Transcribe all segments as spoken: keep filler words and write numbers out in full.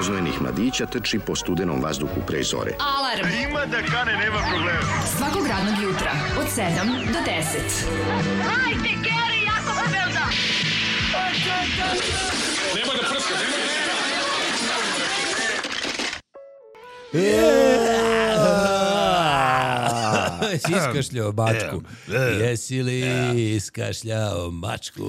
roznojenih mladića trči po studenom vazduhu pre zore. Alarm! Ima da kane, nema problema. Svakog radnog jutra, od sedam do deset. Hajde, Geri, jako se velda! Nema da prska, nema da... Si iskašljao mačku? Jesi li iskašljao mačku?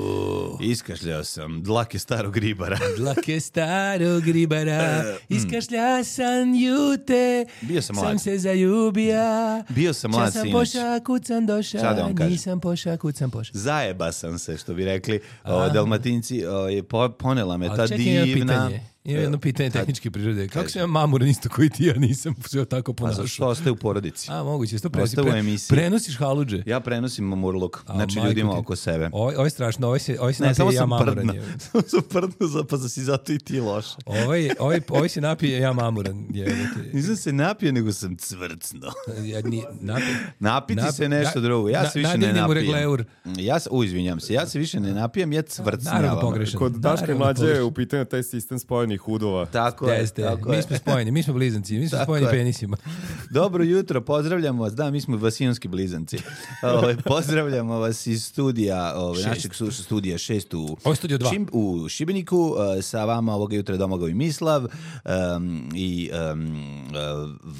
Iskašljao sam dlake starog ribara. Dlake starog ribara, iskašlja sam jute, Bio sam mlad. sam se zaljubija. Bio sam mlad Ča sam sinoć. poša, kucam doša, Šta da vam kažem? nisam poša, kucam poša. Zajeba sam se, što bi rekli o, Dalmatinci. O, je po, ponela me ta Ali čekaj, jedno divna... pitanje. Ima jedno pitanje tehničke prirode. Kako sam ja mamuran isto koji ti, ja nisam sve tako A ponašao? zašto ostaje u porodici? A, moguće, sto prenosi. Ostaje u emisiji. Prenosiš haludže. Ja prenosim mamurluk, A, znači majko ljudima ti. oko sebe. Ovo, ovo je strašno, ovo se, ovo se Ne, napije samo ja sam mamuran. prdno. je. Samo sam prdno, za- pa si zato i ti loš. Ovaj, ovaj, ovaj se napije ja mamuran. Je, Nisam se napio, nego sam cvrcno. ja, ni, napije. Napiti Nap- se nešto na- drugo. Ja na- se više ne nadivni mu napijem. regleur. Ja se, u, izvinjam se, ja se više ne napijem, ja cvrcnjavam. Naravno pogrešan. Kod Daška i Naravno Mlađe je pogrešan. u pitanju taj sistem spojenih hudova. Tako je, Jeste, tako mi je. smo spojeni, mi smo blizanci, mi smo Tako spojeni je. penisima. Dobro jutro, pozdravljamo vas. Da, mi smo vasijonski blizanci. Ove, pozdravljamo vas iz studija, ove, Šest. našeg su- studija šest u, Ovo je studio dva. Šim- u Šibeniku. E, sa vama ovoga jutra Domagoj i Mislav em, i em, e,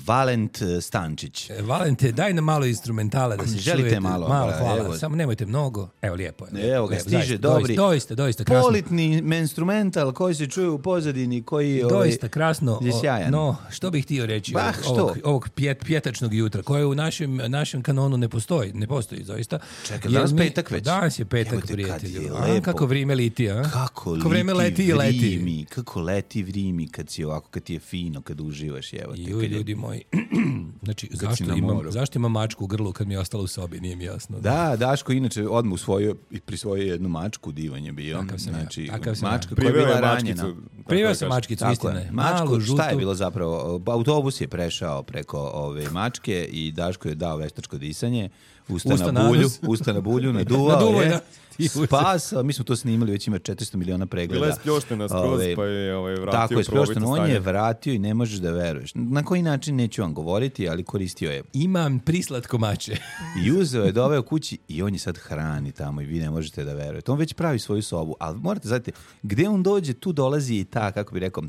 Valent Stančić. E, Valente, daj nam malo instrumentala da se Želite čujete. malo? Malo, Pa, hvala. evo. Samo nemojte mnogo. Evo, lijepo je. Evo ga, Lijepo, stiže zaista, dobri. Doista, doista, doista krasno. Politni instrumental koji se čuje u pozadini, koji ovaj, Doista krasno. je sjajan. No, što bih htio reći Bah, ovog, ovog, što? ovog pjet, pjetačnog jutra, koje u našem, našem kanonu ne postoji, ne postoji zaista. Čekaj, Jer danas mi- petak već? Danas je petak, Jebote, kad prijatelju. je A, lepo. kako vrijeme liti, a? Kako, Kako vreme leti i leti. vrimi, kako leti vrimi kad si ovako, kad ti je fino, kad uživaš, evo te. Ju, kad je- ljudi moji. Znači, si zašto na imam, moru. zašto imam mačku u grlu kad mi je ostalo u sobi, nije mi jasno. Da, Daško inače odmah usvojio i prisvojio jednu mačku, divan je bio. Takav sam ja, znači, takav sam ja. mačka koja je Priveo bila je ranjena. mačkicu. tako Priveo da sam kažem. mačkicu, Tako istina je. je. Mačku, Malu, šta je žutu. bilo zapravo? Autobus je prešao preko ove mačke i Daško je dao veštačko disanje. Usta, Usta na na bulju, nos. usta na bulju, naduvao, Naduvao je, je. da. Ti usta. Spasao, mi smo to snimali, već ima četiristo miliona pregleda. Bila je spljoštena skroz, Ove, pa je ovaj, vratio Tako je, prvobitno spljošteno. On stanje. je vratio i ne možeš da veruješ. Na koji način neću vam govoriti, ali koristio je. Imam prislatko mače. I uzeo je, doveo kući i on je sad hrani tamo i vi ne možete da verujete. On već pravi svoju sobu, ali morate znati, gde on dođe, tu dolazi i ta, kako bi rekao,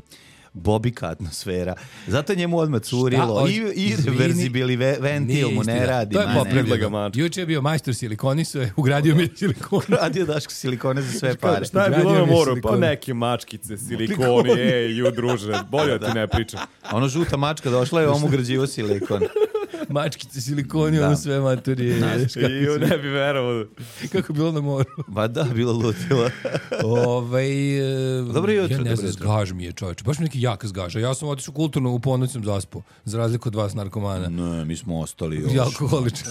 bobika atmosfera. Zato njemu odmah curilo. Šta? I, i Izvini. reverzibili ve- ventil Nije mu ne istina. radi. To je ma ne. Predlaga popravljeno. mačku. Juče je bio majstor silikonisuje, ugradio mi je silikon. Radio Daško silikone za sve pare. Šta je Ugradio bilo na mi je moru? Pa silikon. neke mačkice, silikoni, ej, ju druže, bolje da ti ne pričam. A ono žuta mačka došla je, on mu građivo silikon. Mačkice, silikoni, Da. ono sve maturije. I ju ne bi verovao. Kako je bilo na moru. Ba da, bilo lutilo. Ovaj e, Dobro jutro, ja ne dobro znam, jutro. zgaž mi je čovječe. Baš mi neki jak zgaža. Ja sam otišao kulturno, u ponoć sam zaspao. Za razliku od vas narkomana. Ne, mi smo ostali još. I alkoholičar.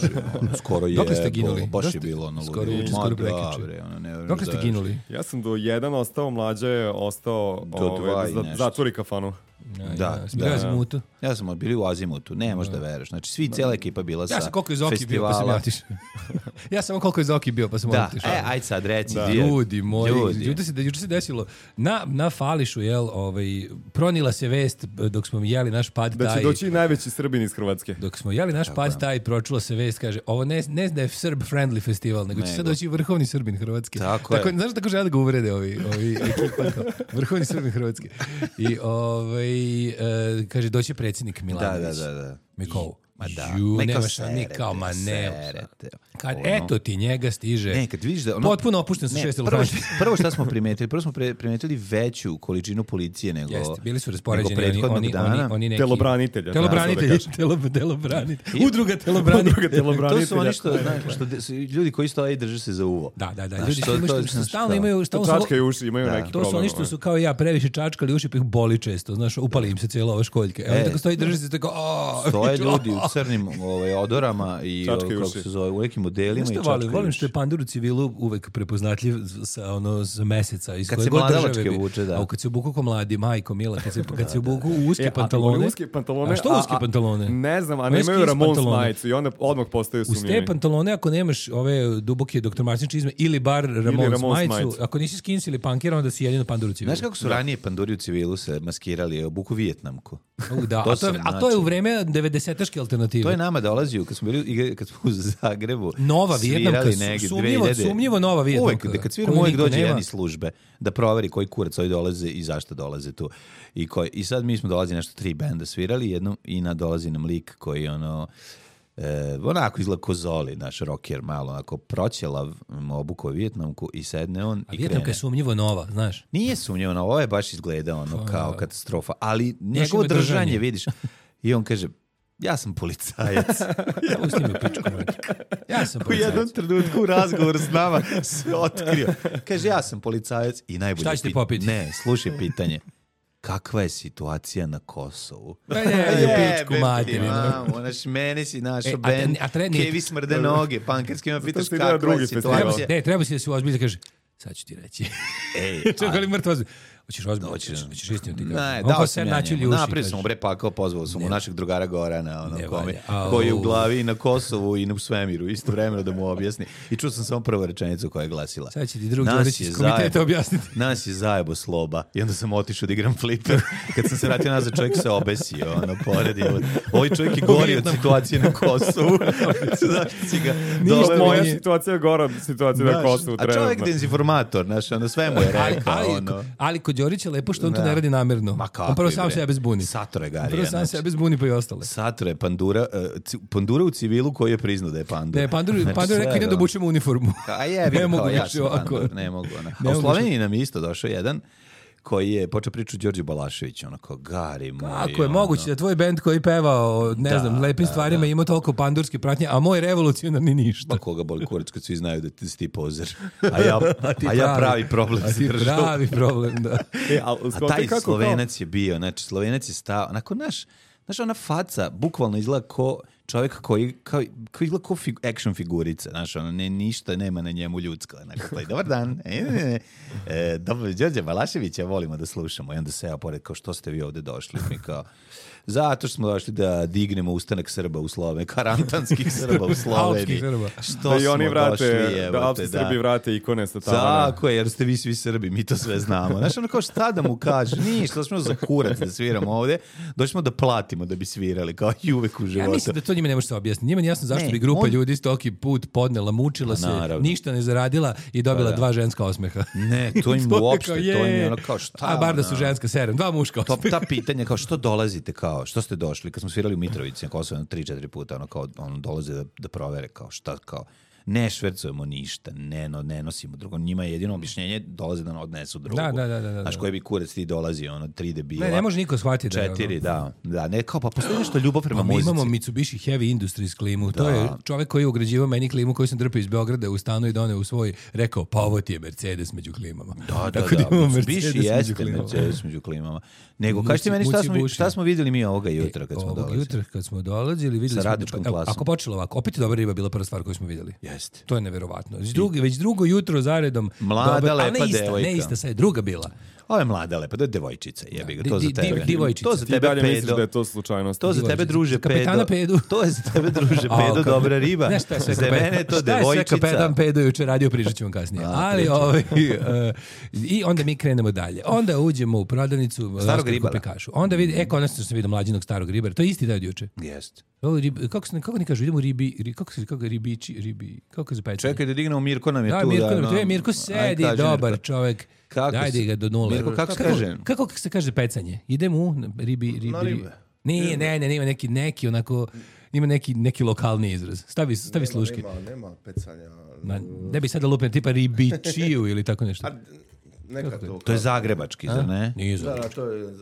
Skoro je. Dokle ste ginuli? Baš je Dosta- bilo ono skoro ludilo. juče, Ma skoro da, prekjuče. bre, ono, ne Dokle ste znaš. ginuli? Ja sam do jedan ostao, Mlađa je ostao Do ovaj, dva da i za- nešto. zatvori kafanu. Ja, Da, ja, sam da. bio azimutu. Ja sam bili u Azimutu, ne možeš da veruješ. Znači, svi, cijela ekipa bila sa Ja sam koliko je Zoki bio, pa sam festivala. ja otišao. Ja sam koliko je Zoki bio, pa sam Da, otišao. e, ajde sad reci. Da. di je- Ljudi moji, Ljudi. juče se, juče se desilo, na, na Fališu, jel, ovaj, pronila se vest dok smo jeli naš pad Da će taj, doći i najveći Srbin iz Hrvatske. dok smo jeli naš pad taj, pročula se vest, kaže, ovo ne, ne da je Srb-friendly festival, nego će Nego. sad doći vrhovni Srbin Hrvatske. Tako je. Znaš tako žele da ga uvrede ovi, ovi ekipa, kao, vrhovni Srbin Hrvatske. I ovaj, e, kaže, doći predsjednik Da, Milanović. da, da, da. Mikovu. Ma da. Ju, Ma kao nema šta, ni serete, kao, ma ne. serete. Kad, Ono. eto ti, njega stiže. Ne, kad vidiš da ono... Potpuno opušten sa Ne, šest prvo, elefanta. prvo šta smo primetili? Prvo smo pre, primetili veću količinu policije nego, Jeste, bili su nego raspoređeni oni, prethodnog oni, dana. oni, oni neki... Telobranitelja. Telobranitelji, tako da telo, telobranitelji. I- Udruga telobranitelja. Udruga telobranitelja. To su oni što, znaš, što de- su ljudi koji stoje i drže se za uvo. Da, da, da. Znaš, Ljudi to- što, imaju to- što, što znaš, stalno to. imaju... To Stalno su- čačkaju uši, imaju Da. neki To problem. su oni što ovaj. su kao ja previše čačkali uši, pa ih boli često, znaš, upali im se cijela ova školjka. Evo E. tako stoji, drži se tako, aaa. Stoje ljudi, crnim ovaj, odorama i Čačkaju kako uši. se zove, u nekim modelima Znaš i što volim? čačkaju Volim uši. što je pandur u civilu uvek prepoznatljiv sa, ono, za meseca. Iz Kad koje se god mladalačke države bi- vuče, da. A kad se obuku ko mladi, majko mila, kad se, kad se obuku u uske E, a pantalone. oni uske pantalone. A što uske a- a- pantalone? Ne znam, a Oni nemaju skins Ramones pantalone. majicu i onda odmah postaju Uz te sumnjivi. pantalone, ako nemaš ove duboke doktor Martin čizme ili bar Ramones, Ramones majicu, majicu. ako nisi skins ili punkir, onda si jedino pandur u civilu. Znaš kako su ranije panduri u civilu se maskirali, obuku vijetnamku. U, da, To a, to je, sam, a to je u znači- vreme devedesetaške alternative. To je nama dolazio, kad smo bili igra- kad smo u Zagrebu. Nova Vijetnamka, svirali su- negdje sumnjivo- dve hiljade sumnjivo nova Vijetnamka, Uvek, kad sviramo, koju uvek niko dođe nema. jedan iz službe da proveri koji kurac ovi dolaze i zašto dolaze tu. I, koji, i sad mi smo dolazi nešto tri benda svirali jednom i na dolazi nam lik koji ono E, onako izgleda ko Zoli, naš rocker, malo onako proćelav, obuko Vijetnamku i sedne on A i Vijetnamka krene. je sumnjivo nova, znaš. Nije sumnjivo, ovo je baš izgleda ono kao katastrofa, ali njegovo ima držanje, držanje. vidiš, i on kaže, ja sam policajac. Pusti mi u pičku, majke. Ja sam U jednom policajac. trenutku u razgovoru s nama se otkrio. Kaže, ja sam policajac i najbolje... Šta ćete pit- popiti? Ne, slušaj pitanje. Kakva je situacija na Kosovu? Pa ne, je u pičku Jebem ti, materinu. mamo, znaš, mene si našao E, a band, te- a tre- nije- Kevi smrde noge, pankerski ima pitaš ste igrali kakva je drugi festival. Treba, situacija. ne, treba si da se ozbilji da kaže, sad ću ti reći. Ej, Čekaj li mrtvo ozbilj. Hoćeš ozbilj, Hoćeš. hoćeš, hoćeš istinu ti Ne, kažem. dao Oko sam se ja načeli njemu. uši. Napravio sam kažeš. mu bre pakao, pozvao sam mu našeg drugara Gorana, ono, Ne kome, valja. Au. koji je u glavi i na Kosovu i u svemiru, isto vremeno da mu objasni. I čuo sam samo prvu rečenicu koja je glasila. Sad će ti drug Nas Đorić je iz komiteta zajebo- objasniti. Nas je zajebo sloba. I onda sam otišao da igram fliper. Kad sam se vratio nazad, čovjek se obesio, ono, pored je. Ovaj čovjek je gori od situacije na Kosovu. Zašto si ga doveo? Moja nije- situacija je gora od situacije na Znaš, Kosovu a čovjek trenutno. dezinformator, znaš, ono, sve mu je Ali, rekao, ali, ono. ali kod Đorića je lepo što on to Da. ne radi namerno. Ma kako On prvo je, sam bre. sebe zbuni. Satore Garija, Prvo sam znači. sebe zbuni pa i ostale. Satore je pandura, uh, ci- pandura u civilu koji je priznao da je pandur. Ne, Pandur, Znači, Pandur je rekao sve, idem da ono. obučem uniformu. A jebi, Ne ne mogu kao, ja više sam ovako. pandur, ne mogu. Ona. Ne A u mogu Sloveniji nam je isto došao jedan koji je počeo priču Đorđe Balašević, ono kao, Gari moj. Kako je ono. moguće da tvoj bend koji peva o, ne Da, znam, lepim da, stvarima da. ima toliko pandurske pratnje, a moj revolucionarni ništa. Ma koga boli kurac kad svi znaju da ti si ti pozer. A ja, a ti ja pravi problem A za ti državu. pravi problem, da. E, a, A taj Slovenac je bio, znači Slovenac je stao, onako naš, znaš ona faca bukvalno izgleda ko čovjek koji, kao, koji izgleda ko fig, action figurica, znaš, ono, ne, ništa nema na njemu ljudsko, onako, taj, dobar dan, e, ne, ne, e, dobro, Đorđe Balaševića volimo da slušamo, i onda se ja pored, kao, što ste vi ovde došli, mi kao, zato što smo došli da dignemo ustanak Srba u Sloveniji, karantanskih Srba u Sloveniji. Alpskih Srba. Što Da i smo oni vrate, došli, da evo alpski te, Srbi vrate ikone sa tavana. tako je, jer ste vi svi Srbi, mi to sve znamo. Znaš, ono kao šta da mu kaže? Ništa, došli smo za kurac da sviramo ovde, došli smo da platimo da bi svirali, kao i uvek u životu. Ja mislim da to njima ne može se objasniti. Njima nije jasno zašto Ne, bi grupa on- ljudi stoki put podnela, mučila se, naravno. ništa ne zaradila i dobila Pa da. dva ženska osmeha. Ne, to im To je uopšte, kao, to im je je. ono kao šta. A bar da su ono, ženska serem, dva muška To, osmeha. ta pitanja kao što dolazite, kao što ste došli, kad smo svirali u Mitrovici na Kosovo jedno tri četiri puta, ono kao ono dolaze da, da provere kao šta, kao ne švercujemo ništa, ne, no, ne nosimo drugo. Njima je jedino objašnjenje dolaze da odnesu drugu. Da, da, da, da, da. Znaš, koji bi kurac ti dolazi, ono, tri debila. Ne, ne može niko shvatiti da je ono. Četiri, da. Da, ne, kao, pa postoji nešto ljubav prema Pa mi muzici. imamo Mitsubishi Heavy Industries klimu. To je čovjek koji je ugrađivao meni klimu koju sam drpio iz Beograda u stanu i doneo u svoj, rekao, pa ovo ti je Mercedes među klimama. Da, da, Tako da. imamo Mitsubishi Mercedes među jeste klimama. Mercedes među klimama. Nego, Muci- kažete meni šta smo, Muci šta smo vidjeli mi ovoga jutra kad smo Ovog dolazili? jutra kad smo dolazili, vidjeli Sa smo... radničkom evo, klasom. Ako počelo ovako, opet je dobra riba bila prva stvar koju smo vidjeli. Jeste. To je neverovatno. Već, drugi, već drugo jutro zaredom... Mlada, dobra- ali lepa ne ista, devojka. Ne ista, sad je druga bila. Ovo je mlada lepa, to je devojčica, jebi ga, Di- to za di- tebe. di- divojčica. To za Ti tebe, dalje misliš pedo. da je to slučajnost. To za tebe, Divojčica. druže, Kapetana pedo. Pedu. To je za tebe, druže, A, pedo, kako- dobra riba. Znaš šta je sve Za kapetan- mene je to šta je sve devojčica. kapetan Pedo juče radio, pričat ću vam kasnije. A, Ali, pričaj. ovaj, uh, i onda mi krenemo dalje. Onda uđemo u prodavnicu Starog Oskar ribara. kupi kašu. Onda vidi, e, konačno sam vidio mlađinog starog ribara. To je isti dan od juče. Jeste. Ovo rib, kako se kako ni kažu, idemo u ribi, ri, kako se kako ribiči, ribi, kako se peče. Čekaj da dignemo, Mirko nam je Da, tu. Mirko, da, nam je tu. no. E, Mirko Aj, sedi, kaži, dobar Mirko. čovek. Kako Dajde se- ga do nule. Mirko, kako se kaže? Kako se kaže pecanje? Idemo u ribi, ribi, Na ribi. ribe. Nije, ne, ne, ima neki, neki onako, ima neki, neki lokalni izraz. Stavi, stavi sluške. Nema, nema pecanja. Ma, ne bi sada lupio tipa ribičiju ili tako nešto. Neka to. To je zagrebački, zar ne? Nije Da, zove. da, to je...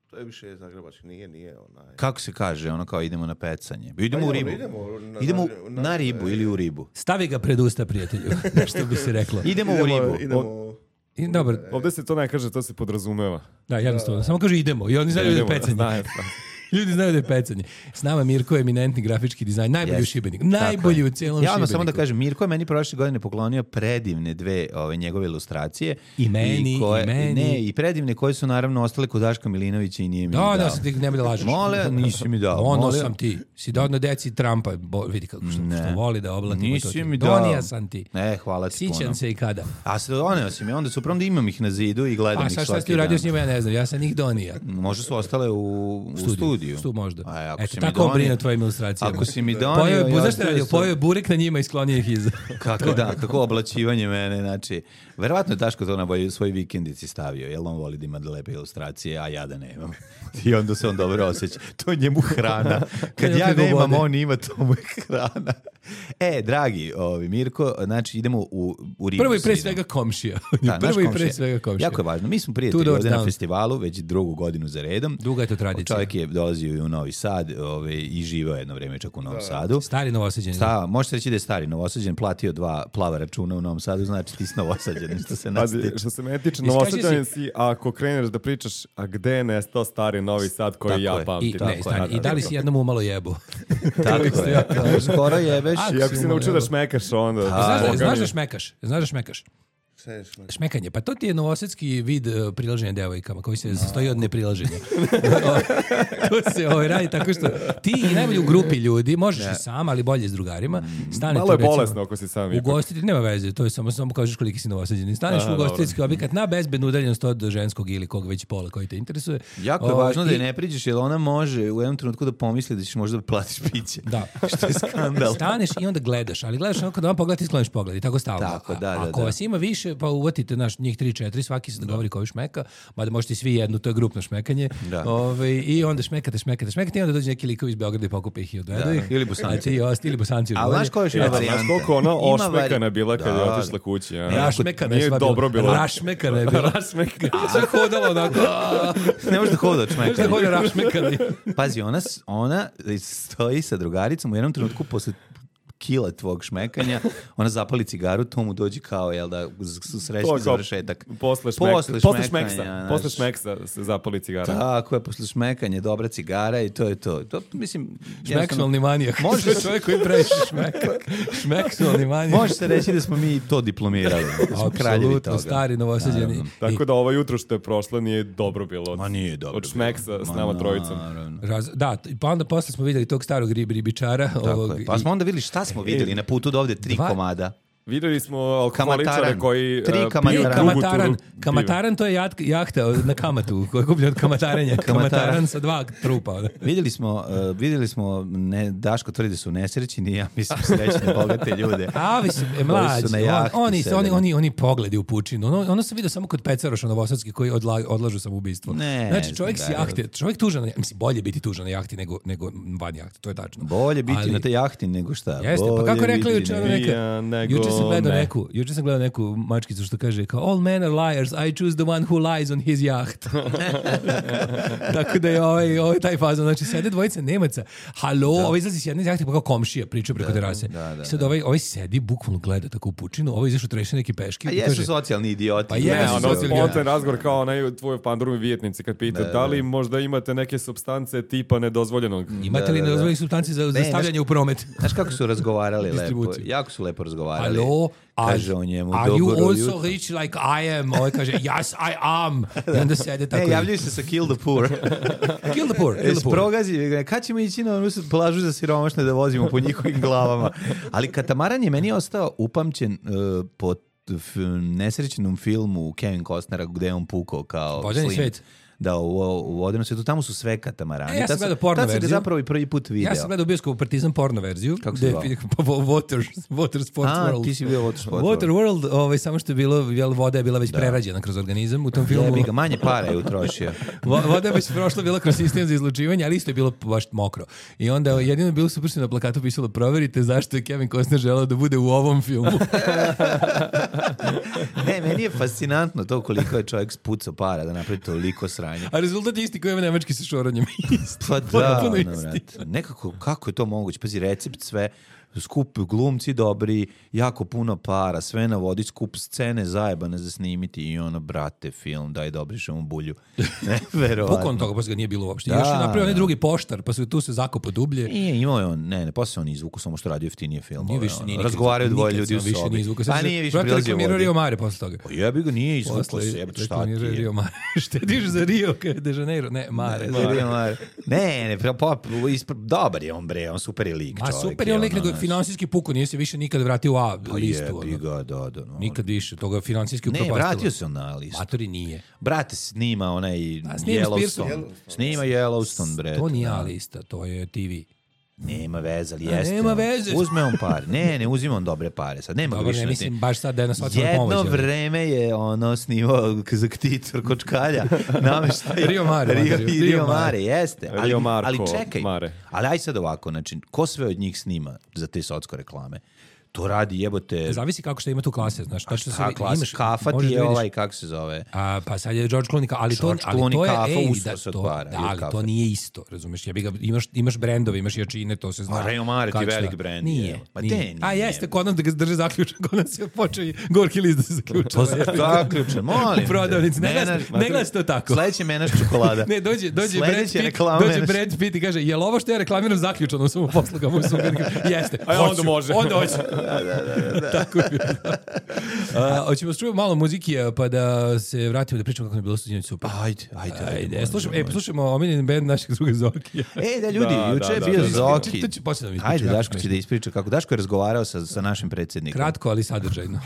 To je više zagrebački, nije, nije onaj... Kako se kaže, ono kao idemo na pecanje? Idemo Pa u idemo, ribu. idemo na- Idemo na- na ribu ili u ribu. Stavi ga pred usta, prijatelju. Što bi se reklo. Idemo u Idemo, ribu. idemo... I, dobar, Ovdje se to ne kaže, to se podrazumeva. da, jednostavno. Samo kaže idemo. I oni znaju da je Idemo, pecanje. znaju, da. Ljudi znaju da je pecanje. S nama Mirko je eminentni grafički dizajn, najbolji Yes. u Šibeniku. Najbolji u cijelom Ja Šibeniku. odmah samo da kažem, Mirko je meni prošle godine poklonio predivne dve ove njegove ilustracije. I meni, koje, i meni. Ne, i predivne koje su naravno ostale kod Daška Milinovića i nije mi Da, dao. da, sam ti nemoj da lažeš. Mole, nisi mi dao. Ono Molim. sam ti. Si dao na deci Trumpa. Bo, vidi kako što, Ne. što voli da oblati. Nisi mi dao. Donija sam ti. Ne, hvala ti puno. Sićam se i kada. A se doneo si mi, onda su prvom da imam ih na zidu i gledam A ih sad šta svaki si ti uradio dan. s njima, ja ne znam. Ja sam njih donija. Možda su ostale u, u studiju. Stu možda. A, ako Eto, si mi tako on donio- brine o tvojim ilustracijama. Ako si mi donio, Pojeo je, ja zašto je tu radio? sam- Pojeo je burek na njima i sklonio ih iza. Kako da, kako oblačivanje mene, znači, verovatno je Daško to na boj- svoj vikendici stavio, jer on voli da ima lepe ilustracije, a ja da nemam. I onda se on dobro osjeća. To je njemu hrana. Kad ja Kako nemam, vode. on ima, to mu je hrana. E, dragi, ovi, Mirko, znači idemo u, u ribu. Prvo i pre s Inom. svega komšija. Da, naš Prvo i pre komšija. svega komšija. Jako je važno. Mi smo Two prijatelji doors ovde na down. festivalu, već drugu godinu za redom. Duga je to tradicija. Čovjek je dolazio i u Novi Sad ove, i živeo jedno vreme čak u Novom Sadu. Stari Novosađeni. Sta, možete reći da je stari Novosađen, platio dva plava računa u Novom Sadu, znači ti si Novosađen, što se nas Pazi, tiče. što se mene tiče, Iskaži Novosađanin si, ako kreneš da pričaš, a gde je nestao stari Novi Sad koji Tako ja je. pamtim? I, Tako ne, je, stani, Da, i da, da li da. si jednom umalo jebu? Tako je. Skoro jebeš. A, I ako si naučio da šmekaš, onda... Znaš, da, Boga znaš mi. da šmekaš? Znaš da šmekaš? Sve šme- Šmekanje, pa to ti je novosadski vid uh, prilaženja devojkama koji se sastoji od neprilaženja. To se ovaj, radi tako što ti i najbolje u grupi ljudi, možeš i sam, ali bolje s drugarima, stanete Malo je recimo, bolesno ako si sam ipak. ugostiti, nema veze, to je samo samo kažeš koliki si novosađeni. Staneš Aha, u ugostiteljski objekat na bezbednu udaljenost od ženskog ili kog već pola koji te interesuje. Jako je O, važno da je i- ne priđeš, jer ona može u jednom trenutku da pomisli da ćeš možda da platiš piće. Da. Što je skandal. Staneš i onda gledaš, ali gledaš onako da vam pogledati i skloniš pogled i tako stalno. Tako, A- da, da, Ako da. vas ima više, pa uvatite naš njih tri četiri, svaki se dogovori koji šmeka, mada možete i svi jednu, to je grupno šmekanje. Da. Ovaj, i onda šmekate, šmekate, šmekate i onda dođe neki likovi iz Beograda i pokupe ih i odvedu Da, ih. ili Bosanci. A ti osti, ili Bosanci. još Ali bolje. znaš koja je još jedna Ja, znaš varijanta? koliko ona Ima ošmekana vari- bila kad je Da, otišla kući? Ja. Rašmekana je Nije sva dobro bila. bilo. Rašmekana je bila. Rašmekana. Sve hodalo onako. a, Ne može da hoda od Znaš da šmekanja. hoda rašmekani. Pazi, ona, s- ona stoji sa drugaricom u jednom trenutku posle kila tvog šmekanja, ona zapali cigaru, to mu dođe kao, jel da, s- To srećni je kao završetak. Posle, šmek, Posle posle, šmekanja, šmeksa. znaš. Posle šmeksa se zapali cigara. Tako je, posle šmekanja, dobra cigara i to je to. To, mislim, jednostavno- Šmeksualni manijak. Može Može se- čovjek koji previše šmeka. Šmeksualni manijak. Može se reći da smo mi to diplomirali. Da smo kraljevi Apsolutno, toga. stari novosađeni. Naravno. Tako da ovo jutro što je prošlo nije dobro bilo. Od, Ma nije dobro Od šmeksa bilo. s Ma nama trojicom. naravno. Raz, da, pa onda posle smo vidjeli tog starog rib, ribičara. Tako ovog, je. Pa smo onda vidjeli šta smo vidjeli na putu do ovde tri Dva- komada. Vidjeli smo alkoholičare Kamataran. koji Tri e, kamataran. piju Nije dugu kamataran, turu kamataran to je jahta, jahta na kamatu, koja je kupljen od kamatarenja. Kamataran sa dva trupa. Vidjeli smo, uh, vidjeli smo ne, Daško tvrdi da su nesrećni, ja mislim srećne bogate ljude. A, vi su e, Koji mlađi, su na on- jahti oni, sedeli. oni, oni, oni pogledi u pučinu. Ono, ono sam vidio samo kod Pecaroša Novosadski koji odla, odlažu samoubistvo. Ne, Znači, čovjek znam s da je- jahte, čovjek tužan, na- mislim, bolje biti tužan na jahti nego, nego van jahte, to je tačno. Bolje biti Ali- na te jahti nego šta. Jeste, pa Bolje kako je rekla biti juče nego- ona neka, Pijan nego juče sam gledao ne. neku, juče sam gledao neku mačkicu što kaže kao all men are liars, I choose the one who lies on his yacht. Tako da je ovaj, ovaj taj fazon, znači sede dvojica Nemaca, halo, ovaj izlazi s jedne jahte pa kao komšija priča preko terase. da, da, I sad ovaj, ovaj sedi, bukvalno gleda tako u pučinu, ovaj izašao treše neke peške. A i jesu kaže, socijalni idioti. Pa Ne, jesu ono socijalni spontan razgovor kao onaj tvoj pandurumi vijetnici kad pita Da, da li da. možda imate neke supstance tipa nedozvoljenog. imate li Da, da, da. nedozvoljenih supstanci za, za Ne, stavljanje u promet? Znaš kako su razgovarali lepo? Distribuciju. Jako su lepo razgovarali. Halo, Kaže on njemu, are you dobro also jutro. rich like I am? Ovaj kaže, yes, I am. I onda sede tako. E, javljaju se sa Kill the Poor. Kill the poor, kill the poor. Progazi, kad ćemo ići na onu plažu za siromašne da vozimo po njihovim glavama. Ali katamaran je meni ostao upamćen uh, po f- nesrećnom filmu Kevin Costnera gde je on pukao kao Vodeni Slim. svet. Da, u, u vodenom svetu, tamo su sve katamarani. E, ja sam Tad gledao porno tad sam ga verziju. zapravo i prvi put video. Ja sam gledao u bioskopu Partizan porno verziju. Kako se gde- zvao? pa, Water, Water Sports A, World. ti si bio Water Sports Water World. World, ovaj, samo što je bilo, jel, voda je bila već prerađena kroz organizam u tom filmu. Jebi ga, manje para je utrošio. Vo- Voda je već prošla bila kroz sistem za izlučivanje, ali isto je bilo baš mokro. I onda jedino je bilo super što je na plakatu pisalo proverite zašto je Kevin Costner želeo da bude u ovom filmu. Ne, meni je fascinantno to koliko je čovjek spucao para da napravi toliko sranja. A rezultat je isti koji ima nemački sa šoranjem. Pa da, ono, vrati. Nekako, kako je to moguće? Pazi, recept sve, skup glumci dobri, jako puno para, sve navodi, skup scene zajebane za snimiti i ono, brate, film, daj da obrišemo bulju. Ne, verovatno. Pokon toga, pa ga nije bilo uopšte. Da, Još je napravio onaj da. drugi poštar, pa su tu se zakopo dublje. Nije, imao je on, ne, ne, posle on izvuku, samo što radio jeftinije film. Nije više, nije nikad- Razgovaraju dvoje nikad ljudi u sam više sobi. nije izvukao. Pa Sad nije se- više brate, prilazio reklamirao vodi. Rio Mare posle toga. Pa jebi ga, nije izvukao Posle se, jebate, šta ti reklamirao je? Rio Mare. Štediš za Rio kada de Janeiro. Ne, Mare. Ne, Rio Mare. Ne, ne, pa, pa, ispred, dobar je on, bre, on super je lik, A čovjek. super je on lik, ono, nego je znaš. finansijski puko, nije se više nikad vratio u A Pa listu. jebi ono. ga, da, da. No. Nikad više, toga finansijski Ne, upropastilo. vratio se on na listu. Matori nije. Brate, snima onaj A, snima Yellowstone. Spearson. Snima Yellowstone, bre. To nije da. A lista, to je T V. Nema veze, ali A, jeste. nema on. veze. Uzme on par. Ne, ne uzima on dobre pare. Sad nema ga Dobro, više ne na mislim tim. baš sad da je na socijalnoj pomoći. Jedno ali- vreme je ono snimao za ktitor kočkalja. Nameštaj. Rio Mare, Rio, Rio- Rio, Rio Mare. Mare, jeste. Ali, Rio Marko ali čekaj. Mare. Ali aj sad ovako, znači, ko sve od njih snima za te socko reklame? To radi jebote... Zavisi kako što ima tu klase, znaš. To što se Ta klasa, imaš, kafa ti možeš je da vidiš- ovaj, kako se zove? A, pa sad je George Clooney, ka- ali to, George ali Clooney to je, kafa, ej, usta da, se to, otvara, da, ili ali kafe. to nije isto, razumeš, ja bi ga, imaš, imaš brendove, imaš jačine, to se zna. A Rio Mare ti Kako velik šta. brend, Nije, je. Ma nije. de, nije. A jeste, kod nas da ga drže zaključan, kod nas je počeo i gorki list da se zaključa. To zaključan, molim. U prodavnici, ne Menaš- gleda- ne gleda se to tako. Sledeće menaš čokolada. Ne, dođe, dođe Brad Sledeće Pitt, reklama dođe menaš- Brad Pitt i kaže, je li ovo što ja reklamiram zaključano u svom poslugama? U svom jeste, A hoću, onda može. Onda hoće. Tako je. A, hoćemo čujemo malo muziki, a, pa da se vratimo da pričamo kako je bilo stuđenje super. Ajde, ajde. Ajde, može, slušamo, može. e, poslušamo omiljeni band našeg druga Zokija. E, da ljudi, Da, juče da, je da, bio da, da. Zoki. To ću poslije da mi ispričam, Ajde, jako Daško će smešno. da ispriča kako. Daško je razgovarao sa, sa našim predsjednikom. Kratko, ali sadržajno.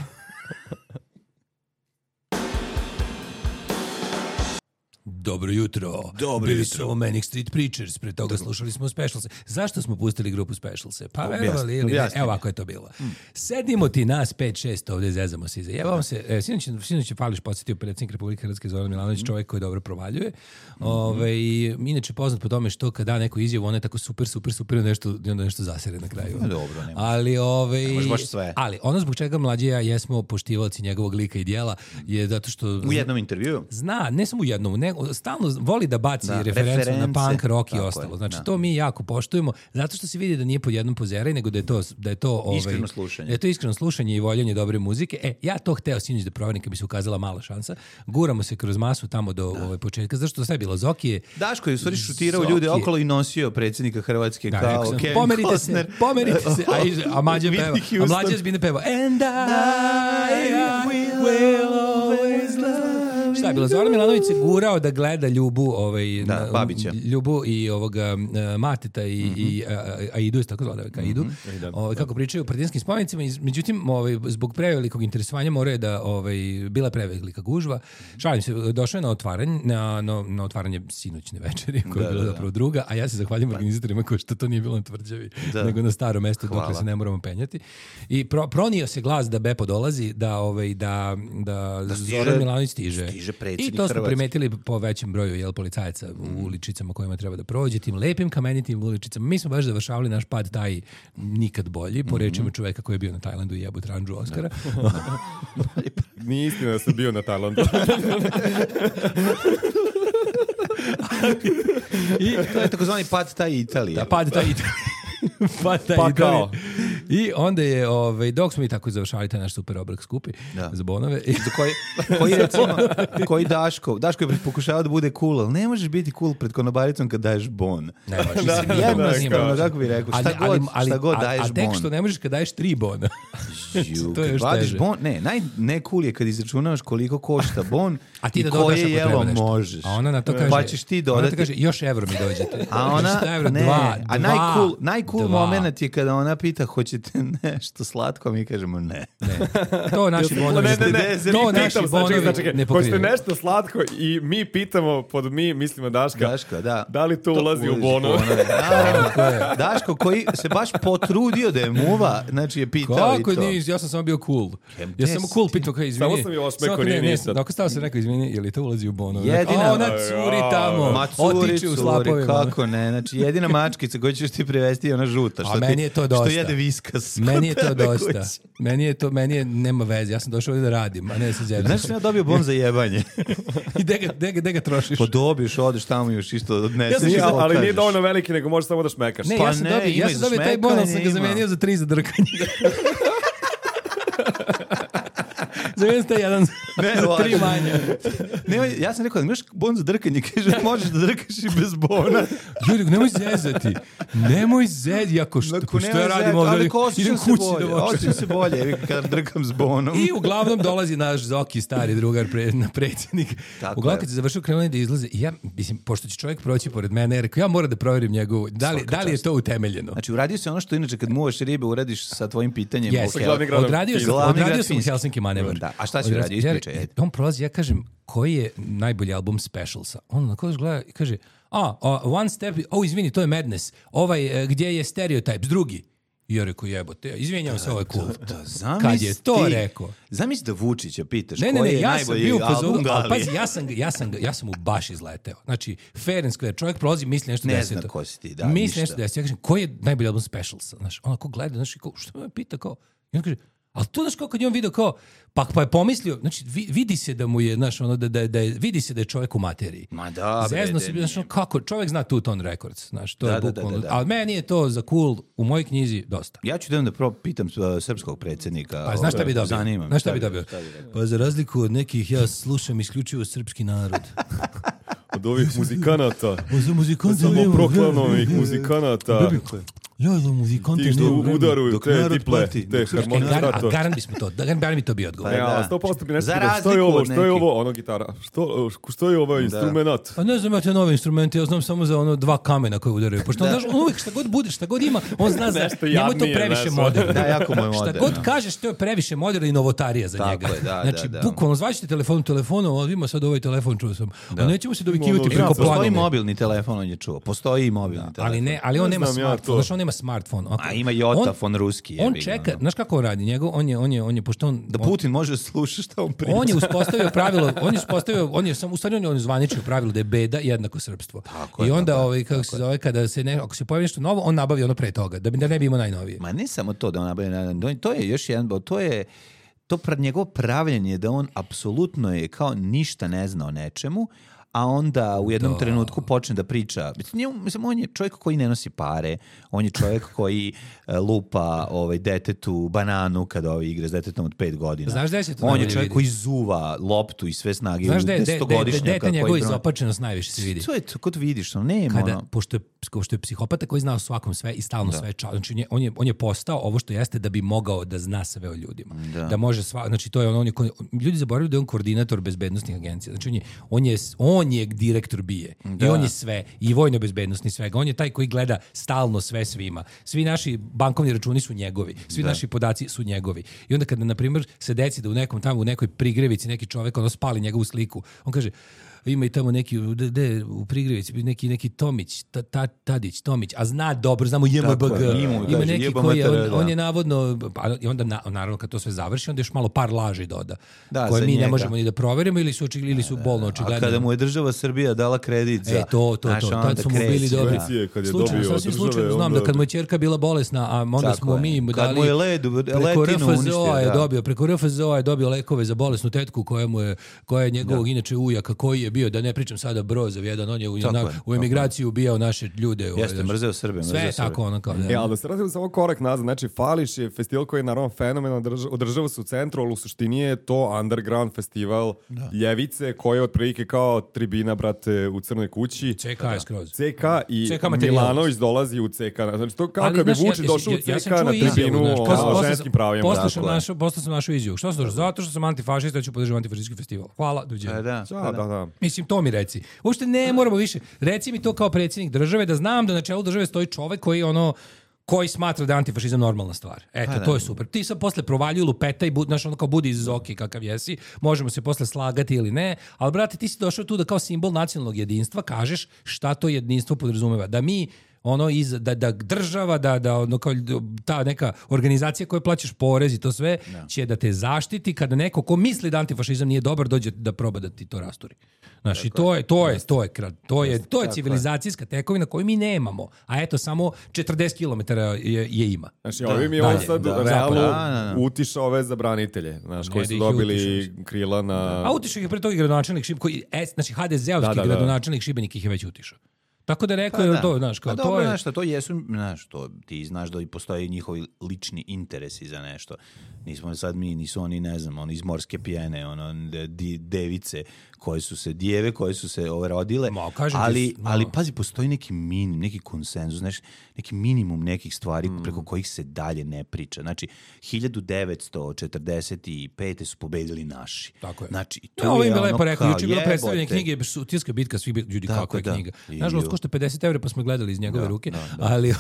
Dobro jutro. Dobro Bili jutro. su Manic Street Preachers, pre toga slušali smo Specialse. Zašto smo pustili grupu Specialse? Pa Objasni, verovali ili ne? objasni Evo mi. ovako je to bilo. Sedimo ti nas pet šest ovdje, zezamo se i zajebamo se. E, sinoć, sinoć je Pališ podsjetio predsjednik Republike Hrvatske Zoran Milanović, čovjek koji dobro provaljuje. Ove, i inače poznat po tome što kada da neku izjavu, ona je tako super, super, super, nešto, i onda nešto zasere na kraju. Dobro, nema. Ali, ove, može baš sve. ali ono zbog čega mlađi i ja jesmo poštivalci njegovog lika i dijela je zato što U jednom intervjuu. zna, ne samo u jednom, nego stalno voli da baci Da, referencu reference, na punk, rock i tako je, ostalo. Znači da. to mi jako poštujemo, zato što se vidi da nije pod jednom pozeraj, nego da je to da je to ovaj Iskreno slušanje. Da je to iskreno slušanje i voljenje dobre muzike. E, ja to hteo sinoć da proverim kad bi se ukazala mala šansa. Guramo se kroz masu tamo do ovaj početka, zašto do sve je bilo Zokije. Daško je u stvari šutirao Zoki. ljude okolo i nosio predsjednika Hrvatske Da, kao rekao sam, Kevin pomerite Costner. se, pomerite se. A, iz- a Mađa Whitney peva. A Houston. Mlađa zbine peva. And I, I will always love. Šta je bilo? Zoran Milanović se gurao da gleda Ljubu, ovaj, Da, na- Babića. Ljubu i ovoga uh, Mateta i, i a, a- Aidu, tako zove, ka Aidu, ovaj, kako pričaju o partijanskim spomenicima. Iz- Međutim, ovaj, zbog prevelikog interesovanja moraju da, ovaj, bila prevelika gužva. Šalim se, došao je na otvaranje, na, na, na otvaranje sinoćne večeri, koja je Da, bila da, da. zapravo druga, a ja se zahvaljujem organizatorima koji što to nije bilo na Tvrđavi, Da. nego na starom mestu Hvala. dok se ne moramo penjati. I pro, pronio se glas da Bepo dolazi, da, ovaj, da, da, stiže- Zoran Milanović stiže. stiže I predsjednik to smo Hrvatske. primetili po većem broju jel, policajaca u uličicama kojima treba da prođe, tim lepim kamenitim uličicama. Mi smo baš završavali naš pad taj nikad bolji, po rečima čoveka koji je bio na Tajlandu i jebu tranđu Oskara. Nije istina da sam bio na Tajlandu. I To je takozvani pad taj Italije. da, pad taj pad taj Pa Italije. kao. I onda je, ovaj, dok smo i tako završavali taj naš super obrok skupi Da. za bonove. I, Za koji, koji recimo, koji Daško, Daško je pokušao da bude cool, ali ne možeš biti cool pred konobaricom kad daješ bon. ne, baš, mislim, da, nije- Jednostavno, nije- kako bi rekao, šta Ali- ali- god, ali- šta god a- daješ A tek bon. što ne možeš kad daješ tri bona. Ju, To je kad još vadiš teže. bon, ne, naj ne cool je kad izračunavaš koliko košta bon A ti i da dodaš koje ako jelo treba nešto. možeš. A ona na to kaže, Pa ćeš ti ona dodati. to kaže, još evro mi dođete. A ona, Šta evro? ne, Dva, a dva, najcool, najcool dva. moment je kada ona pita hoćete nešto slatko, a mi kažemo ne. Ne. To naši bonovi, Ne, ne, ne, to mi naši pitamo, sad, bonovi čekaj, čekaj, ne hoćete pokrivaju. nešto slatko i mi pitamo, pod mi mislimo Daška, Daško, da. da li to ulazi u ulazi bono? bonove. Naravno. Daško koji se baš potrudio da je muva, znači je pitao Kako i to. nije, ja sam samo bio cool. Jem, Ja sam samo cool pitao kao izvini. Samo sam je osmeko, Samo kao, nije ne, ne, ništa. Dok stao se rekao izvini, je li to ulazi u bonove? Jedina- A ona curi tamo, Ma curi, otiče u curi, slapovima. kako ne, znači jedina mačkica koju ćeš ti privesti je ona žuta, što, A meni ti, je to što dosta. jede whisky. Daška s Meni je to tebe dosta. kući. Meni je to, meni je, nema veze. Ja sam došao ovdje da radim, a ne da se džeram. Znaš, sam ja dobio bon za jebanje. I gde ga, gde ga, gde ga trošiš? Pa dobiješ, odeš tamo još isto odneseš. Nije, i ali nije pokažeš. dovoljno veliki, nego možeš samo da šmekaš. Ne, Pa ja sam ne, dobio, ima ja i sam za dobio taj bon, ali sam šmekanje, ga ima. zamenio za tri za drkanje. Zamenio sam taj jedan Ne, za važno. tri manje. Ne, on- ja sam rekao, imaš bon za drkanje, kaže, možeš da drkaš i bez bona. Juri, nemoj zezati. Nemoj zezati. Jako što, Ako što nema ja radim zezati, ovdje? ali ko osjećam Idem se kući bolje, da vočem. osjećam se bolje, evi, kad drkam s bonom. I uglavnom dolazi naš Zoki, stari drugar, pre, na predsjednik. Tako Uglavnom je. kad se završio krenuli da izlaze, i ja, mislim, pošto će čovjek proći pored mene, ja rekao, ja moram da provjerim njegovu, da li, da li je to utemeljeno. Znači, uradio se ono što inače kad muvaš ribe, uradiš sa tvojim pitanjem. Yes. o Hel- Glavni grad Odradio sam, Glavni odradio grad sam Finske. Helsinki manevar. Da, a šta si Odradio- uradio? ja- Ispričaj, ajde. On prolazi, ja kažem, koji je najbolji album Specialsa? On na koga gleda i kaže, a, a, One Step, o, izvini, to je Madness. Ovaj, e, gdje je Stereotypes, drugi. I ja rekao, jebote, izvinjam se, ovo je cool. Zamisli Kad je to ti- rekao? Zamisli da Vučića pitaš Ne, ne, koji ne, je ja sam najbolji bio u album fazonu, ali Galije. pazi, ja sam, ga- ja, sam, ga- ja sam mu baš izleteo. Znači, fair and square, čovjek prolazi, misli nešto Ne deseto. zna ko si ti, da, Misli ništa. nešto deseto. Ja kažem, koji je najbolji album Specialsa? Znaš, onako gleda, znaš, i kao, što me pita, kao, i on kaže, ali to, znaš, kao kad je on vidio, kao, pa, pa je pomislio, znači, vi- vidi se da mu je, znaš, ono, da, da, da je, vidi se da je čovjek u materiji. Ma da, bre, Zezno da se, nije. znaš, ono, kako, čovjek zna Two Tone Records, znaš, to Da, je da, da, bukvalno, da, da. ali meni je to za cool, u mojoj knjizi, dosta. Ja ću da da pro pitam uh, srpskog predsjednika. Pa znaš šta bi dobio? Zanima me. Znaš šta bi dobio? Pa za razliku od nekih, ja slušam isključivo srpski narod. Od ovih muzikanata. Za muzikante Samo proklamovih muzikanata. Ja za muzikante Ti što nemam vremena. udaruju Dok te narod diple, plati, te dok srpski E, gar, a harmonizator. garant bismo to, da, garant bi to bio odgovor. E, Pa ali da. sto posto bi nešto Za pitao, što je razliku ovo, od što je nekih. ovo, ono gitara, što, što je ovaj instrument? Pa ne znam ja te nove instrumente, ja znam samo za ono dva kamena koje udaraju. Pošto on, znaš, on uvijek šta god bude, šta god ima, on zna za, Nešto njemu je to jadnije, previše znaš. moderno. Da, jako mu je Šta moderno. god kažeš, to je previše moderno i novotarija za Tako njega. je, da, znači, da, da. bukvalno zvaćete telefon telefonom, ali ima sad ovaj telefon, čuo sam. A nećemo se dovikivati Ono, preko Ima, postoji planove. mobilni telefon, on je čuo. Postoji i mobilni telefon. Ali ne, ali on Ne nema znam ja smartfon. to. Znaš, on nema smartfon. A ima Jotafon ruski. On jebi ga, čeka, ono. znaš kako on radi? Njegov, on je, on je, on je, pošto on... Da on- Putin može da sluša šta on priča. On je uspostavio pravilo, on je uspostavio, on je sam u stvari on je zvaničio pravilo da je beda jednako srpstvo. Tako I je, onda tako je, ovaj kako se zove kada se ne ako se pojavi nešto novo, on nabavi ono pre toga, da bi da ne bi imao najnovije. Ma ne samo to da on nabavi, na- na- to je još jedan, to je to pra, njegovo pravljenje da on apsolutno je kao ništa ne zna o nečemu, a onda u jednom trenutku počne da priča. Mislim, njemu- mislim, on je čovjek koji ne nosi pare, on je čovjek koji e, lupa ovaj, detetu bananu kada ovaj igre s detetom od pet godina. Znaš gde se to On je najbolje čovjek vidi? koji zuva loptu i sve snage Znaš u da je desetogodišnjaka dete koji njegova bron- izopačenost najviše se vidi. To je to, kod vidiš, ono, nema Kada, ono. pošto je, pošto je psihopata koji zna o svakom sve i stalno sve ča, znači on je, on je, on je postao ovo što jeste da bi mogao da zna sve o ljudima. Da, može sva, znači to je on, on je, ko- ljudi zaboravljaju da je on koordinator bezbednosnih agencija. Znači on je, on je, on je direktor bije. I on je sve, i vojno bezbednosni svega. On je taj koji gleda stalno sve svima. Svi naši bankovni računi su njegovi. Svi naši podaci su njegovi. I onda kada, na primjer, se desi da u nekom tamo, u nekoj prigrevici neki čovek ono spali njegovu sliku, on kaže, ima i tamo neki, de, de, u Prigrevici, neki, neki Tomić, ta, ta, Tadić, Tomić, a zna dobro, znamo J M B Tako G. je, ima, Ima kaže, neki jeba koji je, mater, on, da. on je navodno, pa, i onda na, naravno kad to sve završi, onda još malo par laži doda, Da, koje za mi ne njega. možemo ni da proverimo ili su, očigledno, ili su bolno A očigledno. kada mu je država Srbija dala kredit za... E, to, to, znaš, to, onda tad su mu kreće, bili dobri. Subvencije kad je Slučajno, dobio od sasvim države, slučajno znam onda- da kad mu je ćerka bila bolesna, a onda Tako smo je. mi mu Kad dali... mu je led, preko letinu R F Z uništio, O je da. dobio, preko R F Z O je dobio lekove za bolesnu tetku koja mu je, koja je njegovog inače ujaka koji je bio, da ne pričam sada Brozov jedan, on je u, Tako na, je, u tako emigraciji ubijao naše ljude. ovaj, Jeste, znaš. mrzeo Srbe, Sve mrzeo je Srbe. tako ono kao da. E, ali da se radimo samo korak nazad, znači Fališ je festival koji je naravno fenomenal, drž- održava se u centru, ali u suštini je to underground festival ljevice koja je otprilike kao tribina, brate, u Crnoj kući. C K je skroz. C K i C K materijal. Milanović dolazi u C K. Znači to kao Ali, kad bi znaš, Vučić ja- došao ja- u ja C sam K čuo na izjavu, tribinu znaš, o posle- o posle ženskim sam- pravima. Posle sam Tako je. našao, posle sam našao izjavu. Što sam zato što sam antifašista, ja ću podržati antifašistički festival. Hvala, doviđenja. E, da. Da, da, da. Mislim, to mi reci. Uopšte ne moramo više. Reci mi to kao predsjednik države, da znam da na čelu države stoji čovek koji ono koji smatra da je antifašizam normalna stvar. Eto, to je super. Ti sad posle provaljuju lupeta i bud, znaš, ono kao budi iz Zoki kakav jesi, možemo se posle slagati ili ne, ali brate, ti si došao tu da kao simbol nacionalnog jedinstva kažeš šta to jedinstvo podrazumeva. Da mi ono iz, da, da država, da, da ono, kao, ta neka organizacija koja plaćaš porez i to sve, da. će da te zaštiti kada neko ko misli da antifašizam nije dobar, dođe da proba da ti to rasturi. Znači, to je, to je, to je, to je, to je civilizacijska tekovina koju mi nemamo, a eto, samo četrdeset kilometara je, je ima. Znači, ovim je on sad da, realno da, da, da. utišao ove za branitelje, znaš, koji su dobili krila na... A utišao ih pre toga gradonačelnik Šibenik, koji, znači, ha de ze-ovski da, da, da. gradonačelnik Šibenik ih je već utišao. Tako da rekao je da. to, znaš, kao a to dobro, je... Znaš, to jesu, znaš, to ti znaš da i postoje njihovi lični interesi za nešto. Nismo sad mi, nisu oni, ne znam, oni iz morske pijene, ono, di, device koje su se, dijeve koje su se ove rodile, Ma, ali, ti, no. ali pazi, postoji neki minim, neki konsenzus, znaš, neki minimum nekih stvari mm. preko kojih se dalje ne priča. Znači, hiljadu devetsto četrdeset pete su pobedili naši. Tako je. Znači, to no, je, je ono lepo rekao, juče je bilo predstavljanje knjige Sutilska bitka, svi ljudi tako kako je da. knjiga. Nažalost, košta pedeset evra, pa smo gledali iz njegove da, ruke, da, da. ali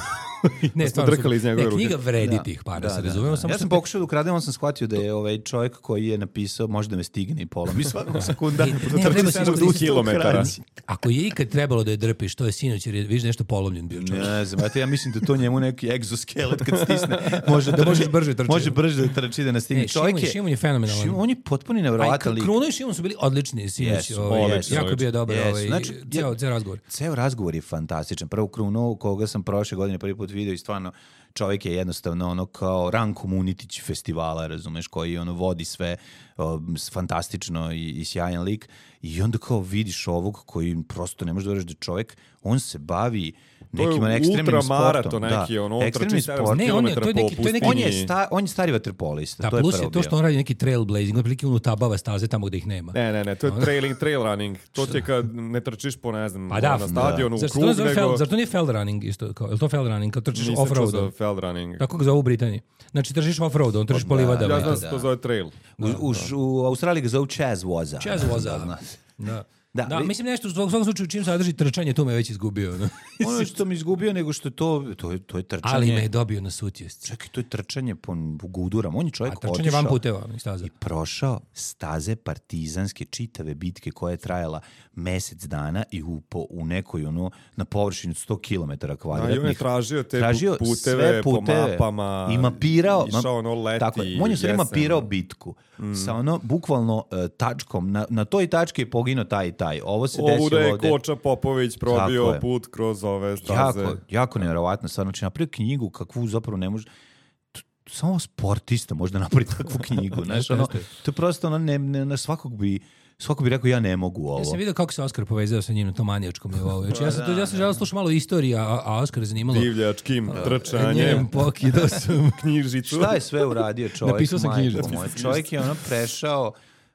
ne, smo drkali iz njegove ruke. Knjiga vredi tih para, da, se da, razumemo. Da. Ja sam pokušao da ukradem, on sam shvatio da je ovaj čovjek koji je napisao, možda me stigne i pola. Mi svakog sekunda trči sedamsto kilometara. Ako je ikad trebalo da je drpiš, to je sinoć, jer je viš nešto polomljen bio čovjek. Ne znam, ja mislim da to njemu neki egzoskelet kad stisne, može da možeš brže trčati. Može brže da trči da nastigne. Ne, Šimun, je, Šimun je fenomenalan. Šimun, on je potpuno nevjerovatan lik. Kruno i Šimun su bili odlični sinoć. Yes, ovaj, yes, jako yes, bio dobar yes. ovaj, znači, ceo, ceo razgovor. Ceo razgovor je fantastičan. Prvo Kruno, koga sam prošle godine prvi put video i stvarno čovjek je jednostavno ono kao Ran Komunitić festivala, razumeš, koji ono vodi sve o, fantastično i, i sjajan lik i onda kao vidiš ovog koji prosto ne može da veriš da čovjek, on se bavi nekim ekstremnim sportom. Neki, da, ono, ekstremni sport. Ne, on je, to je neki, to je neki... On je, sta, on je stari vaterpolista. Da, to je plus prvo je to što on radi neki trailblazing, otprilike on utabava staze tamo gde ih nema. Ne, ne, ne, to je trailing, trail running. To ti je kad ne trčiš po, ne znam, pa da, na stadionu, da. u krug, nego... Fel, zar to nije feld running isto? Kao, je li to feld running? Kad trčiš Nisam off-road? Nisam čuo za feld running. Tako ga zove u Britaniji. Znači, trčiš off-road, on trčiš po livadama. Ja znam se to zove trail. U, u, u Australiji ga zove Chaz Woza. Chaz Woza, da. Da, da, vi... mislim nešto u svakom slučaju čim sadrži trčanje, tu me već izgubio. No. Ono što mi izgubio, nego što to, to, je, to je trčanje. Ali me je dobio na sutjesci. Čekaj, to je trčanje po gudurama. On je čovjek otišao. A trčanje van puteva i staza. I prošao staze partizanske čitave bitke koja je trajala mesec dana i u, po, u nekoj, ono, na površini od sto kilometara kvadratnih. Da, i on je tražio te tražio puteve, puteve po mapama. I mapirao. Išao ono leti. Tako je. On je sve mapirao bitku. Mm. Sa ono, bukvalno uh, tačkom. Na, na toj tački je poginuo taj i taj. Ovo se desilo ovdje. Ovdje je Koča Popović probio put kroz ove staze. Jako, jako nevjerovatno. Stvarno, znači, napravio knjigu kakvu zapravo ne može... Samo sportista može da napravi takvu knjigu. Znaš, ono, to je prosto ono, ne, ne, ne, svakog bi... Svako bi rekao, ja ne mogu ovo. Ja sam vidio kako se Oskar povezao sa njim na tom manijačkom nivou. Znači, ja sam, to, ja sam želeo slušati malo istorije, a, a Oskar je zanimalo... Divljačkim trčanjem. Njem pokidao sam knjižicu. Šta je sve uradio čovjek? Napisao sam knjižicu. Čovjek je ono prešao,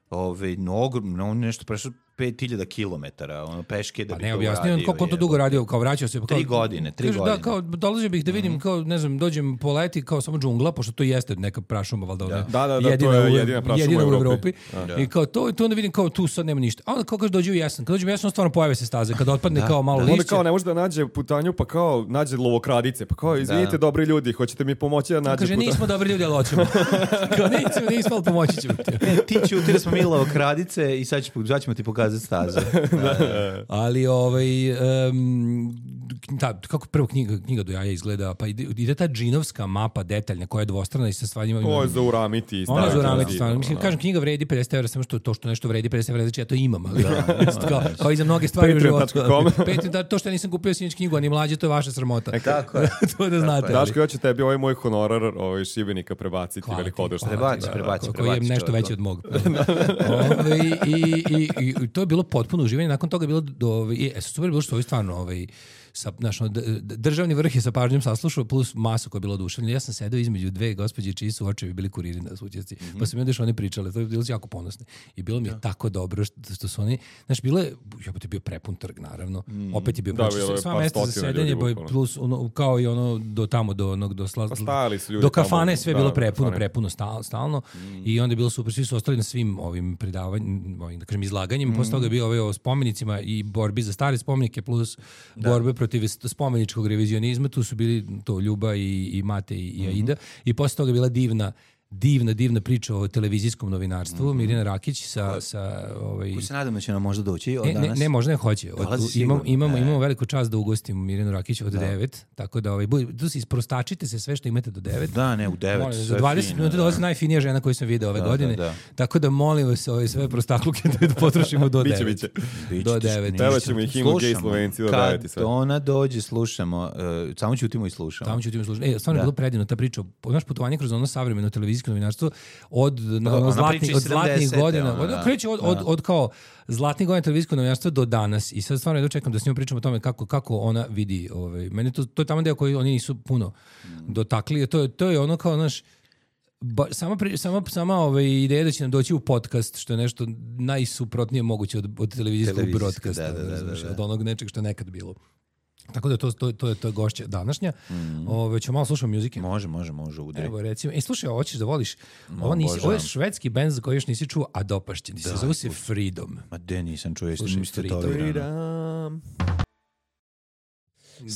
ovaj, ogromno, on nešto prešao pet hiljada kilometara, ono, peške da pa bi ne, to objasnio, uradio. Kako on to dugo radio, kao vraćao se... Kao, tri godine, tri kaže, godine. Da, kao, dolazio bih da vidim, mm-hmm. kao, ne znam, dođem po leti, kao samo džungla, pošto to jeste neka prašuma, valjda, da. Da, da, da, jedina, to je jedina prašuma jedina u Evropi. Evropi. Da. I kao to, to onda vidim, kao tu sad nema ništa. A onda kao kaže, dođe u jesen. Kad dođem u jesen, stvarno pojave se staze, kad otpadne da, kao malo da. lišće. Onda kao ne može da nađe putanju, pa kao nađe lovokradice, pa kao, izvinite, da. dobri ljudi, hoćete mi pomoći da nađe kaže, putanju? nismo dobri ljudi, ali hoćemo. Kao, nismo, nismo, ali pomoći ćemo ti. Ti ćuti da smo mi lovokradice i sad ćemo ti pokazati staze. Ali ovaj um, ta, kako prvo knjiga, knjiga do jaja izgleda, pa ide, ide ta džinovska mapa detaljna koja je dvostrana i sa stvarima. Ovo je za uramiti. Ona je za uramiti stvarno. Mislim, kažem, knjiga vredi pedeset evra, samo što to što nešto vredi pedeset evra, znači ja to imam, ali da, kao, kao i za mnoge stvari u životu. Patreon, to što ja nisam kupio sinoć knjigu, a ni mlađe, to je vaša sramota. E, tako je. To da znate. Daško, ja ću tebi ovaj moj honorar ovaj Šibenika prebaciti velikodušno. Prebaci, prebaci, koji je nešto veći od mog. I to je bilo potpuno uživanje. Nakon toga je bilo do e, super bilo što je stvarno ovaj sa naš državni vrh je sa pažnjom saslušao plus masu koja je bila oduševljena. Ja sam sedeo između dve gospođe čiji su očevi bili kuriri na svućaci. Mm-hmm. Pa su mi onda što oni pričale, to je bilo jako ponosni. I bilo mi je ja. tako dobro što, što su oni, znaš, bilo je, jebote, bio prepun trg, naravno. Mm. Opet je bio da, prepun. Sva mesta za sedenje, plus ono, kao i ono do tamo, do onog, do, sla, pa do kafane, sve je bilo prepuno, kafane. prepuno stalno. stalno. Mm. I onda je bilo super, svi su ostali na svim ovim predavanjima, ovim, da kažem, izlaganjima. Mm. Posle toga je bio ovaj o spomenicima i borbi za stare spomenike, plus da. borbe protiv spomeničkog revizionizma. Tu su bili to Ljuba i, i Mate i, i Aida. Mm-hmm. I posle toga je bila divna divna, divna priča o televizijskom novinarstvu, mm-hmm. Mirjana Rakić sa... sa ovaj... Ko se nadam da će nam možda doći od ne, danas? Ne, ne, možda ne hoće. Od, imamo, imamo, e. imamo veliku čast da ugostimo Mirjanu Rakić od devet, tako da ovaj, tu se isprostačite se sve što imate do devet. Da, ne, u devet. Molim, za dvadeset minuta dolazi najfinija žena koju sam video ove da, godine, da, da. tako da molim vas ove sve prostakluke da potrošimo do devet. Biće, biće. Do devet. Pevat ćemo ih imu gej Slovenci do devet i sve. Kad ona dođe, slušamo, uh, samo ćutimo i slušamo. Samo ćutimo i slušamo. E, stvarno je bilo predivno ta priča, naš putovanje kroz ono savremeno televizijsko novinarstvo od, na, ono zlatni, od zlatnih godina, od, od, kreće od, od, od kao zlatnih godina televizijskog novinarstva do danas i sad stvarno ja dočekam da s njom pričam o tome kako, kako ona vidi. Ovaj, meni to, to je tamo deo koji oni nisu puno dotakli, to, to je ono kao naš Ba, sama, pri, sama, sama ove ideja da će nam doći u podcast, što je nešto najsuprotnije moguće od, od televizijskog broadcasta, da, da, da, da. od onog nečeg što je nekad bilo. Tako da to, to, to, je, to je gošća današnja. Mm. Ove, ćemo malo slušati muzike. Može, može, može. Udri. Evo recimo, e, slušaj, hoćeš da voliš, No, ovo, nisi, ovo je švedski bend za koji još nisi čuo, a dopašće ti se, zove se Freedom. Ma de, nisam čuo, Slušaj, niste to Freedom. virano.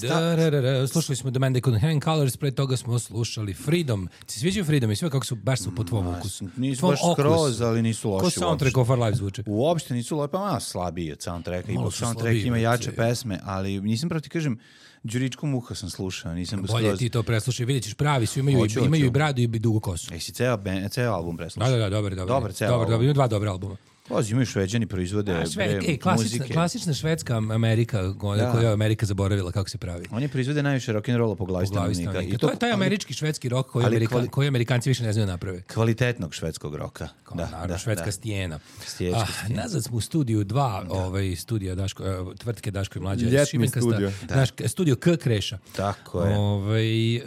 Da, da, da, da. Slušali smo The Man They Couldn't Hang Colors, pre toga smo slušali Freedom. Ti sviđaju Freedom i sve kako su, baš su po tvom ukusu. Nisu baš skroz, ali nisu loši. Ko soundtrack of Our Lives zvuče? Uopšte nisu loši, pa malo slabiji od soundtracka. Ipak soundtrack ima jače pesme, ali nisam pravo ti kažem, Đuričku muha sam slušao, nisam skroz... Bolje ti to preslušaj, vidjet ćeš pravi su, imaju, Hoću, i, imaju hoću. i bradu i dugu kosu. Jesi ceo, ben, ceo album preslušao? Da, da, da, dobar, dobar. Dobar, ceo dobar, album. dobar, imaju dva dobra albuma. Pazi, imaju Šveđani proizvode A, sve, bre, ej, klasična, muzike. klasična švedska Amerika, koju Da. je Amerika zaboravila kako se pravi. Oni proizvode najviše rock'n'rolla po glavi Po glavi stanovnika. stanovnika. I To je taj američki švedski rock koji, ali Amerika, kvali- koji Amerikanci više ne znaju naprave. Kvalitetnog švedskog roka. Kao, Da, naravno, da, švedska da. stijena. Stiječka Ah, stijena. nazad smo u studiju dva, ovaj, studija Daško, uh, tvrtke Daško i Mlađa. Ljetni Šibenkasta, studio. Daš, studio K Kreša. Tako je. Ovaj, uh,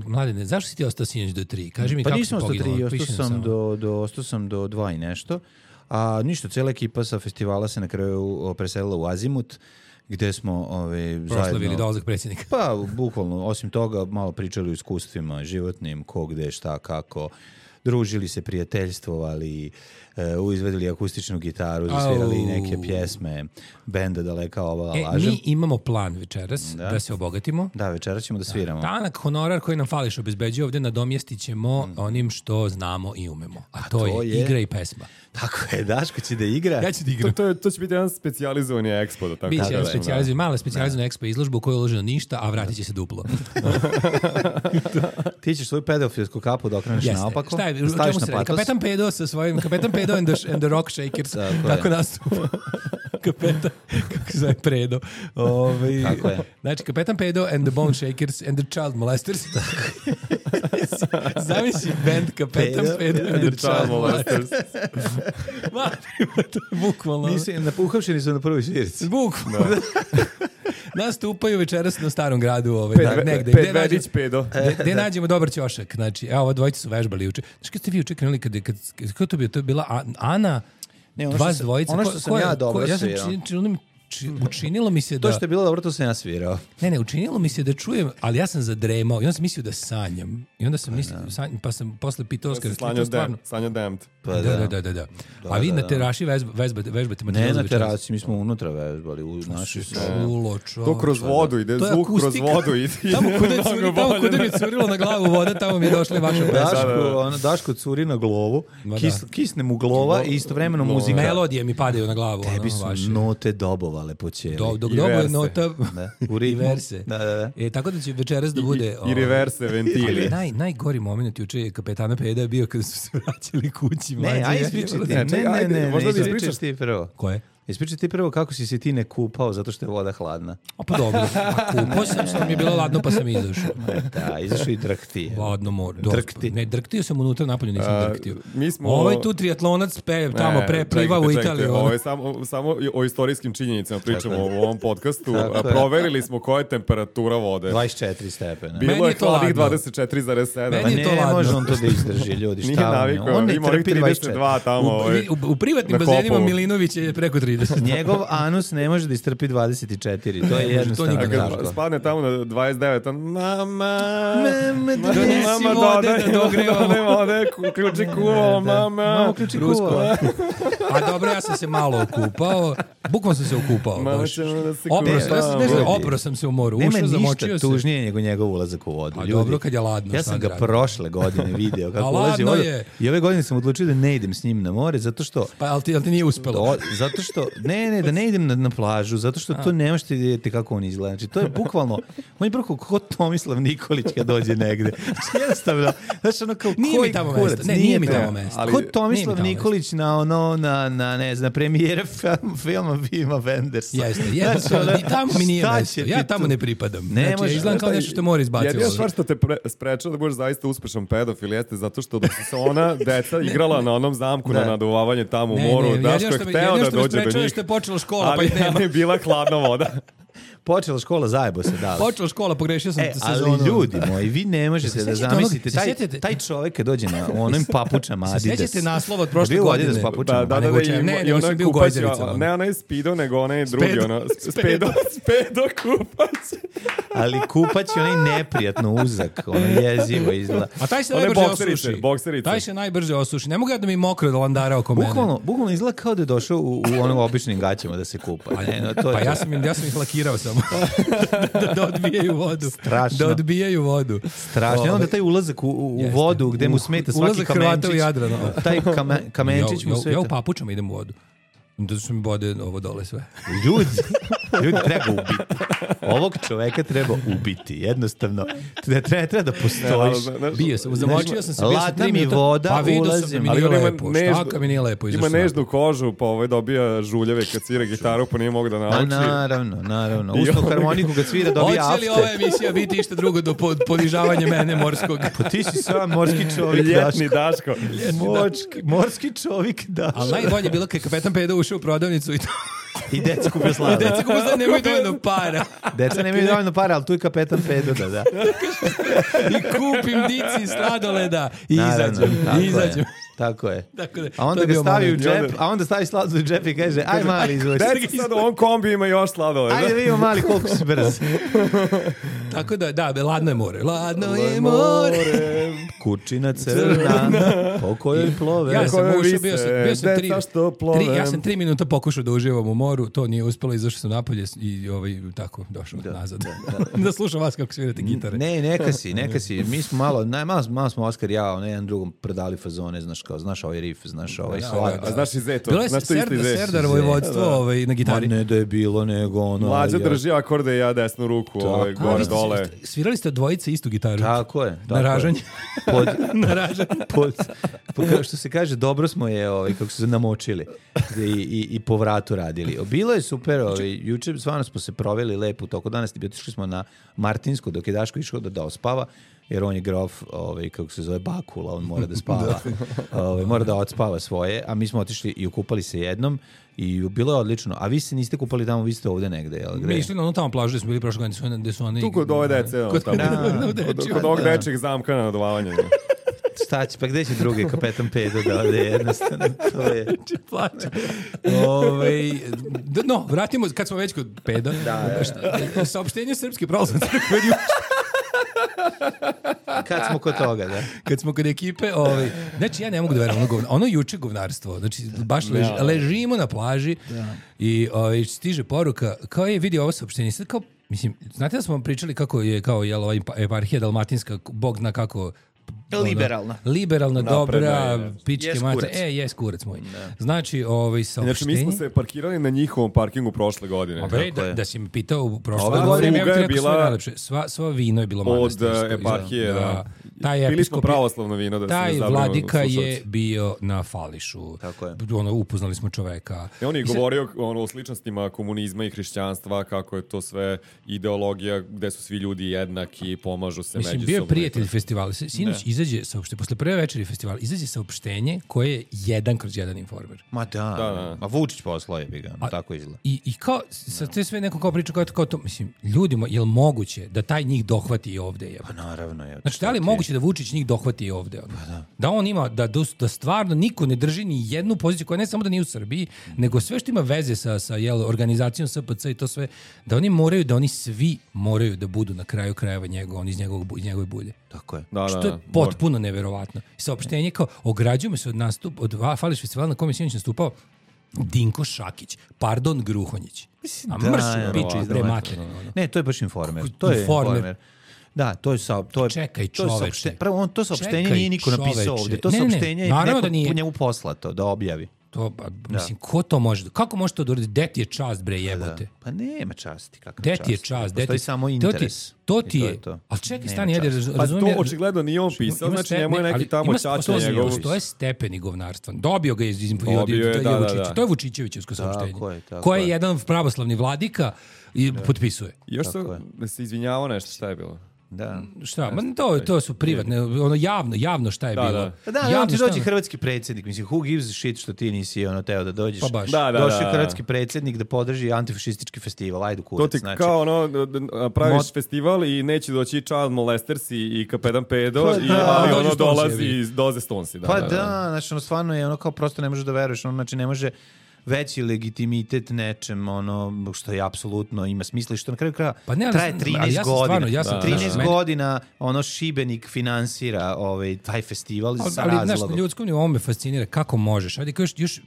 Mladene, zašto si ti ostao sinoć do tri? Kaži mi Pa kako nisam si ostao poginuo. tri, ostao Piši nam sam, samo. do, do, ostao sam do dva i nešto. A ništa, cijela ekipa sa festivala se na kraju o, preselila u Azimut, gde smo ove, Proslavili zajedno... dolazak predsjednika. Pa, bukvalno, osim toga, malo pričali o iskustvima životnim, ko, gde, šta, kako. Družili se, prijateljstvovali, uh, izvedili akustičnu gitaru, zasvirali Au. neke pjesme, benda Daleka ova E, laža. mi imamo plan večeras da, Da. se obogatimo. Da, večera ćemo da sviramo. Tanak honorar koji nam fališ obezbeđuje ovdje nadomjestit ćemo onim što znamo i umemo. A to, to je, je- igra i pesma. Tako je, Daško će da igra. Ja ću ti To, igram. to, je, to će biti jedan specijalizovani ekspo. Da tako Biće kažem, da. specijalizovan, mala specijalizovana ekspo izložba u kojoj je uloženo ništa, a vratit će se duplo. Ti ćeš svoju pedofilsku kapu da okreneš Jeste. naopako. Šta je, da o staviš čemu na se radi? patos. Kapetan Pedo sa svojim, Kapetan Pedo and the, and the Rock Shakers. Tako je. Tako nastupa. Kapetan, kako se zove Predo. Ove, Tako je. Znači, Kapetan Pedo and the Bone Shakers and the Child Molesters. Zamisli band Kapetan Pedo Pedo and the Child Molesters. Ma, to je bukvalno. Mislim, napuhavšeni su na prvoj svirici. Bukvalno. Nastupaju večeras na Starom gradu, ovaj, Ped, da, ve- negde. ped Gde nađemo- vedić pedo. Gde, gde nađemo dobar ćošak? Znači, evo, ovo dvojice su vežbali juče. Znači, kad ste vi juče krenuli, kad, kad, kad, kad to bio? To je bila A- Ana, Ne, ono što vas sam- dvojica. ono Ko- što sam ko je- ja ko- dobro Ja sam svirao. čin, činilo mi, či- učinilo mi se da... To što je bilo dobro, to sam ja svirao. Ne, ne, učinilo mi se da čujem, ali ja sam zadremao i onda sam mislio da sanjam. I onda sam mislio, sanjam, pa sam posle pitao Oskar, Slanjo Dem, Slanjo Demt. Pa Da, da, da, da, da. A vi da, na da. teraši vežba, vežbate, vežbate materijal Ne za na večeras? terasi, mi smo unutra vežbali u našoj sobi. Ulo, To čovječe. kroz vodu ide, To je zvuk kroz akustika. vodu ide. Tamo kuda je Mnogo curi, tamo bolje. kuda mi je curilo na glavu voda, tamo mi je došla i vaša pesma. Daško, ono, Daško curi na glovu, Ma da. kis, kisne mu glova i istovremeno muzika. Melodije mi padaju na glavu. Tebi ono, su vaše. note dobovale po cijeli. Do, dok I dobu je verse. nota Da, u i ritmu. verse. Da, da, da. E, tako da će večeras da bude... I, i reverse Ali ventili. naj, najgori moment juče je kapetana Peda bio kada su se vraćali kući. Ne, mlađe. aj ispričaj ti. Ne, Ne, čekaj, ne, ajde, ne, ne, možda da ispričaj ispričaš ti prvo. Ko je? Ispričaj ti prvo kako si se ti ne kupao zato što je voda hladna. O, pa dobro. A kupao sam, sam mi je bilo ladno pa sam izašao. Da, izašao i drhti. Ladno more. Drkti. Ne, drktio sam unutra, napolju nisam A, drktio. mi smo- Ovaj tu triatlonac pe, tamo Ne, pre pliva čekajte, u čekajte, Italiju. Ovo ono. je samo, samo o istorijskim činjenicama pričamo Tako u ovom podcastu. Tako A je. proverili smo koja je temperatura vode. dvadeset četiri stepena. Meni Bilo je je to hladnih ladno. dvadeset četiri zarez sedam. Meni Pa je to ne ladno. može on to da izdrži, ljudi. Nije Šta on je? navikao, On ne ima ovih trpi trideset dvadeset dva četiri. tamo. ovaj, U, u privatnim na bazenima Kopovu. Milinović je preko trideset. Njegov anus ne može da istrpi dvadeset četiri. To je to jednostavno nikad A ne kad tako. spadne tamo na dvadeset devet, on, mama, Mama, donesi mama, vode dodaj- da dogrevamo." dodaj vode, ku- ključi kuvo, mama. Mamo, ključi Rusko. kuva. A dobro, ja sam se malo okupao. Bukvalno sam se okupao. Malo baš. ćemo da se Opro, kupamo. ja sam, nešto, Ljudi. opro sam se u moru. Nema Ušao, ništa zamočio se. tužnije nego njegov ulazak u vodu. A Ljudi, dobro kad je ladno, Ja šta sam da ga radim? prošle godine video kako A ulazi u ladno vodu. je. I ove godine sam odlučio da ne idem s njim na more, zato što... Pa, ali ti, ali ti nije uspelo. O, zato što, ne, ne, da ne idem na, na plažu, zato što to ne možete vidjeti kako on izgleda. Znači, to je bukvalno, on je prvo ko Tomislav Nikolić kad dođe negde. Znači, jednostavno, znači, ono kao, Nije mi koji tamo kurac, mesto. Ne, nije mi to. tamo mesto. Ali, Ko ko Tomislav nije mi tamo Nikolić na ono, na, na, ne znam, na premijere film, filma Vima Wendersa. Jeste, jeste, Znači, ono, i tamo mi nije šta mesto. će Ja ti tamo tu? ne pripadam. Ne Znači, može. ja izgledam kao nešto što mora izbaciti. Jedina stvar što te pre, sprečava da budeš zaista uspešan pedofil jeste zato što dok su se ona deca igrala na onom zamku Da. na naduvavanje tamo u Ne, moru, ne, Daško jedino je što me- hteo jedino da što me dođe do sprečava je njih. što je počela škola, pa ali ih nema. je bila hladna voda. Počela škola, zajebo se dala. Počela škola, pogrešio sam E, sezonu. ali ljudi moji, vi ne možete da sjećate onog- zamislite, se taj, sjećate- taj čovjek kad dođe na onim papučama Se Adidas. sjećate naslova od prošle Bio u godine? Adidas papučama. Da, da, Pa da, nego da, čemu? i, Ne, i nego onaj sam bio u kupac, Gojzericama. ne onaj Speedo, nego onaj drugi, Speedo. ono, Speedo, Speedo kupac. Ali kupać je onaj neprijatno uzak, ono jezivo izgleda. A taj se One najbrže bokserice, osuši. bokserice. Taj se najbrže osuši. Ne mogu ja da mi mokro do landara oko mene. Bukvalno, bukvalno izgleda kao da je došao u, u onim običnim gaćama da se kupa. Ne, no, to je Pa to. ja sam, im- ja sam ih lakirao samo. da, da odbijaju vodu. Strašno. Da odbijaju vodu. Strašno. I onda Ovaj, taj ulazak u, u, u Jeste. vodu gde mu U- smeta svaki ulazak Hrvata u kamenčić. Jadran, ono. Taj kame, kamenčić ja, mu ja, smeta. ja u papučama idem u vodu. Da su mi bode ovo dole sve. Ljudi, ljudi treba ubiti. Ovog čoveka treba ubiti. Jednostavno. Ne treba, treba da postojiš. Bio sam, zamočio sam se, bio sam Ladna tri mi minuta. voda, Pa vidio sam da ulazim. mi Ali nije on ima lepo. nežnu- Šta kad mi nije lepo? Ima izašao sam nežnu kožu, pa ovaj dobija žuljeve kad svira gitaru, pa nije mogu da A nauči. naravno, naravno. I Usnu ovaj- harmoniku kad svira dobija Hoće li after. ova emisija biti išta drugo do pod- ponižavanja mene morskog? Pa ti si sam morski čovjek, Ljetni Daško. Daško. Morski, morski čovjek, Daško. Ali najbolje je bilo kad je kapetan Pedo ušao u prodavnicu i to. I deca kupio slave. Deca kako znam nemaju dovoljno para. Deca nemaju dovoljno para, ali tu je kapetan Pedo, da, da. I kupim dici sladoleda. I Naravno, izađem. tako I je, izađem. Tako je. Tako da, A to onda je ga bio stavi u moment. džep, a onda stavi sladoled u džep i kaže, aj mali, izvuči. Deca sad u ovom kombi ima još sladoleda. Ajde vidimo mali koliko si brz. Tako da, da, be, ladno je more. Ladno je more. Kučina crna, po kojoj plove. Ja sam Koje ušao, bio sam, bio sam tri, deca što plove. tri, ja sam tri minuta pokušao da uživam u moru, to nije uspelo, izašao sam napolje i ovaj, tako, došao nazad. Da, slušam vas kako svirate gitare. Ne, neka si, neka si. Mi smo malo, naj, malo, malo smo Oskar i ja, ono jedan drugom predali fazone, znaš kao, znaš ovaj riff, znaš ovaj slag. A znaš i Zeto? Bilo je Znaš to isto i Serdar, Zet? Serdar vojvodstvo ovaj, na Ma gitari. ne da je bilo, nego ono... Mlađa ja- drži akorde i ja desnu ruku, ovaj, A, gore, vi ste- dole. Svirali ste dvojice istu gitaru? Tako je. Tako Na je. ražanje. Pod, Na ražanje. pod, pod, kao što se kaže, dobro smo je, ovaj, kako su se namočili i, i, i po vratu radili. Bilo je super, ovaj, juče stvarno smo se proveli lepo u toku danas, otišli smo na Martinsku dok je Daško išao da, da ospava, jer on je grof, ovaj, kako se zove, Bakula, on mora da spava, ovaj, mora da odspava svoje, a mi smo otišli i okupali se jednom i bilo je odlično. A vi se niste kupali tamo, vi ste ovde negde, jel? Mi išli na onu tamo plažu gde smo bili prošle godine, gde su- gde su oni... Tu kod ove dece, ono, Kod- tamo. Da, Kod, dečija, kod ovog da. dečeg zamka na naduvavanje. Šta će, pa gde će drugi kapetan Pedo da ode, jednostavno, to je... plaća. Ovaj, d- no, vratimo, kad smo već kod peda, da, šta, saopštenje Srpske pravoslavne crkve juče, Kad smo kod toga, da. kad smo kod ekipe, ovaj, znači ja ne mogu da verujem, ono, govna, ono juče govnarstvo, znači baš lež, ležimo na plaži i ovaj, stiže poruka, kao je vidi ovo saopštenje, sad kao, mislim, znate da smo vam pričali kako je, kao je ova eparhija dalmatinska, Bog zna kako, Liberalna. Liberalna, Napredna dobra, je. pičke Jes mater. kurac. E, jes kurac moj. Znači, ovaj, saopštenje... Znači, mi smo se parkirali na njihovom parkingu prošle godine. A bre, Tako da, je. da si me pitao u prošle Ova godine, ja bih pruga ti je rekao sve bila najlepše. Sva, sva vino je bilo Od manastirsko. eh, eparhije, da. Taj Bili smo episkop, pravoslavno vino, da se ne taj zabrinu vladika je slušalci. bio na fališu. Tako je. Ono, upoznali smo čoveka. I on je I sad- govorio ono, o sličnostima komunizma i hrišćanstva, kako je to sve ideologija gde su svi ljudi jednaki, pomažu se Mislim, međusobno. bio je prijatelj festivala. Sinoć izađe saopštenje, posle prve večeri festivala, izađe saopštenje koje je jedan kroz jedan informer. Ma da, Da, da. ma Vučić poslao je bi ga, tako izgleda. I, i kao, sa te sve neko kao priča kao, kao to, mislim, ljudima, je li moguće da taj njih dohvati i ovde? Je? Pa naravno je. Znači, da li je moguće da Vučić njih dohvati i ovde? Ono? Da. da on ima, da, da stvarno niko ne drži ni jednu poziciju koja ne samo da nije u Srbiji, nego sve što ima veze sa, sa jel, organizacijom S P C i to sve, da oni moraju, da oni svi moraju da budu na kraju krajeva njegov, on iz, njegovog, iz njegove bulje. Tako je. Da, da, Što je da. potpuno neverovatno. I saopštenje kao, ograđujemo se od nastup, od Fališ festivala na kojem je sinoć nastupao, Dinko Šakić, pardon Gruhonjić. A Da, mrši ne, piče iz ne, bre ne, mater. Ne, to je baš informer. To je Informer. informer. Da, to je sa to je Čekaj, to je čoveče. saopšte- Prvo on to saopštenje Čekaj, nije niko napisao čoveče. ovdje. To Ne, ne, ne, saopštenje je naravno neko da nije. po njemu poslato da objavi. To, pa, mislim, ko to može? Kako može to da uradi? Gde ti je čast, bre, Da. jebote? Pa nema časti, kakva Gde čast. ti je čast? Gde Postoji ti- samo to ti- interes. To I ti to je. je to. Ali čekaj, Nema stani, ajde, časti. raz- Pa razumijem. to očigledno nije on pisao, Ima znači ste- njemu je ne, neki ali tamo ima- ćaća postoji- njegov. Postoje stepeni govnarstva. Dobio ga iz, iz, Dobio od- je, to, da, da, Vučić- da. to je Vučićevićevsko saopštenje. Tako je, tako koje je. jedan pravoslavni vladika i potpisuje. Još Tako su, je. da se izvinjavao nešto, šta je bilo? Da. Šta? Ma to, to su privatne, ono javno, javno šta je Da, bilo. da. Pa da, Javno javno ti šta dođe ono- hrvatski predsjednik, mislim, who gives a shit što ti nisi ono teo da dođeš. Pa baš. Da, da, Došao je da. hrvatski predsjednik da podrži antifašistički festival, ajde To kurac. ti znači, kao ono, d- d- praviš Mot- festival i neće doći Child Molesters i, i Kapetan Pedo, Pa i, da, ali dođu ono Stonesi, dolazi jebi. iz doze Stonesi. Da, Pa da, da, da. znači ono stvarno je ono kao prosto ne možeš da veruješ, ono znači ne može veći legitimitet nečem, ono što je apsolutno ima smisla i što na kraju kraja Pa ne, ali traje sam- trinaest ali ja sam godina. stvarno, ja sam- Da, trinaest da. godina ono Šibenik finansira ovaj taj festival Ali, sa ali znaš, na razlogom. ljudskom nivou me fascinira kako možeš. Ajde, kao još, još,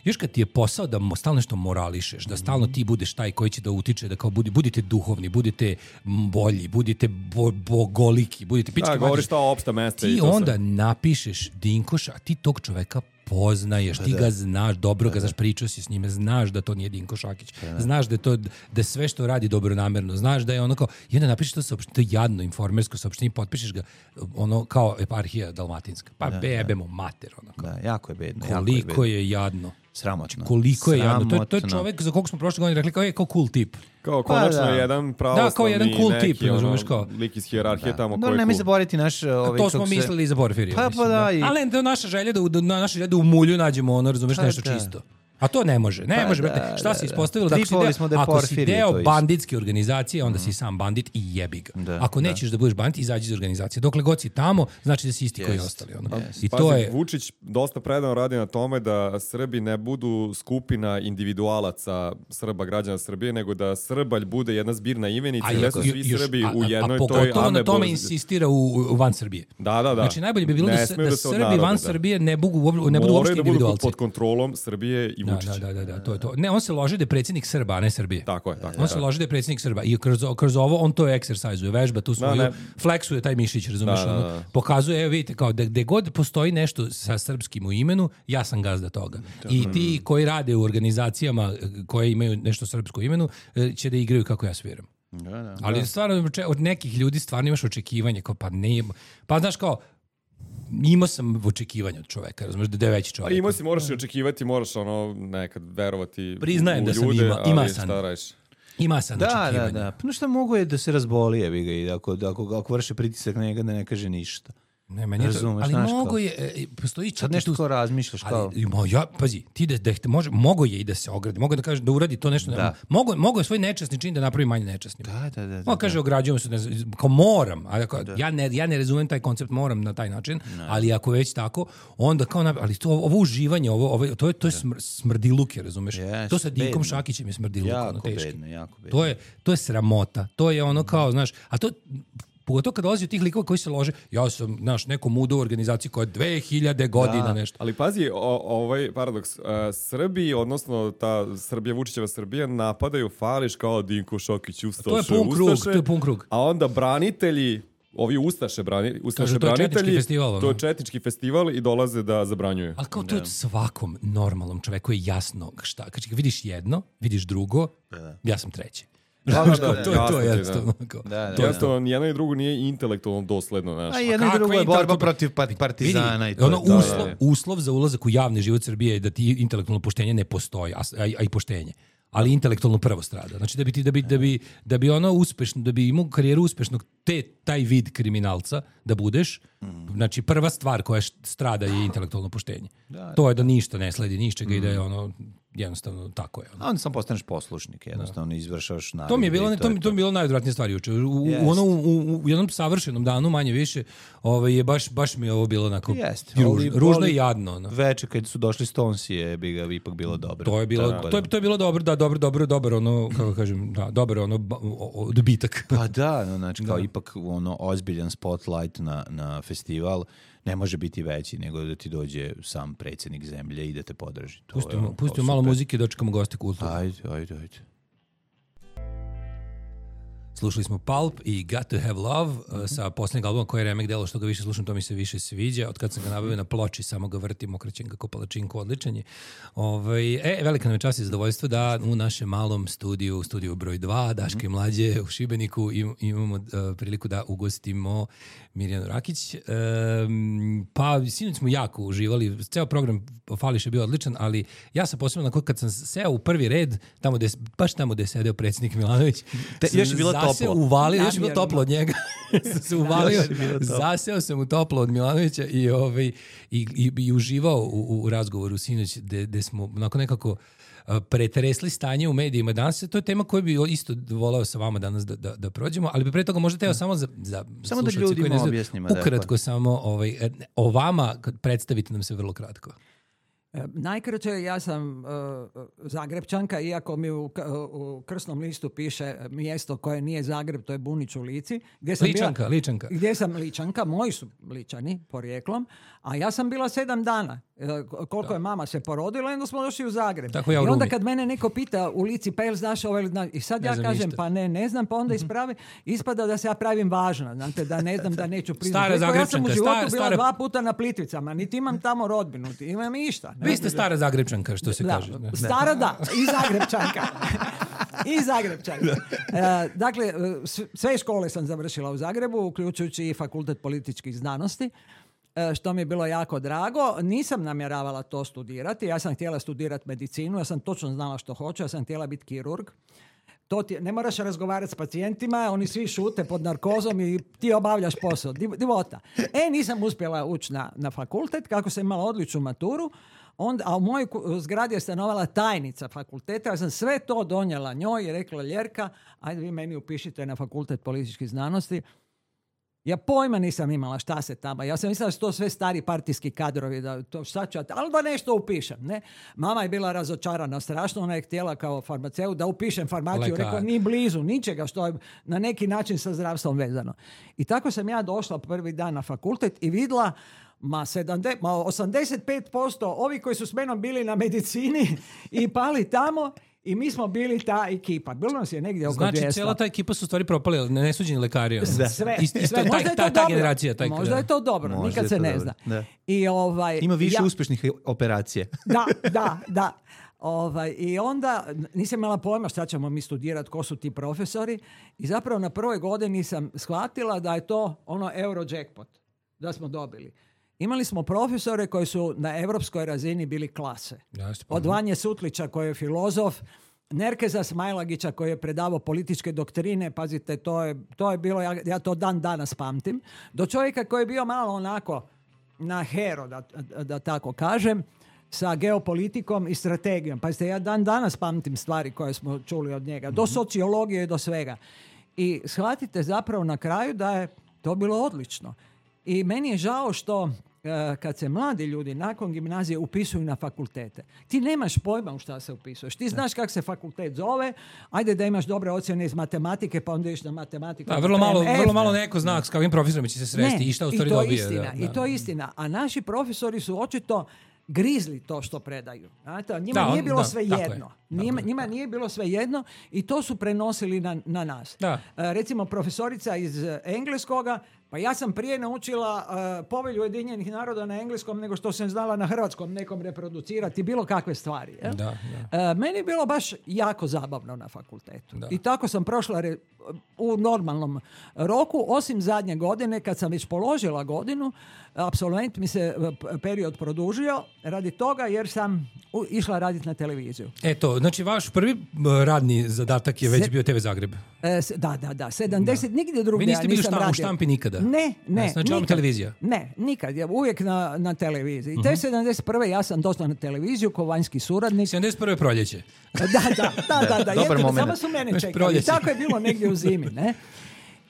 još kad ti je posao da mo- stalno nešto morališeš, da stalno ti budeš taj koji će da utiče, da kao budi, budite duhovni, budite m, bolji, budite bo, bogoliki, budite pički Da, mađi. govoriš ta opšta mesta i Ti to sve. onda napišeš Dinkoša, a ti tog čoveka poznaješ, ti ga znaš, dobro ga znaš, pričao si s njime, znaš da to nije Dinko Šakić, znaš da je to, da sve što radi dobronamerno, znaš da je ono kao, i onda napišeš to saopštenje, to je jadno informersko saopštenje, potpišeš ga ono kao eparhija dalmatinska, pa bebemo mater, ono kao. Da, jako je bedno, jako je Koliko bedno. je jadno. Sramotno. Koliko je jadno. To je, to je Sramotno. čovek za kog smo prošle godine rekli kao je kao cool tip. Kao Pa konačno da. jedan pravoslavni Da, kao jedan cool neki, tip, razumeš, kao. lik iz hijerarhije tamo No, koji je nemoj cool. zaboraviti naš ovaj To kako smo se- mislili i za Porfirija. Pa, mislim, pa da, i- Ali to je naša želja da, u- da, naša želja da u mulju nađemo ono, razumeš, Pa nešto da. čisto. A to ne može, ne Pa može, da, brate. Šta da, se da. ispostavilo? Da ako si Tripovali smo da deo, je ako si Porfirije deo to isto. banditske organizacije, onda si sam bandit i jebi ga. Da, ako nećeš da. budeš bandit, izađi iz organizacije. Dokle god si tamo, znači da si isti koji Jest. ostali. Ono. Jest. I Pazi, to je... Vučić dosta predano radi na tome da Srbi ne budu skupina individualaca Srba, građana Srbije, nego da Srbalj bude jedna zbirna imenica A, i da još- su svi još- Srbi a- u a- jednoj a toj pogotovo na tome amebo- insistira u, u van Srbije. Da, da, da. Znači najbolje bi bilo Ne da, se- smeju da da se Srbi odnarode, van da. Srbije ne budu, ne budu uopšte Moraju da budu pod, individualci. pod kontrolom Srbije i Da, Vučića. da, da, da, da, to je to. Ne, on se loži da je predsjednik Srba, a ne Srbije. Tako je, tako On se je. loži da je predsjednik Srba i kroz, kroz ovo on to eksersajzuje, vežba tu svoju, ne. fleksuje taj mišić, razumiješ, Da, da, ono, da. pokazuje, evo vidite, kao da gde god postoji nešto sa srpskim u imenu, ja sam gazda toga. I ti koji rade u organizacijama e, koje imaju nešto srpsko u imenu, e, će da igraju kako ja sviram. Da, da. Ali stvarno oče- od nekih ljudi stvarno imaš očekivanje, kao pa ne, pa znaš kao, imao sam očekivanje od čoveka, razumiješ, da je veći Pa čovek. imao si, moraš i očekivati, moraš ono nekad verovati Priznajem u da sam ljude, ima- ima ali sam. šta radiš? Ima sam Da, očekivanje. da, da. Pa nešto mogu je da se razboli, jebi ga, i ako, ako, ako vrše pritisak na njega da ne kaže ništa. Ne, meni je to, Razumeš, ali znaš mogo kao. je, e, postoji čak Sad i nešto tu- kao razmišljaš kao... Ali, mo, ja, pazi, ti da, da može, mogo je i da se ogradi, mogo da kaže da uradi to nešto, Da. mogo, mogo je svoj nečasni čin da napravi manje nečasnim. Da, da, da. da, On kaže ograđujemo se, ne znam, kao moram, ali ako, ja, ne, ja ne razumem taj koncept moram na taj način, ali ako već tako, onda kao, na- ali to, ovo uživanje, ovo, ovo, to je, to je smr, smrdiluk, je, razumeš? Yes, to sa Dinkom bedno. Šakićem je smrdiluk, ono Jako teški. bedno, jako bedno. To je, to je sramota, to je ono kao, znaš, a to pogotovo kad dolazi od tih likova koji se lože, ja sam, znaš, nekom udo u organizaciji koja je dve hiljade godina nešto. Ali pazi, o, ovaj paradoks, uh, Srbi, odnosno ta Srbija, Vučićeva Srbija, napadaju Fališ kao Dinko Šokić, Ustaše, To je pun krug, Ustaše, to je pun krug. a onda branitelji, ovi Ustaše, brani, Ustaše Kažu, to je četnički branitelji, festival, ono. to je četnički festival i dolaze da zabranjuju. Ali kao to je svakom normalnom čoveku je jasno šta. Kad vidiš jedno, vidiš drugo, ja sam treći. Da, da, da, to je to jasno ti, da. jednostavno. kao. Da, da, To je da. Jednostavno, nijedno i drugo nije intelektualno dosledno, znaš. A jedno i kakva drugo je borba intelektualna- protiv par- partizana i Vidi, to. ono je to. uslov, uslov za ulazak u javni život Srbije je da ti intelektualno poštenje ne postoji, a, a, a i poštenje. Ali intelektualno prvo strada. Znači da bi ti da bi da bi da bi ono uspešno, da bi imao karijeru uspešnog te taj vid kriminalca da budeš, znači prva stvar koja š- strada je intelektualno poštenje. To je da ništa ne sledi ničega i da je ono jednostavno tako je. Ono. A onda sam postaneš poslušnik, jednostavno izvršavaš naredbe. To mi je bilo, i ne, to, mi, to mi je bilo najodvratnija stvar juče. U, u, Jest. ono, u, u jednom savršenom danu, manje više, ovaj, je baš, baš mi je ovo bilo onako Jeste. ružno, Ali- ružno ali i jadno. Ono. Veče kad su došli Stonesi je bi ga ipak bilo dobro. To je bilo, Tako to je, da- to je bilo dobro, da, dobro, dobro, dobro, ono, kako kažem, da, dobro, ono, ba- o- o- odbitak. Pa da, no, znači kao ipak ono ozbiljan spotlight na, na festival ne može biti veći nego da ti dođe sam predsjednik zemlje i da te podrži. To je Pustimo, ono, pustimo kao malo super. muzike i dočekamo goste kulturu. Ajde, ajde, ajde. Slušali smo Pulp i Got to Have Love uh, sa posljednjeg albuma koji je remek delo, što ga više slušam, to mi se više sviđa. Od kad sam ga nabavio na ploči, samo ga vrtim, okrećem ga ko palačinku, odličan je. Ovaj, e, velika nam je čast i zadovoljstvo da u našem malom studiju, studiju broj dva, Daške i Mlađe u Šibeniku im, imamo uh, priliku da ugostimo Mirjanu Rakić. Um, pa, sinoć smo jako uživali, ceo program Fališ je bio odličan, ali ja sam posebno nakon kad sam seo u prvi red, tamo gde, baš tamo gde je sedeo predsjednik Milanović, Te, još je bilo zaseo, toplo. Uvalio, još je bilo toplo od njega. sam se uvalio, zaseo sam u toplo od Milanovića i, ovaj, i, i, i uživao u, u razgovoru sinoć gde, gde smo onako nekako pretresli stanje u medijima danas. To je tema koju bi isto voleo sa vama danas da, da, da prođemo, ali bi pre toga možda teo samo za, za samo da slušalce ljudima koji ne znaju, objasnimo, da, ukratko samo ovaj, o vama predstavite nam se vrlo kratko. E, Najkraće, ja sam uh, Zagrebčanka, iako mi u, u krsnom listu piše mjesto koje nije Zagreb, to je Bunić u Lici. Gdje sam Ličanka, bila, Ličanka. Gdje sam Ličanka, moji su Ličani porijeklom, a ja sam bila sedam dana. E, koliko da. je mama se porodila, onda smo došli u Zagreb. Tako ja u I onda Rumi. kad mene neko pita u Lici, pa jel znaš ovaj, i sad Ne ja znam kažem, ništa. pa ne, ne znam, pa onda ispravi, ispada da se ja pravim važna, znate, da ne znam, da neću priznati. Stara Rekao, ja sam u Zagrebčanka, životu stara- bila stara- dva puta na Plitvicama, niti imam tamo rodbinu, niti imam išta. Vi ste stara Zagrebčanka, što se Da, kaže. Da. stara da, i Zagrebčanka. I Zagrebčanka. E, dakle, e, s- sve škole sam završila u Zagrebu, uključujući i Fakultet političkih znanosti, e, što mi je bilo jako drago. Nisam namjeravala to studirati, ja sam htjela studirati medicinu, ja sam točno znala što hoću, ja sam htjela biti kirurg. To ti, ne moraš razgovarati s pacijentima, oni svi šute pod narkozom i ti obavljaš posao. Div- Divota. E, nisam uspjela ući na, na fakultet, kako sam imala odličnu maturu, onda, a u mojoj ku- zgradi je stanovala tajnica fakulteta, ja sam sve to donijela njoj i rekla, Ljerka, ajde vi meni upišite na Fakultet političkih znanosti. Ja pojma nisam imala šta se tamo. Ja sam mislila da su to sve stari partijski kadrovi, da to šta ću, ja- ali da nešto upišem. Ne? Mama je bila razočarana strašno, ona je htjela kao farmaceut da upišem farmaciju. Lekar. Rekla, ni blizu, ničega što je na neki način sa zdravstvom vezano. I tako sam ja došla prvi dan na fakultet i vidjela ma, sedamdeset, ma osamdeset pet posto ovi koji su s menom bili na medicini i pali tamo i mi smo bili ta ekipa. Bilo nas je negdje oko Znači, dvjesto. cijela ta ekipa su u stvari propali, ali ne nesuđeni lekari. ono. Sve, Isto- isto sve. ta- Možda je ta- to ta dobro. generacija, taj- Možda je to dobro, Možda nikad je se to ne dobro, zna. da. I ovaj, Ima više ja, uspješnih operacija. Da, da, da. Ovaj, I onda nisam imala pojma šta ćemo mi studirati, ko su ti profesori. I zapravo na prvoj godini sam shvatila da je to ono euro jackpot, da smo dobili. Imali smo profesore koji su na europskoj razini bili klase. Jasno, pa- Od Vanje Sutlića koji je filozof, Nerkeza Smajlagića koji je predavao političke doktrine, pazite, to je, to je bilo, ja, ja to dan danas pamtim, do čovjeka koji je bio malo onako na hero, da, da, da tako kažem, sa geopolitikom i strategijom. Pazite, ja dan danas pamtim stvari koje smo čuli od njega, do sociologije i do svega. I shvatite zapravo na kraju da je to bilo odlično. I meni je žao što e, kad se mladi ljudi nakon gimnazije upisuju na fakultete, ti nemaš pojma u šta se upisuješ. Ti znaš kako se fakultet zove, ajde da imaš dobre ocjene iz matematike, pa onda ideš na matematiku. Da, vrlo malo, P M F. vrlo malo neko zna s kakvim profesorom će se sresti i šta u stvari i to je dobije. istina, da, I da. to je istina. A naši profesori su očito grizli to što predaju. Znate, njima Da, on- nije bilo da, sve tako je. jedno. Tako Njima, je, njima nije bilo sve jedno i to su prenosili na, na nas. Da. E, recimo profesorica iz e, engleskoga, pa ja sam prije naučila e, povelju Ujedinjenih naroda na engleskom nego što sam znala na hrvatskom nekom reproducirati bilo kakve stvari. jel? Da, E, meni je bilo baš jako zabavno na fakultetu. Da. I tako sam prošla re- u normalnom roku, osim zadnje godine kad sam već položila godinu, apsolvent mi se e, p- period produžio radi toga jer sam u- išla raditi na televiziju. Eto, znači vaš prvi uh, radni zadatak je već Se- bio T V Zagreb. E, s- da, da, da, sedamdeset, nigdje drugdje Vi niste ja bili nisam šta- u radila. štampi nikada? Ne, ne. Znači, vam nikad. televizija? Ne, nikad. Ja uvijek na, na televiziji. Mhm. Te sedamdeset prve ja sam došla na televiziju kao vanjski suradnik. sedamdeset prve proljeće. Da, da, da, da, da. Dobar jedino, moment. samo su mene Već čekali. proljeće. Tako je bilo negdje u zimi, ne?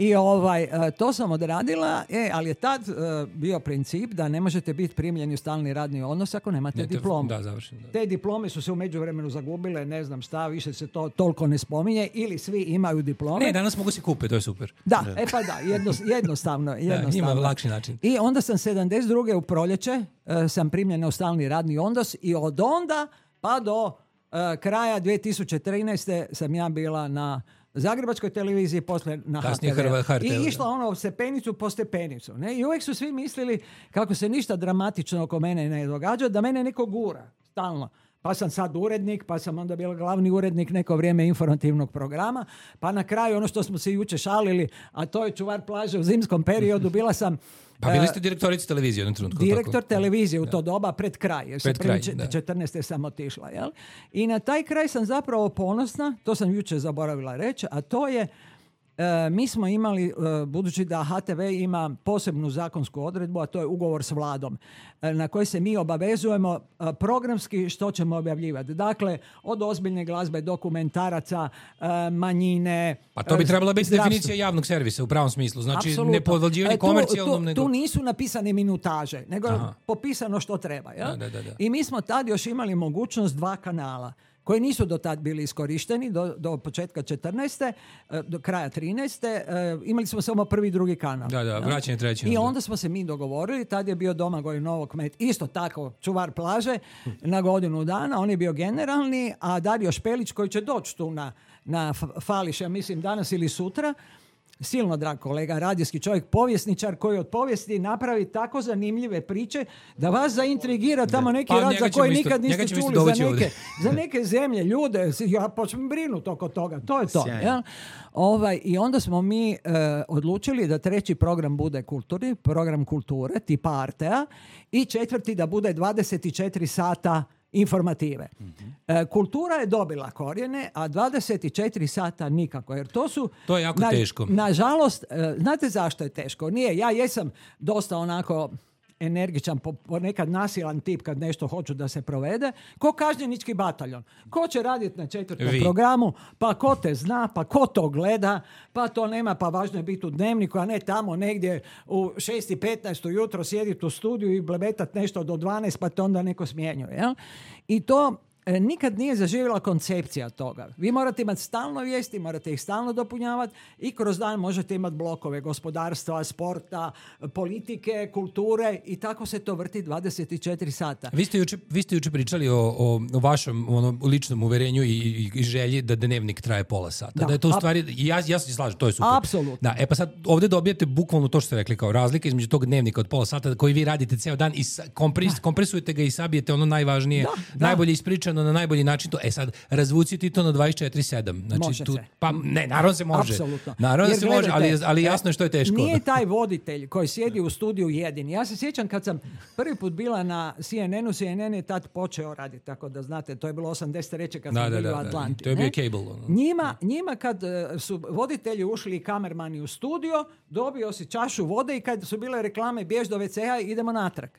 I ovaj, e, to sam odradila, e, ali je tad e, bio princip da ne možete biti primljeni u stalni radni odnos ako nemate Ne, te- diplomu. Da, završeno. Da. Te diplome su se u međuvremenu zagubile, ne znam šta, više se to toliko ne spominje, ili svi imaju diplome. Ne, danas mogu si kupiti, to je super. Da, e pa da, jedno, jednostavno. jednostavno. ima lakši način. I onda sam sedamdeset druge u proljeće e, sam primljena u stalni radni odnos i od onda pa do e, kraja dvije tisuće trinaeste sam ja bila na Zagrebačkoj televiziji, poslije na Kasnije ha te ve. Hrva- ha te ve, I išla ono stepenicu po stepenicu. Ne? I uvijek su svi mislili kako se ništa dramatično oko mene ne događa, da mene neko gura stalno. Pa sam sad urednik, pa sam onda bila glavni urednik neko vrijeme informativnog programa, pa na kraju ono što smo se jučer šalili, a to je čuvar plaže u zimskom periodu, bila sam Pa bili ste direktorica televizije u jednom trenutku. direktor tako? televizije u to doba pred kraj, jer Pred se kraj, prvi da. četrnaeste sam otišla. Jel? I na taj kraj sam zapravo ponosna, to sam jučer zaboravila reći, a to je e, mi smo imali, e, budući da ha te ve ima posebnu zakonsku odredbu, a to je ugovor s vladom, e, na koji se mi obavezujemo e, programski što ćemo objavljivati. Dakle, od ozbiljne glazbe, dokumentaraca, e, manjine. Pa to bi e, trebala biti zdravstvo. definicija javnog servisa u pravom smislu. Znači, Apsolutno. ne podvaljivanje E, tu- komercijalnom, tu, nego... tu nisu napisane minutaže, nego je Aha. popisano što treba. Jel? Da, da, da, da. I mi smo tad još imali mogućnost dva kanala koji nisu do tad bili iskorišteni, do, do početka četrnaeste, e, do kraja trinaeste. e, Imali smo samo prvi i drugi kanal. Da, da, jel? vraćanje treći. I onda. onda smo se mi dogovorili, tad je bio Domagoj Novokmet, isto tako čuvar plaže, na godinu dana, on je bio generalni, a Dario Špelić koji će doći tu na, na F- Fališ, ja mislim danas ili sutra, silno drag kolega, radijski čovjek, povjesničar koji od povijesti napravi tako zanimljive priče da vas zaintrigira tamo neki Pa rad njega za ćemo koji isto- nikad njega niste ćemo isto čuli, za dovući neke, ovdje. za neke zemlje, ljude, ja počnem brinuti oko toga, to je to. Sjajno. Jel? Ovaj, I onda smo mi e, odlučili da treći program bude kulturni, program kulture, tipa Artea, i četvrti da bude dvadeset četiri sata informative. E, kultura je dobila korijene, a dvadeset četiri sata nikako, jer to su... To je jako teško. Nažalost, e, znate zašto je teško? Nije, ja jesam dosta onako energičan, po- ponekad nasilan tip kad nešto hoću da se provede, ko kažnjenički bataljon. Ko će raditi na četvrtom Vi. programu, pa ko te zna, pa ko to gleda, pa to nema, pa važno je biti u dnevniku, a ne tamo negdje u šest i petnaest ujutro sjediti u studiju i blebetat nešto do dvanaest, pa te onda neko smjenjuje. Jel? I to e, nikad nije zaživjela koncepcija toga. Vi morate imati stalno vijesti, morate ih stalno dopunjavati i kroz dan možete imati blokove gospodarstva, sporta, politike, kulture i tako se to vrti dvadeset četiri sata. Vi ste juče, vi ste juče pričali o, o, o vašem ono, ličnom uverenju i, i, i želji da dnevnik traje pola sata. Da, Da. je to u Ap- stvari, i ja, ja se slažem, to je super. Apsolutno. Da, e pa sad ovdje dobijete bukvalno to što ste rekli kao razlika između tog dnevnika od pola sata koji vi radite ceo dan i sa- kompres, kompresujete ga i sabijete ono najvažnije, Da, da. najbolje ispričano na najbolji način. To, e sad, razvuciti to na dvadeset četiri sedam. Znači, Može tu, se. pa ne, naravno se može. Apsolutno. Naravno da Jer se može, ali, gledajte, ali jasno je što je teško. Nije taj voditelj koji sjedi u studiju jedini. Ja se sjećam kad sam prvi put bila na C N N-u, C N N je tad počeo raditi, tako da znate, to je bilo osamdeset treće kad Da, sam da, bila da, u da. Atlanti. To je ne? bio cable, ono. Njima, njima kad e, su voditelji ušli i kamermani u studio, dobio si čašu vode i kad su bile reklame bjež do ve ce a i idemo natrag.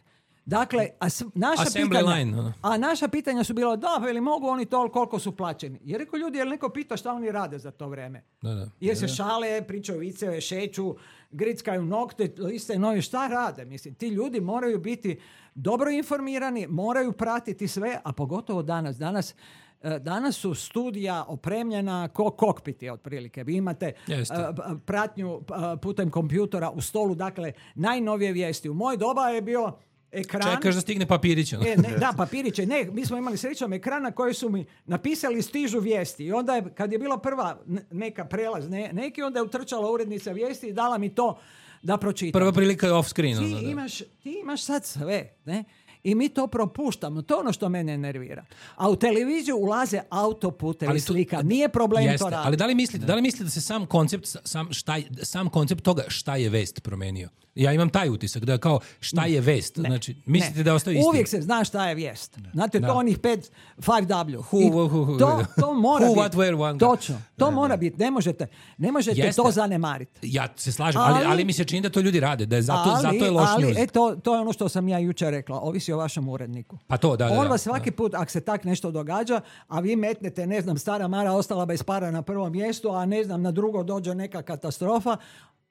Dakle, a s- naša Assembly pitanja, line, ono. a naša pitanja su bila, da, veli, mogu oni to, koliko su plaćeni. Jer rekao ljudi, jel neko pita šta oni rade za to vreme? Da, da. Jer se šale, pričaju viceve, šeću, grickaju nokte, liste novi, šta rade? Mislim, ti ljudi moraju biti dobro informirani, moraju pratiti sve, a pogotovo danas. Danas e, Danas su studija opremljena ko kokpiti otprilike. Vi imate Jeste. e, p- pratnju e, putem kompjutora u stolu, dakle najnovije vijesti. U moj doba je bio ekran. Čekaš da stigne papirić. ono. E, ne, da, papiriće. Ne, mi smo imali srećom ekrana koji su mi napisali stižu vijesti. I onda je, kad je bila prva ne- neka prelaz, ne, neki, onda je utrčala urednica vijesti i dala mi to da pročitam. Prva prilika je off screen. Ti, ono, da. imaš, ti imaš sad sve, ne? I mi to propuštamo. To je ono što mene nervira. A u televiziju ulaze autoputevi Ali tu- slika. Nije problem Jeste, to raditi. ali da li mislite, da li mislite da se sam koncept sam šta je- sam koncept toga šta je vest promenio? Ja imam taj utisak da je kao šta je vest. Znači mislite Ne. da ostaje isti? Uvijek se zna šta je vijest. Znate, Da. to onih pet, five W. Who, I who, who, who, to, to mora who, biti. what, where, one. Točno. To mora biti. Ne možete, ne možete Jeste. to zanemariti. Ja se slažem, ali, Ali- ali mi se čini da to ljudi rade, da je zato, ali, zato je loš ali, news. e, to, to je ono što sam ja jučer rekla. Ovisi o vašem uredniku. Pa to, da, da, On da, vas svaki put, ako se tak nešto događa, a vi metnete, ne znam, stara Mara ostala bez para na prvom mjestu, a ne znam, na drugo dođe neka katastrofa,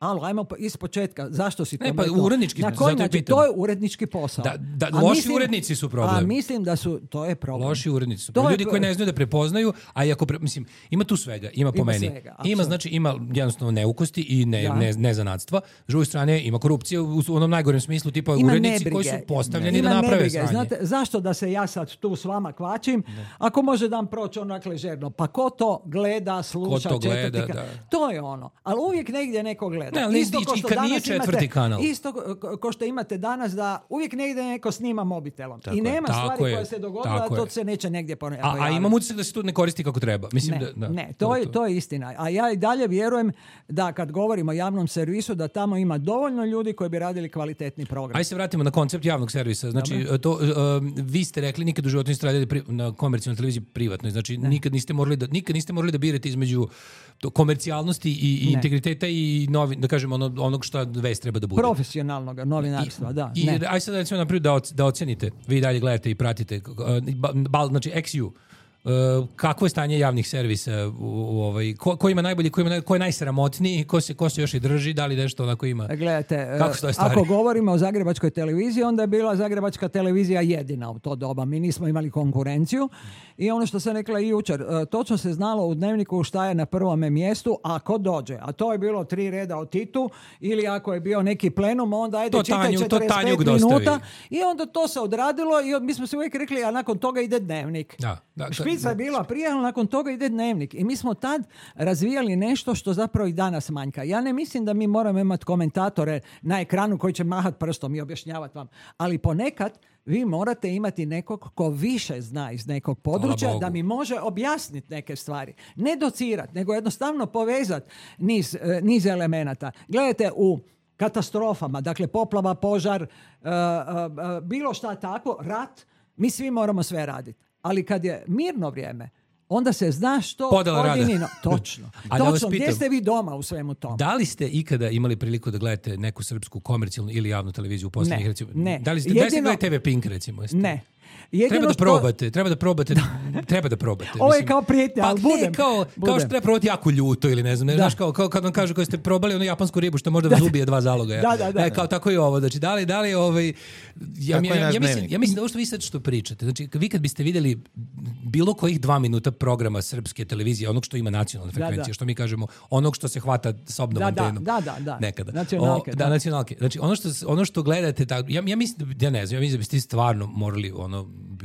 Alo, ajmo iz početka. Zašto si to Ne, pa rekao? urednički, Na koji zato je način? pitam. To je urednički posao. Da, da, A loši mislim- urednici su problem. A mislim da su, to je problem. Loši urednici su. To je Ljudi pro- koji ne znaju da prepoznaju, a i ako pre, mislim, ima tu svega, ima po Ima meni. svega, ima apsolutno. znači ima jednostavno neukosti i ne Da. ne nezanatstva. S druge strane ima korupcija u u onom najgorem smislu, tipa Ima urednici nebrige. koji su postavljeni Ima da naprave nebrige. sranje. Znate, zašto da se ja sad tu s vama kvačim? Ako može dan proći onak ležerno. Pa ko to gleda, sluša, Ko to gleda, četvrti ka- da. To je ono. Ali uvijek negdje neko gleda. Ne, ali Isto i- ko i što kad nije danas četvrti imate- kanal. Isto ko- ko što imate danas da uvijek negdje neko snima mobitelom. Tako I je. nema Tako stvari je. koja se dogodila, Tako a to je. se neće negdje pone- A, a pojaviti. imam utisak da se tu ne koristi kako treba. Mislim Ne, da, da. ne, to je, to je istina. A ja i dalje vjerujem da kad govorimo o javnom servisu, da tamo ima dovoljno ljudi koji bi radili kvalitetni program. Ajde se vratimo na koncept javnog servisa. Znači, to, um, vi ste rekli nikad u životu niste radili pri, na komercijalnoj televiziji privatnoj. Znači, nikad niste morali da nikad niste morali da birate između to, komercijalnosti i, i Ne. integriteta i novi, da kažem ono, onog šta vest treba da bude. Profesionalnog novinarstva, da. I, ne. aj sad recimo naprijed da, oc- da ocenite. Vi dalje gledate i pratite. uh, ba- bal, znači, X U. Uh, kakvo je stanje javnih servisa u, u ovaj, ko, ko ima najbolji, ko, ima, naj- ko je najsramotniji, ko se, ko se još i drži, da li nešto onako ima? Gledajte, Kako e, stoje stvari? ako govorimo o Zagrebačkoj televiziji, onda je bila Zagrebačka televizija jedina u to doba. Mi nismo imali konkurenciju i ono što sam rekla i jučer, e, točno se znalo u Dnevniku šta je na prvome mjestu ako dođe. A to je bilo tri reda o Titu ili ako je bio neki plenum, onda ajde To čitaj Tanju- to četrdeset pet Tanjuk dostavi. minuta i onda to se odradilo i mi smo se uvijek rekli, a nakon toga ide Dnevnik. Da, da, to- Špica je bila prije, ali nakon toga ide Dnevnik. I mi smo tad razvijali nešto što zapravo i danas manjka. Ja ne mislim da mi moramo imati komentatore na ekranu koji će mahat prstom i objašnjavati vam. Ali ponekad vi morate imati nekog ko više zna iz nekog područja Bogu. da mi može objasniti neke stvari. Ne docirati, nego jednostavno povezati niz, eh, niz elemenata. Gledajte, u katastrofama, dakle poplava, požar, eh, eh, eh, bilo šta tako, rat, mi svi moramo sve raditi. Ali kad je mirno vrijeme, onda se zna što Podjela rada. pojedini... Točno. A da vas Točno. Gdje pitam- ste vi doma u svemu tomu? Da li ste ikada imali priliku da gledate neku srpsku komercijalnu ili javnu televiziju u posljednjih Ne, recimo? ne. Da li ste, da li ste Jedino- gledali T V Pink recimo? Jeste? Ne. Jedino Treba da što- probate, treba da probate, treba da probate. Ovo je mislim. kao prijetnja, pa ali ne, budem. kao, kao Budem. što treba probati jako ljuto ili ne znam, ne, Da. znaš, kao, kao kad vam kažu koji ste probali onu japansku ribu što možda vas ubije dva zaloga. Da, da, da. E, kao tako i ovo, znači da li, da li ovaj, ja, Kako ja, je ja, naš ja, mislim, dnevnik? ja mislim da ovo što vi sad što pričate, znači vi kad biste vidjeli bilo kojih dva minuta programa srpske televizije, onog što ima nacionalne Da, frekvencije, da. što mi kažemo, onog što se hvata sobnom Da, da, antenom. da, da, da. Nekada. Nacionalke, O, da, da. nacionalke. Znači, ono što, ono što gledate, tak, ja, ja mislim, da, ja ne znam, ja mislim da biste stvarno morali ono,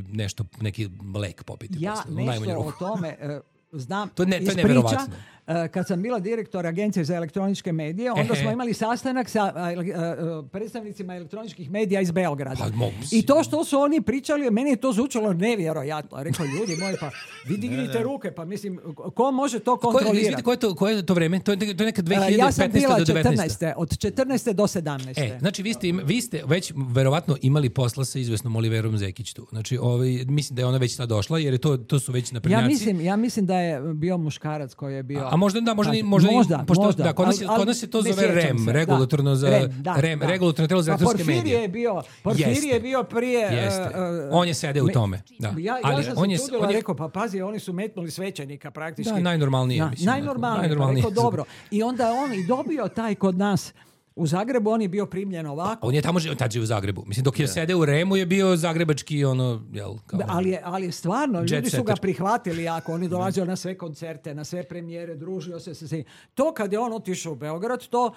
nešto, neki lek popiti. Ja posle, u najmanju nešto o ruku. tome e, znam To je ne- to je iz priča. neverovatno. E, kad sam bila direktor Agencije za elektroničke medije, onda Ehe. smo imali sastanak sa e, e, e, predstavnicima elektroničkih medija iz Beograda. Pa, mogu si. I to što su oni pričali, meni je to zvučalo nevjerojatno. Rekao, ljudi moji, pa vi dignite ruke, pa mislim, ko može to Ko je, kontrolirati? izvinite, koje je to, koje je to vreme? To je, to je neka E, dve hiljade ja sam petnaeste bila do devetnaeste. četrnaeste od četrnaeste do sedamnaeste E, znači vi ste, im- vi ste već verovatno imali posla sa izvesnom Oliverom Zekić tu. Znači, ovaj, mislim da je ona već sad došla, jer je to, to su već naprednjaci. Ja mislim, ja mislim da je bio muškarac koji je bio... A, a možda da, možda, Pa, ni- možda, ni- možda, pošto, možda. da, kod nas, je- Al- al kod nas se to ne zove sjećam REM, se, da. regulatorno za REM, da, REM, da. regulatorno telo za Pa elektronske Porfirije medije. je bio, Porfirije Jeste. je bio prije... Jeste. e, e, On je sedeo u me- tome, da. Ja, ja Ali sam on se je- čudila, on je- rekao, pa pazi, oni su metnuli svećenika praktički. Da, najnormalnije, Da, mislim, onako, najnormalnije, najnormalnije. pa rekao, dobro. I onda on i dobio taj kod nas u Zagrebu, on je bio primljen ovako. On je tamo živio, tad živio u Zagrebu. Mislim, dok je sedeo u REM-u je bio zagrebački, ono, jel, kao... Da, ali, je, ali je stvarno, Jet ljudi su ga setter. prihvatili jako, oni dolazili na sve koncerte, na sve premijere, družio se sa svim. To kad je on otišao u Beograd, to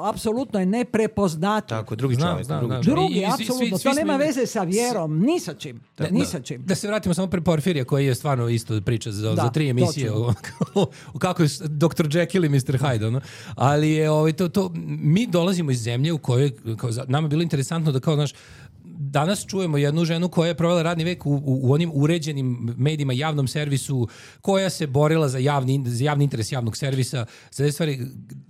apsolutno je neprepoznatljivo. Tako, drugi Znam, čovjek. znam, drugi znam. čovjek. Drugi, I- i svi- apsolutno, svi to smo nema imali- veze sa vjerom, ni sa čim, ni sa čim. Da se vratimo samo pre Porfirija koji je stvarno isto priča za, Da, za tri emisije točno. o, o kako je s- doktor Jekyll i mister Hyde, ono. Ali je ovaj, to, to, mi dolazimo iz zemlje u kojoj kao, za- nama je bilo interesantno da kao, znaš, danas čujemo jednu ženu koja je provela radni vek u, u, u onim uređenim medijima, javnom servisu, koja se borila za javni, za javni interes javnog servisa, za te stvari,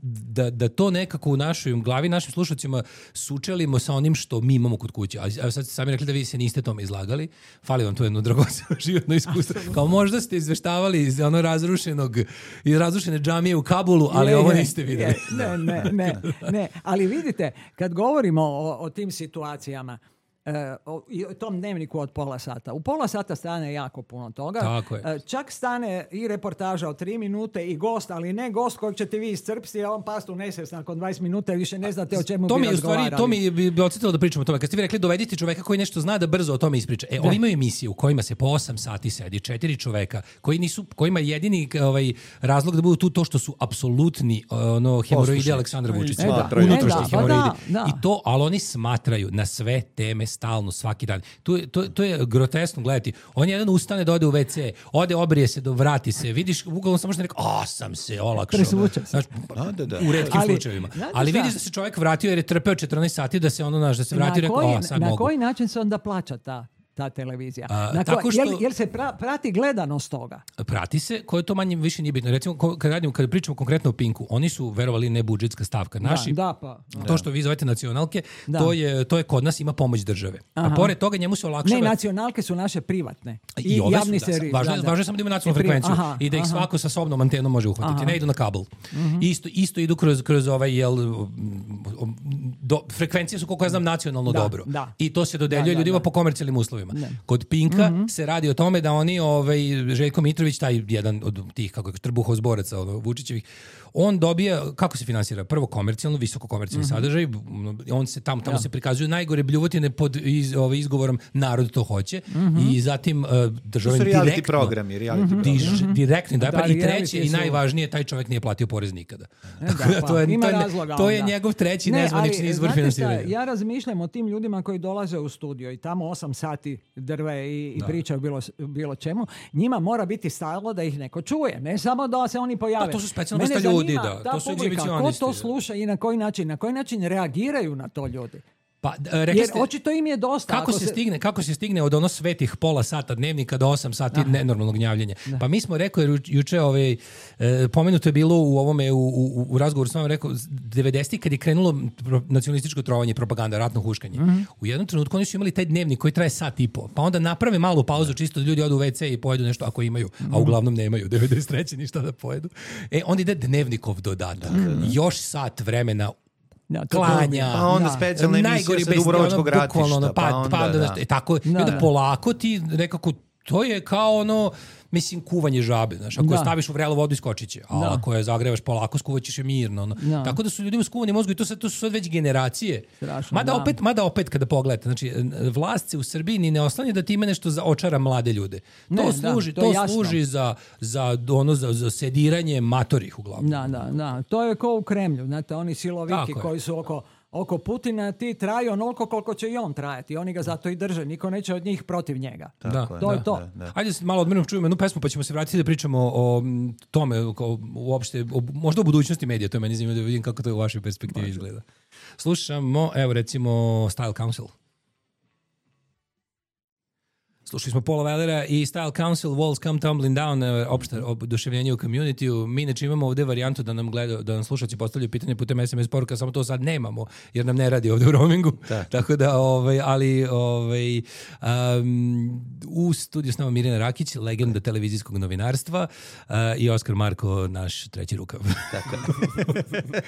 da, da to nekako u našoj glavi, našim slušacima sučelimo sa onim što mi imamo kod kuće. A evo sad ste sami rekli da vi se niste tome izlagali. Fali vam to jedno dragoceno životno iskustvo. Kao možda ste izveštavali iz ono razrušenog, iz razrušene džamije u Kabulu, ali Je, ovo je, niste vidjeli. je. Ne, ne, ne, ne. Ali vidite, kad govorimo o, o tim situacijama, e, o, i o tom dnevniku od pola sata. U pola sata stane jako puno toga. Tako je. E, čak stane i reportaža od tri minute i gost, ali ne gost kojeg ćete vi iscrpsti, a on pastu nesvjestan nakon dvadeset minuta i više ne znate o čemu To bi mi je u razgovarali. stvari, to mi bi bi odsjetilo da pričamo o tome. Kad ste vi rekli dovedite čoveka koji nešto zna da brzo o tome ispriča. E, oni imaju emisije u kojima se po osam sati sedi četiri čoveka koji nisu, kojima jedini ovaj razlog da budu tu to što su apsolutni ono hemoroidi Aleksandra Vučića. E, da. Smatraju. Unutrašnji E, da, pa hemoroidi. da, da. I to, ali oni smatraju na sve teme stalno svaki dan. To, je- to, to je groteskno gledati. On jedan ustane da ode u ve ce, ode obrije se, do vrati se. Vidiš, uglavnom samo što ne rekao, a sam se olakšao. Presvuče se. Znaš, Da, da, da. u retkim Ali, slučajevima. znate Ali šta? vidiš da se čovjek vratio jer je trpeo četrnaest sati da se ono naš da se vratio i na rekao, koji, a sad na mogu. koji način se onda plaća ta, ta televizija? A, na tako koji- što- jel, jel se pra- prati gledanost toga? Prati se, koje to manje više nije bitno. Recimo, ko- kad, radimo, kad pričamo konkretno o Pinku, oni su, verovali, ne budžetska stavka. Naši, Da, da, pa. to što vi zovete nacionalke, Da. to je, to je kod nas ima pomoć države. A Aha. pored toga njemu se olakšava... Ne, nacionalke su naše privatne. I, I ove javni su, da, servis. važno, je- da, da. važno je samo da ima nacionalnu I pri- frekvenciju aha, i da ih aha. svako sa sobnom antenom može uhvatiti. Aha. Ne idu na kabel. Isto, isto idu kroz, kroz ovaj, jel, do, frekvencije su, koliko ja znam, nacionalno Da, dobro. da. I to se dodeljuje Da, da, ljudima da. po komercijalnim uslovima. Kod Pinka se radi o tome da oni, ovaj, Željko Mitrović, taj jedan od tih, kako je, trbuhozboraca ono, Vučićevih, on dobija, kako se finansira? Prvo komercijalno, visoko komercijalni sadržaj, on se tamo, tamo se prikazuju najgore bljuvotine pod iz, ovaj, izgovorom narod to hoće i zatim uh, To država su reality direktno programi, reality programi. diž, direktni da, Da, pa i reality treće i su- najvažnije, taj čovjek nije platio porez nikada. E, da, pa, to je, ima to je, razloga to je onda. njegov treći Ne, nezvanični ali, izvor znate finansiranja. šta, ja razmišljam o tim ljudima koji dolaze u studio i tamo osam sati drve i, i pričaju bilo, bilo čemu. Njima mora biti stalo da ih neko čuje, ne samo da se oni pojave. Da, to su specijalna Mene vrsta ljudi, zanima da. ta To su publika, ko egzibicionisti, to da. sluša i na koji način, na koji način reagiraju na to ljudi. Pa, d- rekli Jer ste, očito im je dosta. kako ako se, stigne, kako se stigne od ono svetih pola sata dnevnika do osam sati nenormalnog gnjavljenja. Pa mi smo rekao, jer juče ovaj, e, pomenuto je bilo u ovome, u, u, u razgovoru s vama, rekao, devedesetih kad je krenulo pro- nacionalističko trovanje, propaganda, ratno huškanje. U jednom trenutku oni su imali taj dnevnik koji traje sat i po. Pa onda naprave malu pauzu, čisto da ljudi odu u ve ce i pojedu nešto ako imaju, a uglavnom nemaju devedeset treće ništa da pojedu. E, onda ide dnevnikov dodatak. Još sat vremena Ja, to klanja. Pa onda Da. specijalna emisija najgori sa bez- Dubrovačkog ono, bukvalno, ono, ratišta. Pa, Pa onda, pa onda, da. znaš, e, tako, i Da, onda da. polako ti nekako, to je kao ono, mislim, kuvanje žabe, znaš, ako Da. je staviš u vrelu vodu iskočit će, a Da. ako je zagrevaš polako, skuvaćeš je mirno. Ono. Da. Tako da su ljudima skuvani mozgu i to, sad, to su sad već generacije. Strašno, mada, da. opet, mada opet kada pogledate, znači, vlast se u Srbiji ni ne oslanja da time nešto za očara mlade ljude. To Ne, da, služi, to je to jasno. služi za, za, ono, za, za sediranje matorih uglavnom. Da, da, da. To je ko u Kremlju, znate, oni siloviki Tako je. koji su oko, oko Putina, ti traju onoliko koliko će i on trajati. Oni ga zato i drže, niko neće od njih protiv njega. Tako je, To je da, to. da, da. Ajde se malo odmrnom čujemo jednu pesmu pa ćemo se vratiti da pričamo o m, tome, o, uopšte, o, možda o budućnosti medija, to je meni zanimljivo da vidim kako to u vašoj perspektivi izgleda. Slušamo, evo recimo Style Council. Slušali smo Paula Wellera i Style Council, Walls Come Tumbling Down, e, opšte oduševljenje u community-u. Mi inače imamo ovde varijantu da nam gleda, da nam slušaoci postavljaju pitanje putem es em es poruka, samo to sad nemamo, jer nam ne radi ovde u roamingu. Tako da, ovaj, ali ovaj, um, u studiju s nama Mirjana Rakić, legenda televizijskog novinarstva, uh, i Oskar Marko, naš treći rukav. Tako je.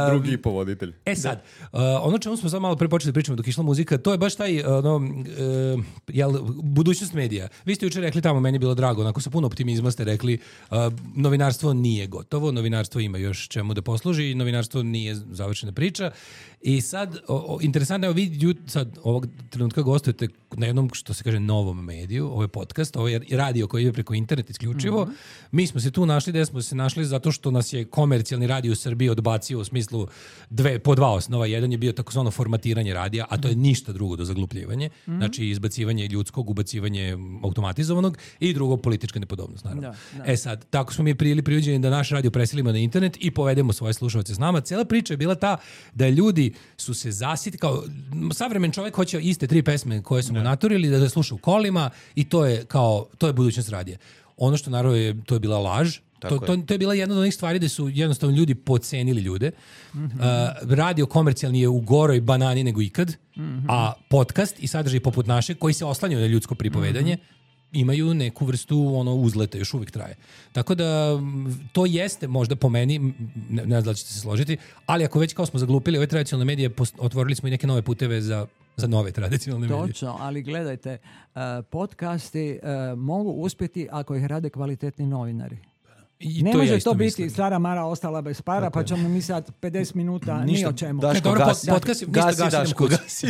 Drugi povoditelj. E sad, uh, ono čemu smo sad malo pre počeli da pričamo dok je išla muzika, to je baš taj, ono, uh, jel, budućnost medija. Vi ste juče rekli tamo, meni je bilo drago, onako sa puno optimizma ste rekli, uh, novinarstvo nije gotovo, novinarstvo ima još čemu da posluži i novinarstvo nije završena priča. I sad, o, o, interesantno, evo vi ju- sad ovog trenutka gostujete na jednom, što se kaže, novom mediju, ovo je podcast, ovo je radio koji ide preko interneta isključivo. Mhm. Mi smo se tu našli, gde smo se našli zato što nas je komercijalni radio u Srbiji odbacio u smislu dve, po dva osnova. Jedan je bio takozvano formatiranje radija, a to je ništa drugo do zaglupljivanje. Mhm. Znači izbacivanje ljudskog, ubacivanje automatizovanog i drugo politička nepodobnost, naravno. Da, da. E sad, tako smo mi prili priuđeni da naš radio preselimo na internet i povedemo svoje slušalce s nama. Cela priča je bila ta da ljudi su se zasiti, kao savremen čovjek hoće iste tri pesme koje su mu naturili da, da sluša u kolima i to je kao, to je budućnost radija. Ono što naravno je, to je bila laž. To, to, to je bila jedna od onih stvari da su jednostavno ljudi podcenili ljude. Uh, radio komercijalni je u goroj banani nego ikad, a podcast i sadržaj poput naše koji se oslanjaju na ljudsko pripovedanje imaju neku vrstu ono uzleta, još uvijek traje. Tako da m, to jeste možda po meni, m, ne, ne znam da li ćete se složiti, ali ako već kao smo zaglupili ove tradicionalne medije, post- otvorili smo i neke nove puteve za za nove tradicionalne medije. Točno, ali gledajte, uh, podcasti uh, mogu uspjeti ako ih rade kvalitetni novinari. I ne to može ja isto to biti mislim. stara Mara ostala bez para, pa ćemo mi sad pedeset minuta ni o čemu. Daško, Dobro, gasi, pod- podcast je- ništa gasi, gasi, Daško, idemo gasi.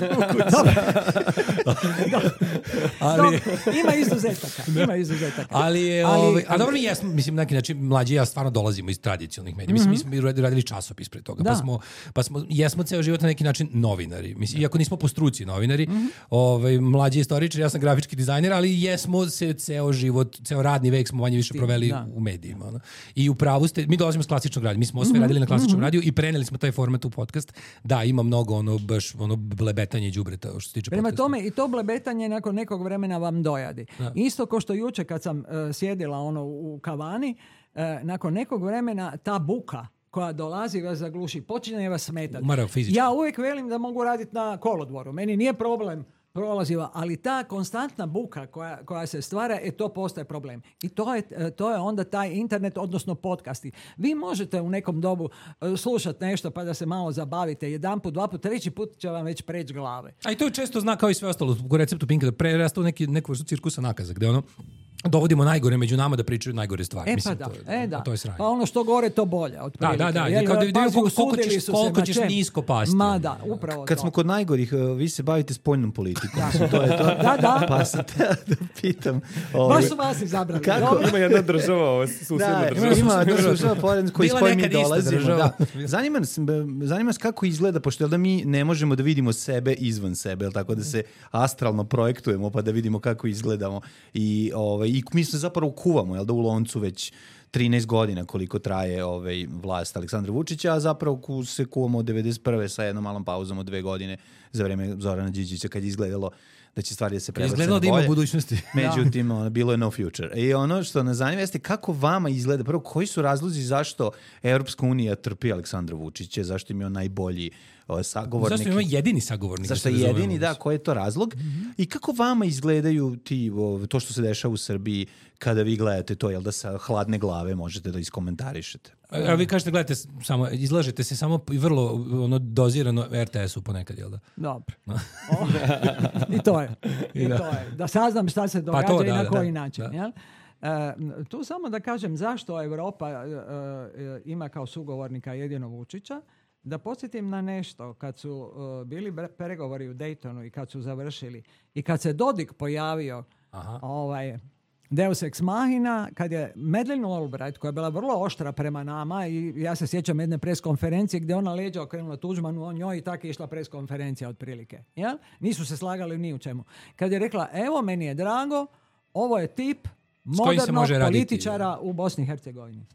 Ali, Dobro, ima izuzetaka, ima izuzetaka. ali, je, Ali- ovaj, a dobro mi jesmo, mislim, na neki način, mlađi i ja stvarno dolazimo iz tradicionalnih medija. Mislim, mi smo radili, radili časopis pre toga, Da. pa smo, pa smo, jesmo ceo život na neki način novinari. Mislim, iako nismo po struci novinari, ovaj, mlađi istoričar, ja sam grafički dizajner, ali jesmo se ceo život, ceo radni vek smo manje više proveli da. u medijima. Ono. I u pravu ste, mi dolazimo s klasičnog radija, mi smo sve radili na klasičnom radiju i preneli smo taj format u podcast. Da, ima mnogo ono, baš, ono blebetanje i đubreta što se tiče Prema podcasta. tome i to blebetanje nakon nekog vremena vam dojadi. Isto kao što juče kad sam uh, sjedila ono u kavani, uh, nakon nekog vremena ta buka koja dolazi vas zagluši, počinje vas smetati. Umara fizički. Ja uvijek velim da mogu raditi na kolodvoru. Meni nije problem prolaziva, ali ta konstantna buka koja, koja se stvara, e, to postaje problem. I to je, e, to je onda taj internet, odnosno podcasti. Vi možete u nekom dobu e, slušati nešto pa da se malo zabavite. Jedan put, dva put, treći put će vam već preći glave. A i to je često znak kao i sve ostalo u receptu Pinka, da prerasta u neki, neku vrstu cirkusa nakaza, gde ono, dovodimo najgore među nama da pričaju najgore stvari. E Mislim, pa da, to je, e da. To je sranje. Pa ono što gore to bolje. Da, Otprilike. da, da. Jel, Kao da vidimo pazi, koliko, koliko usudili ćeš, su se koliko na ćeš čem. nisko pasti. Ma da, upravo Kad to. smo kod najgorih, uh, vi se bavite spoljnom politikom. To je to. Da, da. Pa sam te da pitam. ovaj, Baš su vas izabrali. Kako? Dobro. Ima jedna država, ovo, susjedna Da, država. ima država pored koji s Bila kojim mi nekad ista dolazimo. država. Da. Zanima nas, zanima nas kako izgleda, pošto jel da mi ne možemo da vidimo sebe izvan sebe, jel tako da se astralno projektujemo pa da vidimo kako izgledamo. I, ovaj, i mi se zapravo kuvamo, jel da u loncu već trinaest godina koliko traje ovaj, vlast Aleksandra Vučića, a zapravo ku, se kuvamo od devedeset prve sa jednom malom pauzom od dve godine za vreme Zorana Đinđića kad je izgledalo da će stvari da se prebace Izgledalo na da ima bolje. budućnosti. Međutim, ono, bilo je no future. I ono što nas zanima jeste kako vama izgleda, prvo, koji su razlozi zašto Evropska unija trpi Aleksandra Vučića, zašto im je on najbolji o, sagovornik. Zašto ima jedini sagovornik? Zašto je jedini, da, koji je to razlog? Mm-hmm. I kako vama izgledaju ti, o, to što se dešava u Srbiji kada vi gledate to, jel da sa hladne glave možete da iskomentarišete? A vi kažete, gledajte, samo, izlažete se samo i vrlo ono, dozirano er te esu ponekad, jel da? Dobro. O, I to je. I da. to je. Da saznam šta se događa to, i da, na da, koji da, način. da. Jel? E, tu samo da kažem zašto Europa e, e, ima kao sugovornika jedino Vučića. Da podsjetim na nešto, kad su e, bili bre- pregovori u Daytonu i kad su završili i kad se Dodik pojavio Aha. ovaj, Deus ex machina, kad je Madeleine Albright, koja je bila vrlo oštra prema nama, i ja se sjećam jedne preskonferencije gdje ona leđa okrenula Tuđmanu, o njoj i tako je išla preskonferencija otprilike. Jel? Nisu se slagali ni u čemu. Kad je rekla, evo, meni je drago, ovo je tip kojim se modernog može raditi. političara u Bosni i Hercegovini.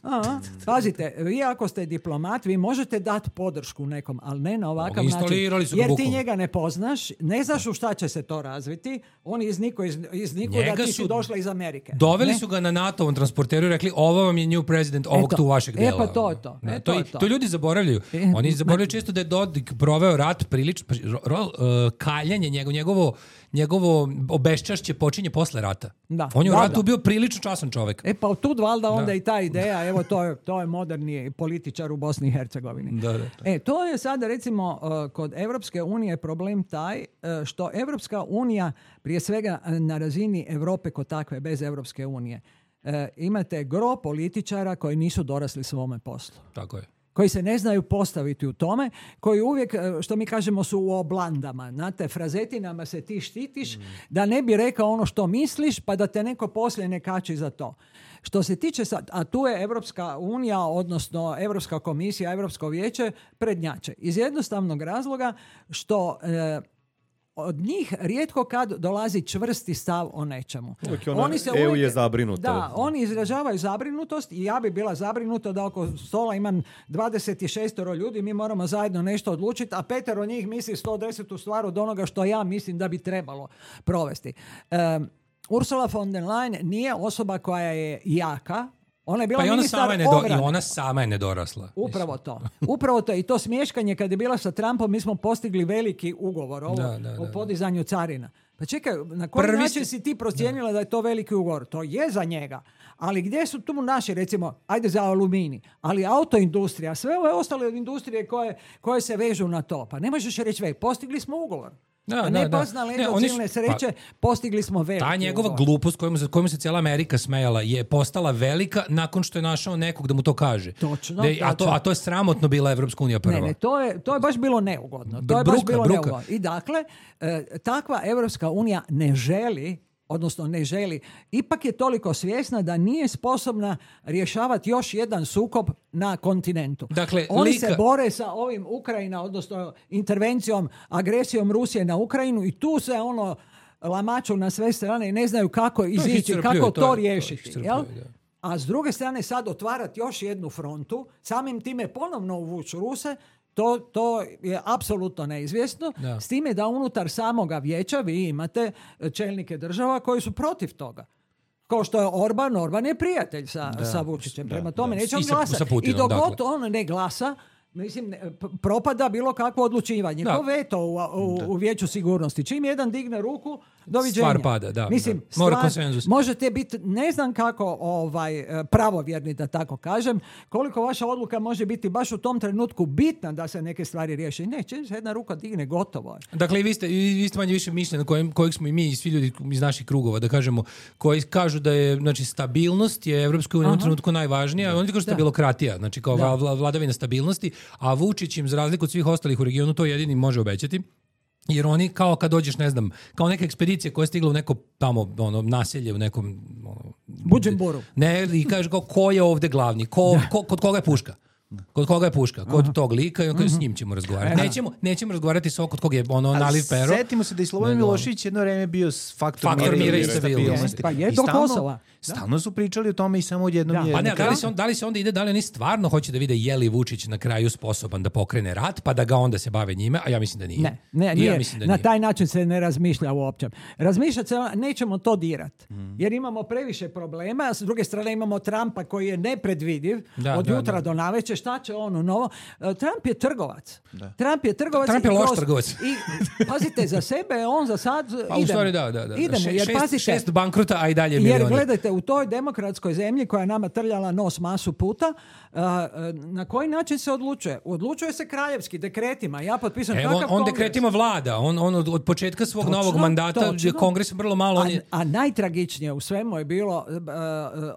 Aha, pazite, vi ako ste diplomat, vi možete dati podršku nekom, ali ne na ovakav način. Instalirali su ga Jer ti bukvalno. njega ne poznaš, ne znaš u šta će se to razviti, on je iznikao iz, iz nikuda, Njega ti su si došla iz Amerike. Doveli Ne? su ga na NATO-ovom transporteru i rekli, ovo vam je new president ovog Eto. tu vašeg E, dela. pa to je to. Ne, E, to, to i- je to. to ljudi zaboravljaju. E, Oni zaboravljaju ma- često da je Dodik proveo rat prilično, pa, ro, ro, uh, kaljanje, njegovo, njegovo, njegovo obeščašće počinje posle rata. Da. On je u Da, ratu da. bio prilično časan čovek. E pa tud valjda onda Da. i ta ideja, evo to je, to je moderni političar u Bosni i Hercegovini. Da, da, da. E, to je sada recimo uh, kod Evropske unije problem taj uh, što Evropska unija prije svega uh, na razini Europe kod takve, bez Evropske unije, uh, imate gro političara koji nisu dorasli svome poslu. Tako je. Koji se ne znaju postaviti u tome, koji uvijek, uh, što mi kažemo, su u oblandama. Znate, frazetinama se ti štitiš da ne bi rekao ono što misliš, pa da te neko poslije ne kači za to. Što se tiče sad, a tu je Evropska unija, odnosno Evropska komisija, Evropsko vijeće prednjače. Iz jednostavnog razloga što e, od njih rijetko kad dolazi čvrsti stav o nečemu. Uvijek je ona, E U je zabrinuta. Da, oni izražavaju zabrinutost i ja bi bila zabrinuta da oko stola imam dvadeset šest ljudi, mi moramo zajedno nešto odlučiti, a petero njih misli sto deset stvar od onoga što ja mislim da bi trebalo provesti. Um, Ursula von der Leyen nije osoba koja je jaka. Ona je bila Pa i ona, ministar sama je nedo, i obrane. ona sama je nedorasla. Upravo to. Upravo to. I to smješkanje kad je bila sa Trumpom, mi smo postigli veliki ugovor ovo, Da, da, da, o da. podizanju carina. Pa čekaj, na koji Prvi način ste- si ti procijenila da je to veliki ugovor? To je za njega. Ali gdje su tu naši, recimo, ajde za aluminij, ali autoindustrija, sve ove ostale industrije koje, koje se vežu na to. Pa ne možeš reći, već, postigli smo ugovor. Da, A da, ne da. pas na Ne, leđa oni su- silne sreće, postigli smo veliki Ta njegova ugovor. glupost kojom se, kojom se cijela Amerika smejala je postala velika nakon što je našao nekog da mu to kaže. Točno, Da je- a, to, točno. a to je sramotno bila Evropska unija prva. Ne, ne, to je, to je baš bilo neugodno. To je Bruka, baš bilo bruka. neugodno. I dakle, e, takva Evropska unija ne želi, odnosno ne želi, ipak je toliko svjesna da nije sposobna rješavati još jedan sukob na kontinentu. Dakle, Oni lika- se bore sa ovim Ukrajina, odnosno intervencijom, agresijom Rusije na Ukrajinu i tu se ono lamaču na sve strane i ne znaju kako izići, iscrpljuje, kako to to, je- to riješiti. iscrpljuje, jel? da. A s druge strane sad otvarati još jednu frontu, samim time ponovno uvući Ruse, to, to je apsolutno neizvjesno. Da. S time da unutar samoga vijeća vi imate čelnike država koji su protiv toga. Kao što je Orban, Orban je prijatelj sa, sa Vučićem. Prema tome da. neće on I sa- glasati. sa Putinom, I dok dakle. god on ne glasa, mislim, ne- p- propada bilo kakvo odlučivanje. Da. Ko veto u, u, u vijeću sigurnosti. Čim jedan digne ruku, doviđenja. Stvar pada, da, Mislim, da. Mora stvar- konsenzus. Možete biti, ne znam kako ovaj, e, pravovjerni, da tako kažem, koliko vaša odluka može biti baš u tom trenutku bitna da se neke stvari riješe. Ne, čim se jedna ruka digne, gotovo je. Dakle, i vi ste, i vi ste manje više mišljenja kojem, kojeg smo i mi i svi ljudi iz naših krugova, da kažemo, koji kažu da je, znači, stabilnost je Evropskoj uniji u trenutku najvažnija, oni kažu stabilokratija, znači kao Da. vla- vladavina stabilnosti, a Vučić im, za razliku od svih ostalih u regionu, to jedini može obećati. Jer oni kao kad dođeš, ne znam, kao neka ekspedicija koja je stigla u neko tamo ono, naselje, u nekom... Ono, Buđenburu. Ne, i kaže kao, ko je ovde glavni, ko, ko, kod koga je puška? Kod koga je puška? Kod tog lika i on kaže, s njim ćemo razgovarati. Nećemo, nećemo razgovarati sa ovog kod koga je ono Ali naliv pero. setimo se da je Slobodan Nego- Milošević jedno vreme bio s faktor, Faktor mira, mira i i stabilnosti. stabilnosti. Pa je I do stalno- Kosova. Stalno su pričali o tome i samo odjednom Da. je... Pa ne, na da li, kraju- se on, da li se onda ide, da li oni stvarno hoće da vide je li Vučić na kraju sposoban da pokrene rat, pa da ga onda se bave njime, a ja mislim da nije. Ne, ne, I nije. ja mislim da Na nije. taj način se ne razmišlja uopće. Razmišljati se, nećemo to dirat. Jer imamo previše problema, a s druge strane imamo Trumpa koji je nepredvidiv Da, od da, jutra da. do navečer, šta će ono novo. E, Trump je trgovac. Trump je trgovac. Trump je i loš kroz- trgovac. I, pazite, za sebe on za sad Pa u idemo. stvari da, da, da. Idemo, Še- jer šest, pazite, šest bankrota, a i dalje jer milioni. gledajte, u toj demokratskoj zemlji koja je nama trljala nos masu puta, a, a, na koji način se odlučuje? Odlučuje se kraljevski dekretima. Ja potpisujem Evo, on, kakav on kongres? dekretima vlada. On, on od, od početka svog Točno, novog mandata, točno. gdje kongres vrlo malo... On A, je, a najtragičnije u svemu je bilo uh, uh,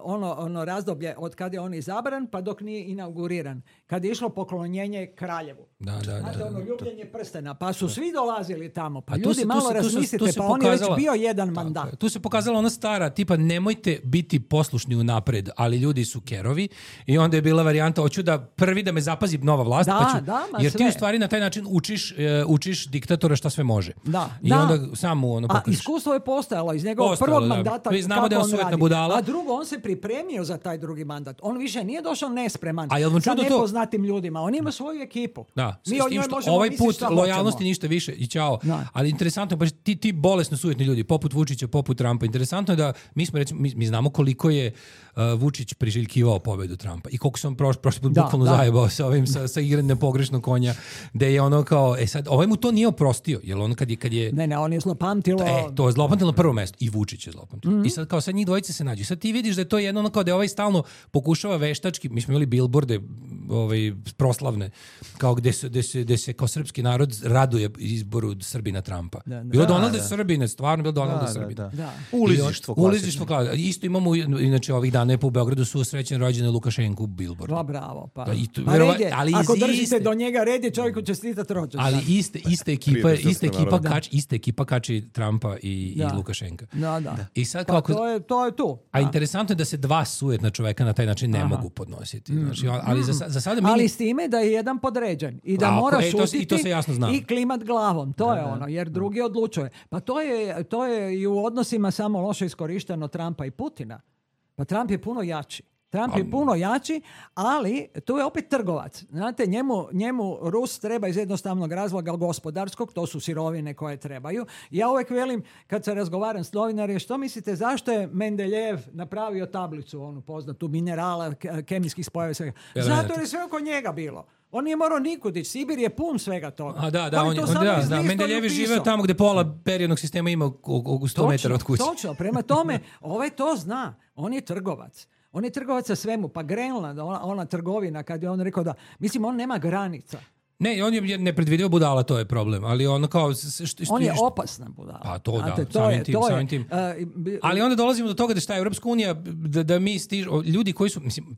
ono, ono razdoblje od kada je on izabran pa dok nije inauguriran. Kad je išlo poklonjenje kraljevu. da, da, da, Znate, da. ono ljubljenje prstena. Pa su svi dolazili tamo. Pa A tu ljudi se- tu malo se- tu se- razmislite, tu se pa on je već pokazala- bio jedan Tako mandat. je. Tu se pokazala ona stara, tipa nemojte biti poslušni unapred, ali ljudi su kerovi i onda je bila varijanta, hoću da prvi da me zapazi nova vlast, Da, pa ću, da, ma jer ti sve. u stvari na taj način učiš, e, učiš diktatora šta sve može. Da, I da. onda sam mu ono A pokažeš. iskustvo je postojalo iz njegovog Postojalo, prvog da. mandata. Mi znamo kako da je on on sujetna radi. budala. A drugo, on se pripremio za taj drugi mandat. On više nije došao nespreman A jel vam sa čudo to- nepoznatim ljudima. On ima svoju ekipu. Da, Mi s o tim njoj što možemo ovaj misliti put šta lojalnosti hoćemo. ništa više i ćao. Da. Ali interesantno je baš ti, ti bolesno sujetni ljudi, poput Vučića, poput Trumpa. Interesantno je da mi smo recimo, mi, mi znamo koliko je uh, Vučić priželjkivao pobedu Trumpa i koliko sam prošli prošli put Da, bukvalno da. zajebao sa ovim sa, sa igranjem pogrešnog konja, da je ono kao, e sad, ovaj mu to nije oprostio, jer on kad je, kad je Ne, ne, on je zlopamtilo. E, to je zlopamtilo na prvo mesto. I Vučić je zlopamtilo. Mhm. I sad kao sad njih dvojice se nađu. Sad ti vidiš da je to jedno ono kao da je ovaj stalno pokušava veštački, mi smo imali bilborde ovaj, proslavne, kao gde se, gde se, gde se kao srpski narod raduje izboru Srbina Trumpa. Da, da. Bilo Da, Donalda da. Srbine, stvarno bilo Donalda Da, da, Srbine. da. Da. Ulizištvo I on- klasično. Ulizištvo klasično. Isto imamo, inače ovih dana je po Beogradu su srećen rođene Lukašenku bilbord. Pa bravo, pa. Da, i to- Pa verova- red je. ali Ako iz držite iste- do njega red je čovjeku čestitati rođendan. Ali iste, iste ekipa, Prije iste srpskog ekipa, naroda. kač, iste ekipa kači Trumpa i, Da. i Lukašenka. Da, da. I sad Pa kako... to je, to je tu. A Da. interesantno je da se dva sujetna čoveka na taj način ne mogu podnositi. Znači, ali za, sa- za sada mi... Ali s time da je jedan podređen i da Tako mora je, to se- šutiti i to se jasno zna. i klimat glavom. To je ono, jer drugi odlučuje. Pa to je, to je i u odnosima samo loše iskorišteno Trumpa i Putina. Pa Trump je puno jači. Trump je puno jači, ali tu je opet trgovac. Znate, njemu, njemu Rus treba iz jednostavnog razloga gospodarskog, to su sirovine koje trebaju. Ja uvijek velim, kad se razgovaram s novinarima, što mislite, zašto je Mendeljev napravio tablicu, onu poznatu, minerala, kemijskih spojeva, svega? Zato je sve oko njega bilo. On nije morao nikud ići. Sibir je pun svega toga. A da, da, on, on, on, on da, da. Mendeljev je živeo tamo gdje pola periodnog sistema ima oko sto metara od kuće. Točno, prema tome, ovaj to zna. On je trgovac. On je trgovac sa svemu. Pa Grenland, ona, ona trgovina, kad je on rekao da, mislim, on nema granica. Ne, on je nepredvidivo budala, to je problem, ali on kao... Što, što, on je opasna budala. A to Znate, da, to samim je, tim, to samim je, tim. Uh, ali onda dolazimo do toga da šta je Europska unija, da, da mi stižu, ljudi koji su, mislim,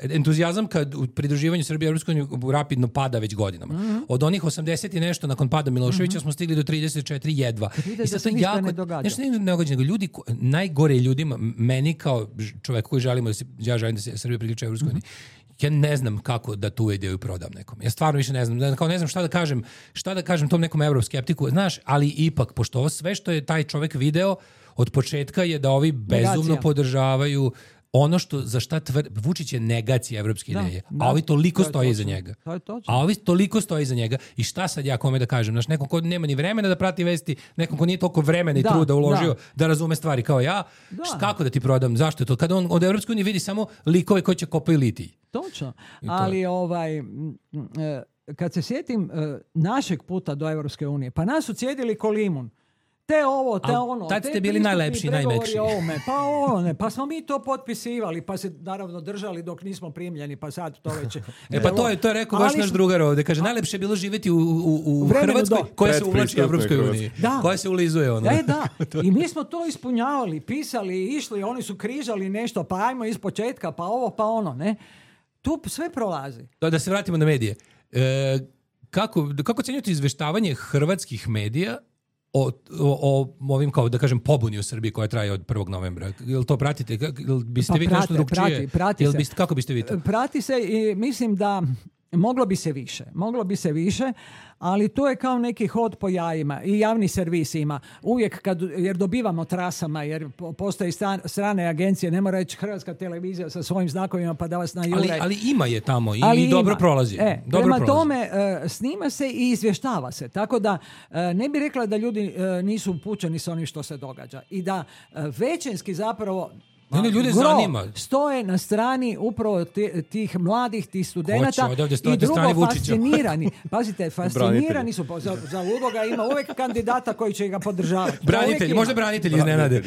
entuzijazam kad u pridruživanju Srbije Europskoj uniji rapidno pada već godinama. Mm-hmm. Od onih osamdeset i nešto nakon pada Miloševića mm-hmm. smo stigli do trideset četiri jedva. I sad to jako, ne događa. Nešto ne događa, nego ljudi, ko, najgore ljudima, meni kao čovjek koji želimo da se, ja želim da se Srbija priključi Europskoj uniji, mm-hmm. ja ne znam kako da tu ideju prodam nekom. Ja stvarno više ne znam. Kao ne znam šta da kažem, šta da kažem tom nekom evroskeptiku. Znaš, ali ipak, pošto ovo sve što je taj čovjek video od početka je da ovi bezumno Negacija. podržavaju ono što za šta tvr... Vučić je negacija evropske da, ideje, da, a ovi toliko to stoje točno, iza njega. To je točno. A ovi toliko stoje iza njega. I šta sad ja kome da kažem? Znaš, nekom ko nema ni vremena da prati vesti, nekom ko nije toliko vremena i da, truda uložio da. da razume stvari kao ja, da. Št, kako da ti prodam? Zašto je to? Kada on od Evropske unije vidi samo likove koji će kopaju litij. Točno. Ali ovaj, kad se sjetim našeg puta do Evropske unije, pa nas su cijedili ko limun. Te ovo, te A, ono. tad te ste bili najlepši, najmekši. Ovome, pa ono, ne, pa smo mi to potpisivali, pa se naravno držali dok nismo primljeni, pa sad to već... E pa to je, to je rekao baš naš drugar ovdje. Kaže, najlepše je bilo živjeti u, u, u Hrvatskoj do. koja se uvlači u Evropskoj uniji. Da. Koja se ulizuje ono. E da, i mi smo to ispunjavali, pisali, išli, oni su križali nešto, pa ajmo iz početka, pa ovo, pa ono, ne. Tu sve prolazi. Da, da se vratimo na medije. E, kako, kako ocjenjujete izveštavanje hrvatskih medija O, o, o ovim, kao da kažem, pobuni u Srbiji koja traje od prvog novembra? Jel to pratite? Jel biste pa vi prate, nešto drugčije? Prati, prati Jel se. biste, kako biste vi to? Prati se i mislim da moglo bi se više. Moglo bi se više, ali to je kao neki hod po jajima i javni servis ima. Uvijek kad, jer dobivamo trasama, jer postoje stan, strane agencije, ne mora reći Hrvatska televizija sa svojim znakovima pa da vas najure. Ali, ali ima je tamo i, ali i dobro ima. prolazi. E, dobro prema prolazi. tome uh, snima se i izvještava se. Tako da uh, ne bi rekla da ljudi uh, nisu upućeni s onim što se događa. I da uh, većinski zapravo Ne, ne, ljude gro zanima. stoje na strani upravo tih mladih, tih studenata i drugo fascinirani. Pazite, fascinirani su. Za, za ludoga ima uvijek kandidata koji će ga podržavati. Branitelji, možda branitelji iznenade.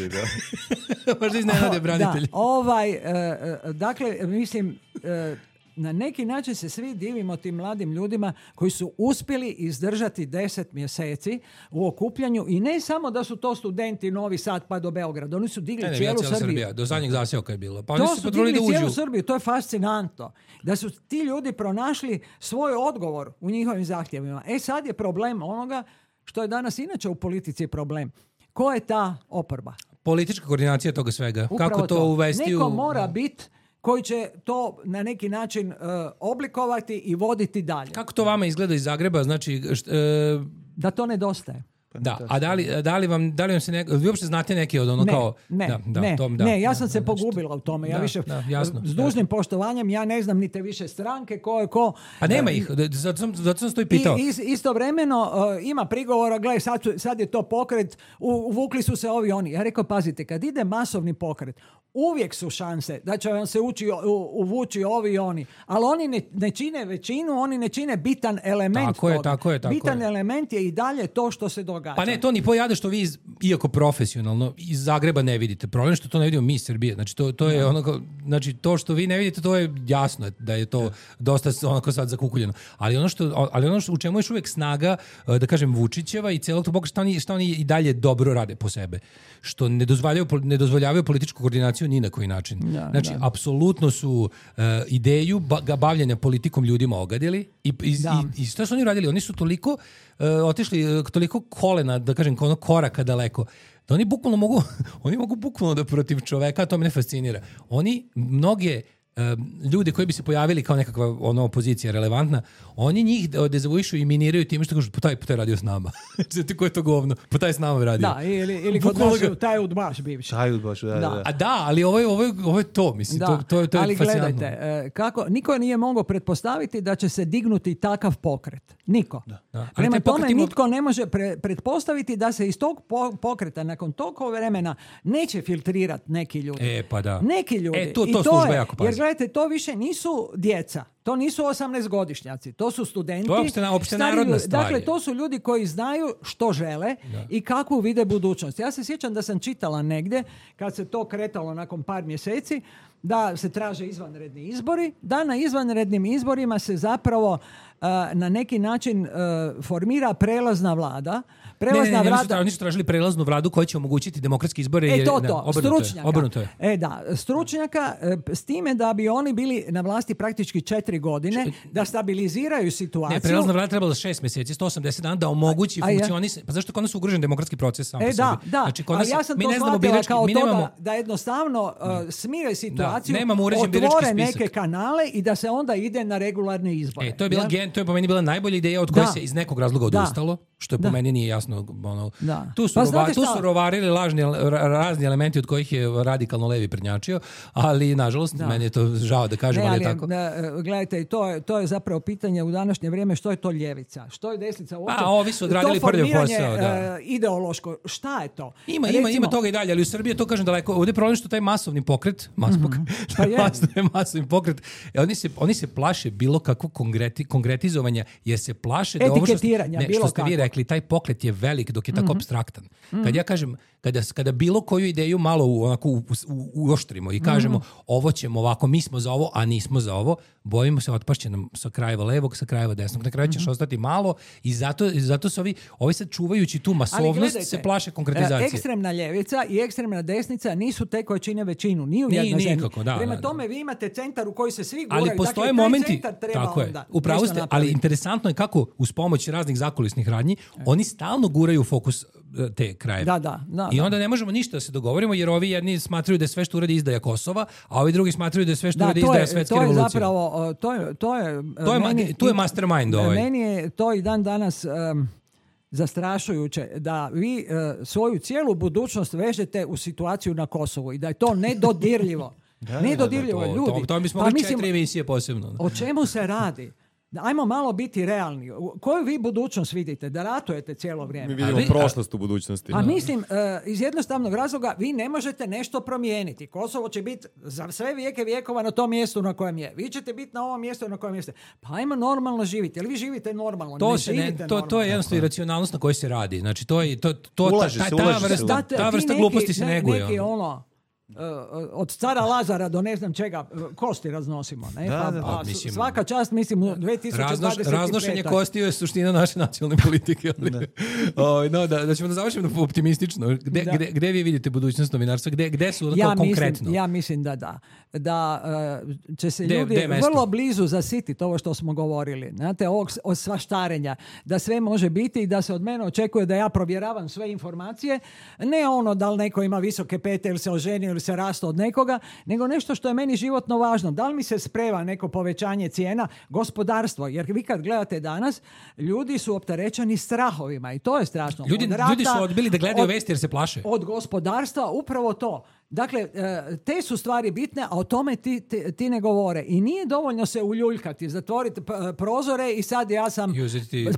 Možda iznenade branitelji. Da, ovaj, uh, dakle, mislim... Uh, na neki način se svi divimo tim mladim ljudima koji su uspjeli izdržati deset mjeseci u okupljanju i ne samo da su to studenti Novi Sad pa do Beograda, oni su digli ne, ne, cijelu Srbiju. Srbija, do zadnjeg zaseoka je bilo. Pa to oni su, su digli digli cijelu uđu. Srbiju, to je fascinantno. Da su ti ljudi pronašli svoj odgovor u njihovim zahtjevima. E sad je problem onoga što je danas inače u politici problem. Ko je ta oporba? Politička koordinacija toga svega. Upravo Kako to, to uvesti Neko u... mora biti koji će to na neki način uh, oblikovati i voditi dalje. Kako to vama izgleda iz Zagreba? Znači, št, uh, da to nedostaje. Da, a da li, da li vam, da li vam se ne, vi uopšte znate neke od ono ne, kao... Ne, da, da, ne, tom, da, ne, ja da, sam da, se da, pogubila u tome. Ja da, više, da, jasno, s dužnim poštovanjem, ja ne znam ni te više stranke, ko je ko. A nema ih, zato sam, zato sam to i pitao. I, is, istovremeno uh, ima prigovora, gledaj, sad, sad je to pokret, uvukli su se ovi oni. Ja rekao, pazite, kad ide masovni pokret, uvijek su šanse da će vam se ući, u, uvući ovi i oni. Ali oni ne, ne čine većinu, oni ne čine bitan element tako toga. Je, tako je, tako bitan je. element je i dalje to što se događa. Pa ne, to ni pojade što vi, iz, iako profesionalno, iz Zagreba ne vidite. Problem je što to ne vidimo mi iz Srbije. Znači, to, to je onako, znači, to što vi ne vidite, to je jasno da je to dosta onako sad zakukuljeno. Ali ono što, ali ono što, u čemu je još uvijek snaga, da kažem, Vučićeva i celog tog pokreta, šta oni, šta oni i dalje dobro rade po sebe. Što ne dozvoljavaju, ne dozvoljavaju političku koordinaciju ni na koji način. Da, znači, da. apsolutno su uh, ideju ba, bavljenja politikom ljudima ogadili i, i, i, i što su oni radili? Oni su toliko uh, otišli, uh, toliko kolena, da kažem, ono koraka daleko, da oni bukvalno mogu, oni mogu bukvalno da protiv čoveka, to mene fascinira. Oni mnoge ljude koji bi se pojavili kao nekakva ono opozicija relevantna, oni njih dezavuišu i miniraju time što kažu, pa taj, pa taj radio s nama. Znači, ko je to govno? Pa taj s nama radio. Da, ili, ili kod nas taj udbaš bivši. Taj udbaš, da, da. da. A da, ali ovo je, ovo je, ovo je to, mislim, da. to, to, to je ali fascinantno. gledajte, kako, niko nije mogao pretpostaviti da će se dignuti takav pokret. Niko. Da, da. Prema tome, ima... nitko ne može pre, pretpostaviti da se iz tog po, pokreta nakon toliko vremena neće filtrirati neki ljudi. E, pa da. Neki ljudi. E, to, to, I to služba je, jako pazi. Jer gledajte, to više nisu djeca. To nisu osamnaestogodišnjaci, to su studenti. To je opšte, opšte stari narodna ljudi. stvar. Dakle, to su ljudi koji znaju što žele da. i kakvu vide budućnost. Ja se sjećam da sam čitala negdje, kad se to kretalo nakon par mjeseci, da se traže izvanredni izbori, da na izvanrednim izborima se zapravo uh, na neki način uh, formira prelazna vlada. Prelazna ne, ne, ne, vlada... oni su tražili prelaznu vladu koja će omogućiti demokratske izbore. E to, da, to, stručnjaka. Obrnuto je. E da, stručnjaka s time da bi oni bili na vlasti praktički četiri godine, da stabiliziraju situaciju. Ne, prelazna vlada trebala šest mjeseci, sto osamdeset dana da omogući funkcionisanje. Pa zašto kod nas ugrožen demokratski proces sam e, po sebi? Da, da, znači, kod nas, ali ja sam mi to ne znamo shvatila birački, kao mi to nemamo... da, da jednostavno uh, smire situaciju, da, nemamo uređen birački otvore spisak. neke kanale i da se onda ide na regularne izbore. E, to je bila ja? gen, to je po meni bila najbolja ideja od koje da. se iz nekog razloga odustalo, što je po da. meni nije jasno. Ono, da. Tu su, pa rova, tu šta? su rovarili lažni, razni elementi od kojih je radikalno levi prednjačio, ali nažalost da. Meni je to žao da kažem, ne, ali ali je tako. Da, gledajte, to je, to je zapravo pitanje u današnje vrijeme, što je to ljevica, što je desnica uopće. A ovi su odradili prvi posao, da. Uh, ideološko, šta je to? Ima, Recimo, ima, ima toga i dalje, ali u Srbiji to kažem daleko. Ovdje je problem što taj masovni pokret, mas pokret, mm-hmm. pa je. masovni, masovni pokret, oni se, oni se plaše bilo kakvog konkreti, konkretizovanja, jer se plaše da ovo što, ne, bilo što ste kako. vi rekli, taj pokret je velik dok je tako mm-hmm. apstraktan. Mm-hmm. Kad ja kažem, kada, kada bilo koju ideju malo u, onako, u, u, uoštrimo i kažemo mm-hmm. ovo ćemo ovako, mi smo za ovo, a nismo za ovo, bojimo se otpašće nam sa krajeva levog, sa krajeva desnog. Na kraju ćeš mm-hmm. ostati malo i zato, zato su ovi, ovi sad čuvajući tu masovnost gledajte, se plaše konkretizacije. Ekstremna ljevica i ekstremna desnica nisu te koje čine većinu, ni u jednoj zemlji. Prema da, tome da. vi imate centar u koji se svi guraju. Ali postoje dakle, momenti, tako je, upravo ste, ali interesantno je kako uz pomoć raznih zakulisnih radnji, e. oni stalno guraju fokus te krajeve. Da, da, da, I onda ne možemo ništa da se dogovorimo, jer ovi jedni smatraju da je sve što uradi izdaja Kosova, a ovi drugi smatraju da je sve što da, uradi izdaja svetske to je revolucije. Zapravo, to je, to je, to je, meni, tu je mastermind ovaj. Meni je to i dan danas um, zastrašujuće da vi uh, svoju cijelu budućnost vežete u situaciju na Kosovu i da je to nedodirljivo. da, nedodirljivo, da, da, to, ljudi. To, to bismo pa, četiri mislim, emisije posebno. O čemu se radi? Ajmo malo biti realni. Koju vi budućnost vidite? Da ratujete cijelo vrijeme? Mi vidimo vi, prošlost u budućnosti. A mislim, uh, iz jednostavnog razloga vi ne možete nešto promijeniti. Kosovo će biti za sve vijeke vijekova na tom mjestu na kojem je. Vi ćete biti na ovom mjestu na kojem jeste. Pa ajmo normalno živjeti. Ali vi živite normalno. To, ne se živite ne, to, to je jednostavno iracionalnost na kojoj se radi. Znači, to je, to, to, ulaže ta, se, ta, ulaže ta vrsta, se. ta vrsta neki, gluposti se ne, neguje. Neki ono, Uh, od cara Lazara do ne znam čega kosti raznosimo, ne? Da, pa, da, pa, mislim, svaka čast, mislim, u dvije tisuće dvadeset pete. Raznoš, raznošenje kosti je suština naše nacionalne politike. Ali, da. o, no, da, da ćemo da završimo optimistično. Gde, da. gde, gde vi vidite budućnost novinarstva? Gde, gde su ja konkretno? Mislim, ja mislim da da. Da uh, će se de, ljudi de vrlo blizu zasititi ovo što smo govorili. Znate, ovog od svaštarenja. Da sve može biti i da se od mene očekuje da ja provjeravam sve informacije. Ne ono da li neko ima visoke pete ili se oženio ili se rasto od nekoga, nego nešto što je meni životno važno. Da li mi se spreva neko povećanje cijena? Gospodarstvo. Jer vi kad gledate danas, ljudi su opterećeni strahovima i to je strašno. Ljudi, od rata, ljudi su odbili da gledaju od, vesti jer se plaše. Od gospodarstva upravo to. Dakle, te su stvari bitne, a o tome ti, ti, ti ne govore. I nije dovoljno se uljuljkati, zatvoriti prozore i sad ja sam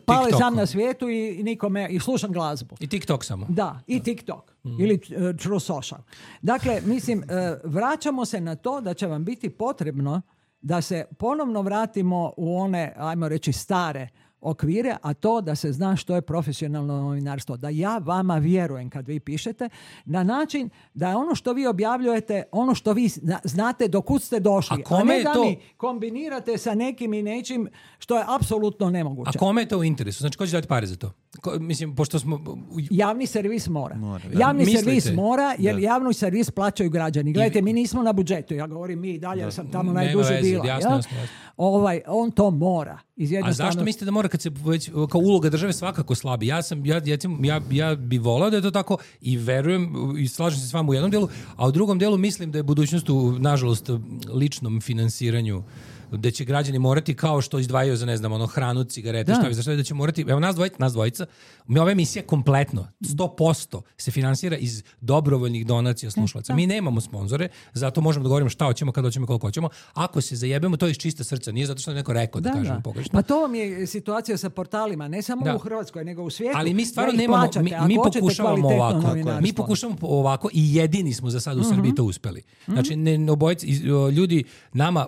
pali sam na svijetu i nikome, i slušam glazbu. I TikTok samo. Da, i TikTok. Mm. Ili uh, True Social. Dakle, mislim, uh, vraćamo se na to da će vam biti potrebno da se ponovno vratimo u one, ajmo reći, stare okvire, a to da se zna što je profesionalno novinarstvo. Da ja vama vjerujem kad vi pišete, na način da je ono što vi objavljujete, ono što vi znate do kud ste došli. A, a ne da to... mi kombinirate sa nekim i nečim što je apsolutno nemoguće. A kome je to u interesu? Znači, ko će dati pare za to? Ko, mislim, pošto smo... Javni servis mora. mora Javni Mislite? servis mora, jer da. javni servis plaćaju građani. Gledajte, I... mi nismo na budžetu. Ja govorim mi i dalje, jer sam tamo najduže bila. Jasno, jasno, jasno. Ovaj, on to mora. Iz A jednostavno... zašto mislite da mora kad se već, kao uloga države svakako slabi? Ja sam, ja, ja, ja, ja bi volao da je to tako i verujem i slažem se s vama u jednom delu, a u drugom delu mislim da je budućnost u, nažalost, ličnom finansiranju, da će građani morati kao što izdvajaju za, ne znam, ono, hranu, cigarete, šta bi za šta, da će morati, evo nas dvojica, nas dvojica, mi ova emisija kompletno, sto posto se finansira iz dobrovoljnih donacija slušalaca. Mi nemamo sponzore, zato možemo da govorimo šta hoćemo, kada hoćemo, koliko hoćemo. Ako se zajebemo, to je iz čista srca, nije zato što je neko rekao da, da kažemo pogrešno. Pa to vam je situacija sa portalima, ne samo da. u Hrvatskoj, nego u svijetu. Ali mi stvarno da nemamo, plaćate, mi, mi pokušavamo ovako, novinarstvo. mi pokušavamo ovako i jedini smo za sad u Srbiji to uspeli. Znači, ne, obojice, ljudi, nama,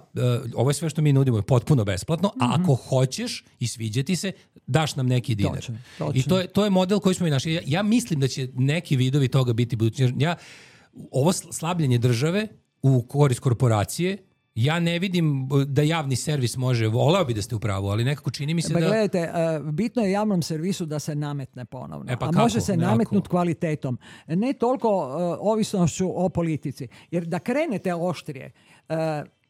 ovo je sve što mi nudimo je potpuno besplatno, a ako hoćeš i sviđa ti se, daš nam neki dinar. Točno, točno. I to je, to je model koji smo i našli. Ja, ja mislim da će neki vidovi toga biti budući. Ja, ovo slabljenje države u korist korporacije, ja ne vidim da javni servis može, voleo bi da ste u pravu, ali nekako čini mi se ba, da... Gledajte, uh, bitno je javnom servisu da se nametne ponovno, e pa a kako? može se Nekako. nametnuti kvalitetom. Ne toliko uh, ovisnošću o politici. Jer da krenete oštrije, uh,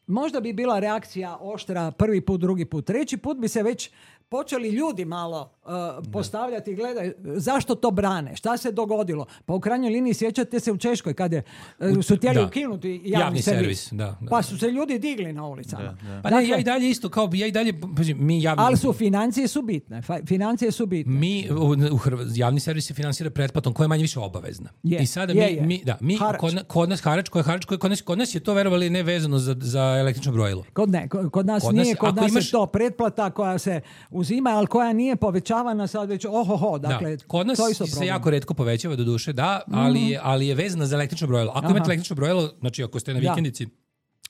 možda bi bila reakcija oštra prvi put, drugi put, treći put bi se već počeli ljudi malo uh, postavljati i gledaj, zašto to brane, šta se dogodilo. Pa u krajnjoj liniji sjećate se u Češkoj kada uh, su htjeli da. ukinuti javni, javni servis. servis da, da. Pa su se ljudi digli na ulicama. Da, da. Pa ne, ja i dalje isto, kao bi ja i dalje, mi javni... Ali su financije su bitne. Financije su bitne. Mi, u, u Hrv... javni servis se finansira pretplatom koja je manje više obavezna. Je, I sada je, mi, je. mi, da, mi kod, kod nas harač, koji je harač, koji kod nas, kod nas je to verovali ne vezano za, za električno brojilo. Kod ne, kod, kod nas kod nije, nas, kod nas imaš... je to pretplata koja se uzima, ali koja nije povećavana sad već ohoho, dakle, da. Kod nas to isto se problem. jako retko povećava do duše, da, ali, mm. je, ali je vezana za električno brojilo. Ako Aha. imate električno brojilo, znači ako ste na vikendici,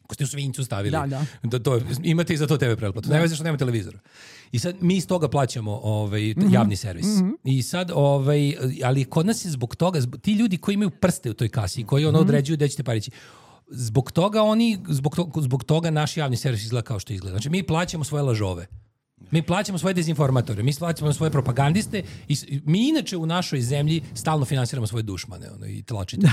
ako ste u Svinjcu stavili, da, da. Da to, imate i za to te ve pretplatu. Ne veze što nema televizora. I sad mi iz toga plaćamo ovaj, mm-hmm. javni servis. Mm-hmm. I sad, ovaj, ali kod nas je zbog toga, zbog, ti ljudi koji imaju prste u toj kasi, koji ono mm-hmm. određuju gde ćete parići, zbog toga oni, zbog, to, zbog toga naš javni servis izgleda kao što izgleda. Znači mi plaćamo svoje lažove. Mi plaćamo svoje dezinformatore, mi plaćamo svoje propagandiste i mi inače u našoj zemlji stalno finansiramo svoje dušmane ono, i tlačite.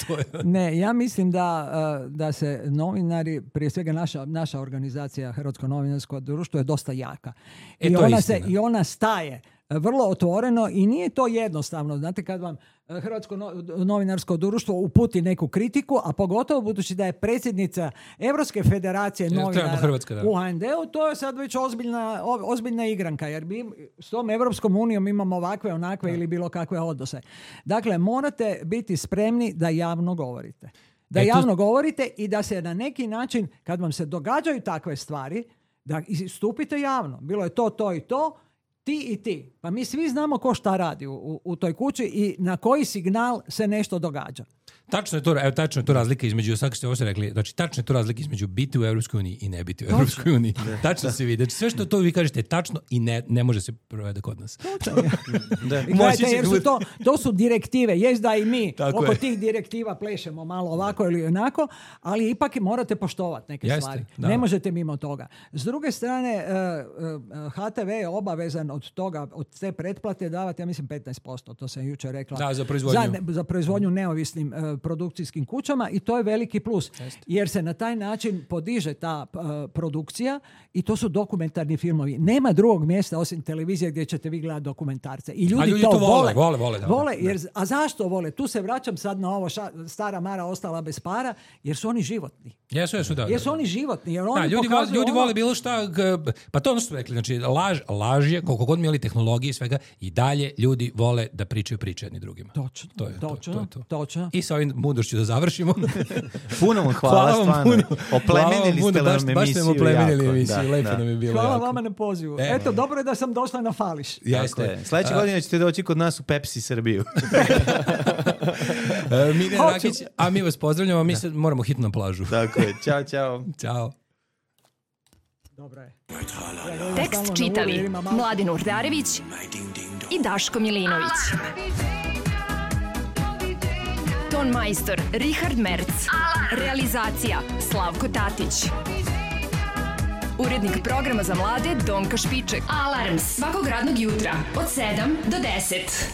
To je... Ne, ja mislim da, da se novinari, prije svega naša, naša organizacija Hrvatsko novinarsko društvo je dosta jaka. E, I, to ona je se, I ona staje vrlo otvoreno i nije to jednostavno. Znate, kad vam Hrvatsko novinarsko društvo uputi neku kritiku, a pogotovo budući da je predsjednica Evropske federacije novinara Hrvatska, da. u ha en de-u, to je sad već ozbiljna, ozbiljna igranka, jer mi s tom Evropskom unijom imamo ovakve, onakve da. ili bilo kakve odnose. Dakle, morate biti spremni da javno govorite. Da e, javno tu... govorite i da se na neki način, kad vam se događaju takve stvari, da istupite javno. Bilo je to, to i to, ti i ti. Pa mi svi znamo ko šta radi u, u, u toj kući i na koji signal se nešto događa. Tačno je to, evo, tačno je to razlika između, sad ste ovo ste rekli, znači tačno je to razlika između biti u Evropskoj uniji i ne biti u Evropskoj uniji. Tačno se vidi. Znači sve što to vi kažete je tačno i ne, ne može se provede kod nas. da. I gledajte, jer su to, to su direktive. Jest da i mi tako oko je. tih direktiva plešemo malo ovako ili onako, ali ipak morate poštovati neke Jeste, stvari. da. Ne možete mimo toga. S druge strane, ha te ve je obavezan od toga, od te pretplate davati, ja mislim, petnaest posto. To sam jučer rekla. Da, za proizvodnju. Za, za proizvodnju neovisnim uh, produkcijskim kućama i to je veliki plus. Jeste. Jer se na taj način podiže ta uh, produkcija i to su dokumentarni filmovi. Nema drugog mjesta osim televizije gdje ćete vi gledati dokumentarce. I ljudi, ljudi to, to vole. Vole, vole, da, vole jer, da. a zašto vole? Tu se vraćam sad na ovo ša, stara Mara ostala bez para, jer su oni životni. Jesu, jesu, da. Jer su da, oni životni. Jer oni da, ljudi, vole, ljudi ono... vole bilo šta, pa to ono što su rekli, znači laž, laž je, koliko god mi imali tehnologije i svega, i dalje ljudi vole da pričaju priče jedni drugima. Točno, to je, točno, to, to je to. točno. I sa ovim mudrošću da završimo. Puno vam hvala, hvala stvarno. Puno. Oplemenili ste nam emisiju. Baš ste nam oplemenili emisiju, da, lepo da. nam je bilo. Hvala jako. vama na pozivu. E, Eto, dobro je da sam došla na Fališ. Jeste. Sljedeće godine ćete doći kod nas u Pepsi Srbiju. Mine Rakić, a mi vas pozdravljamo, mi se moramo hitno na plažu. Tako je, čao, čao. Ćao. Dobro je. Tekst čitali Mladin Urdarević i Daško Milinović. Ton majstor Richard Merc. Realizacija Slavko Tatić. Urednik programa za mlade Donka Špiček. Alarms svakog radnog jutra od sedam do deset.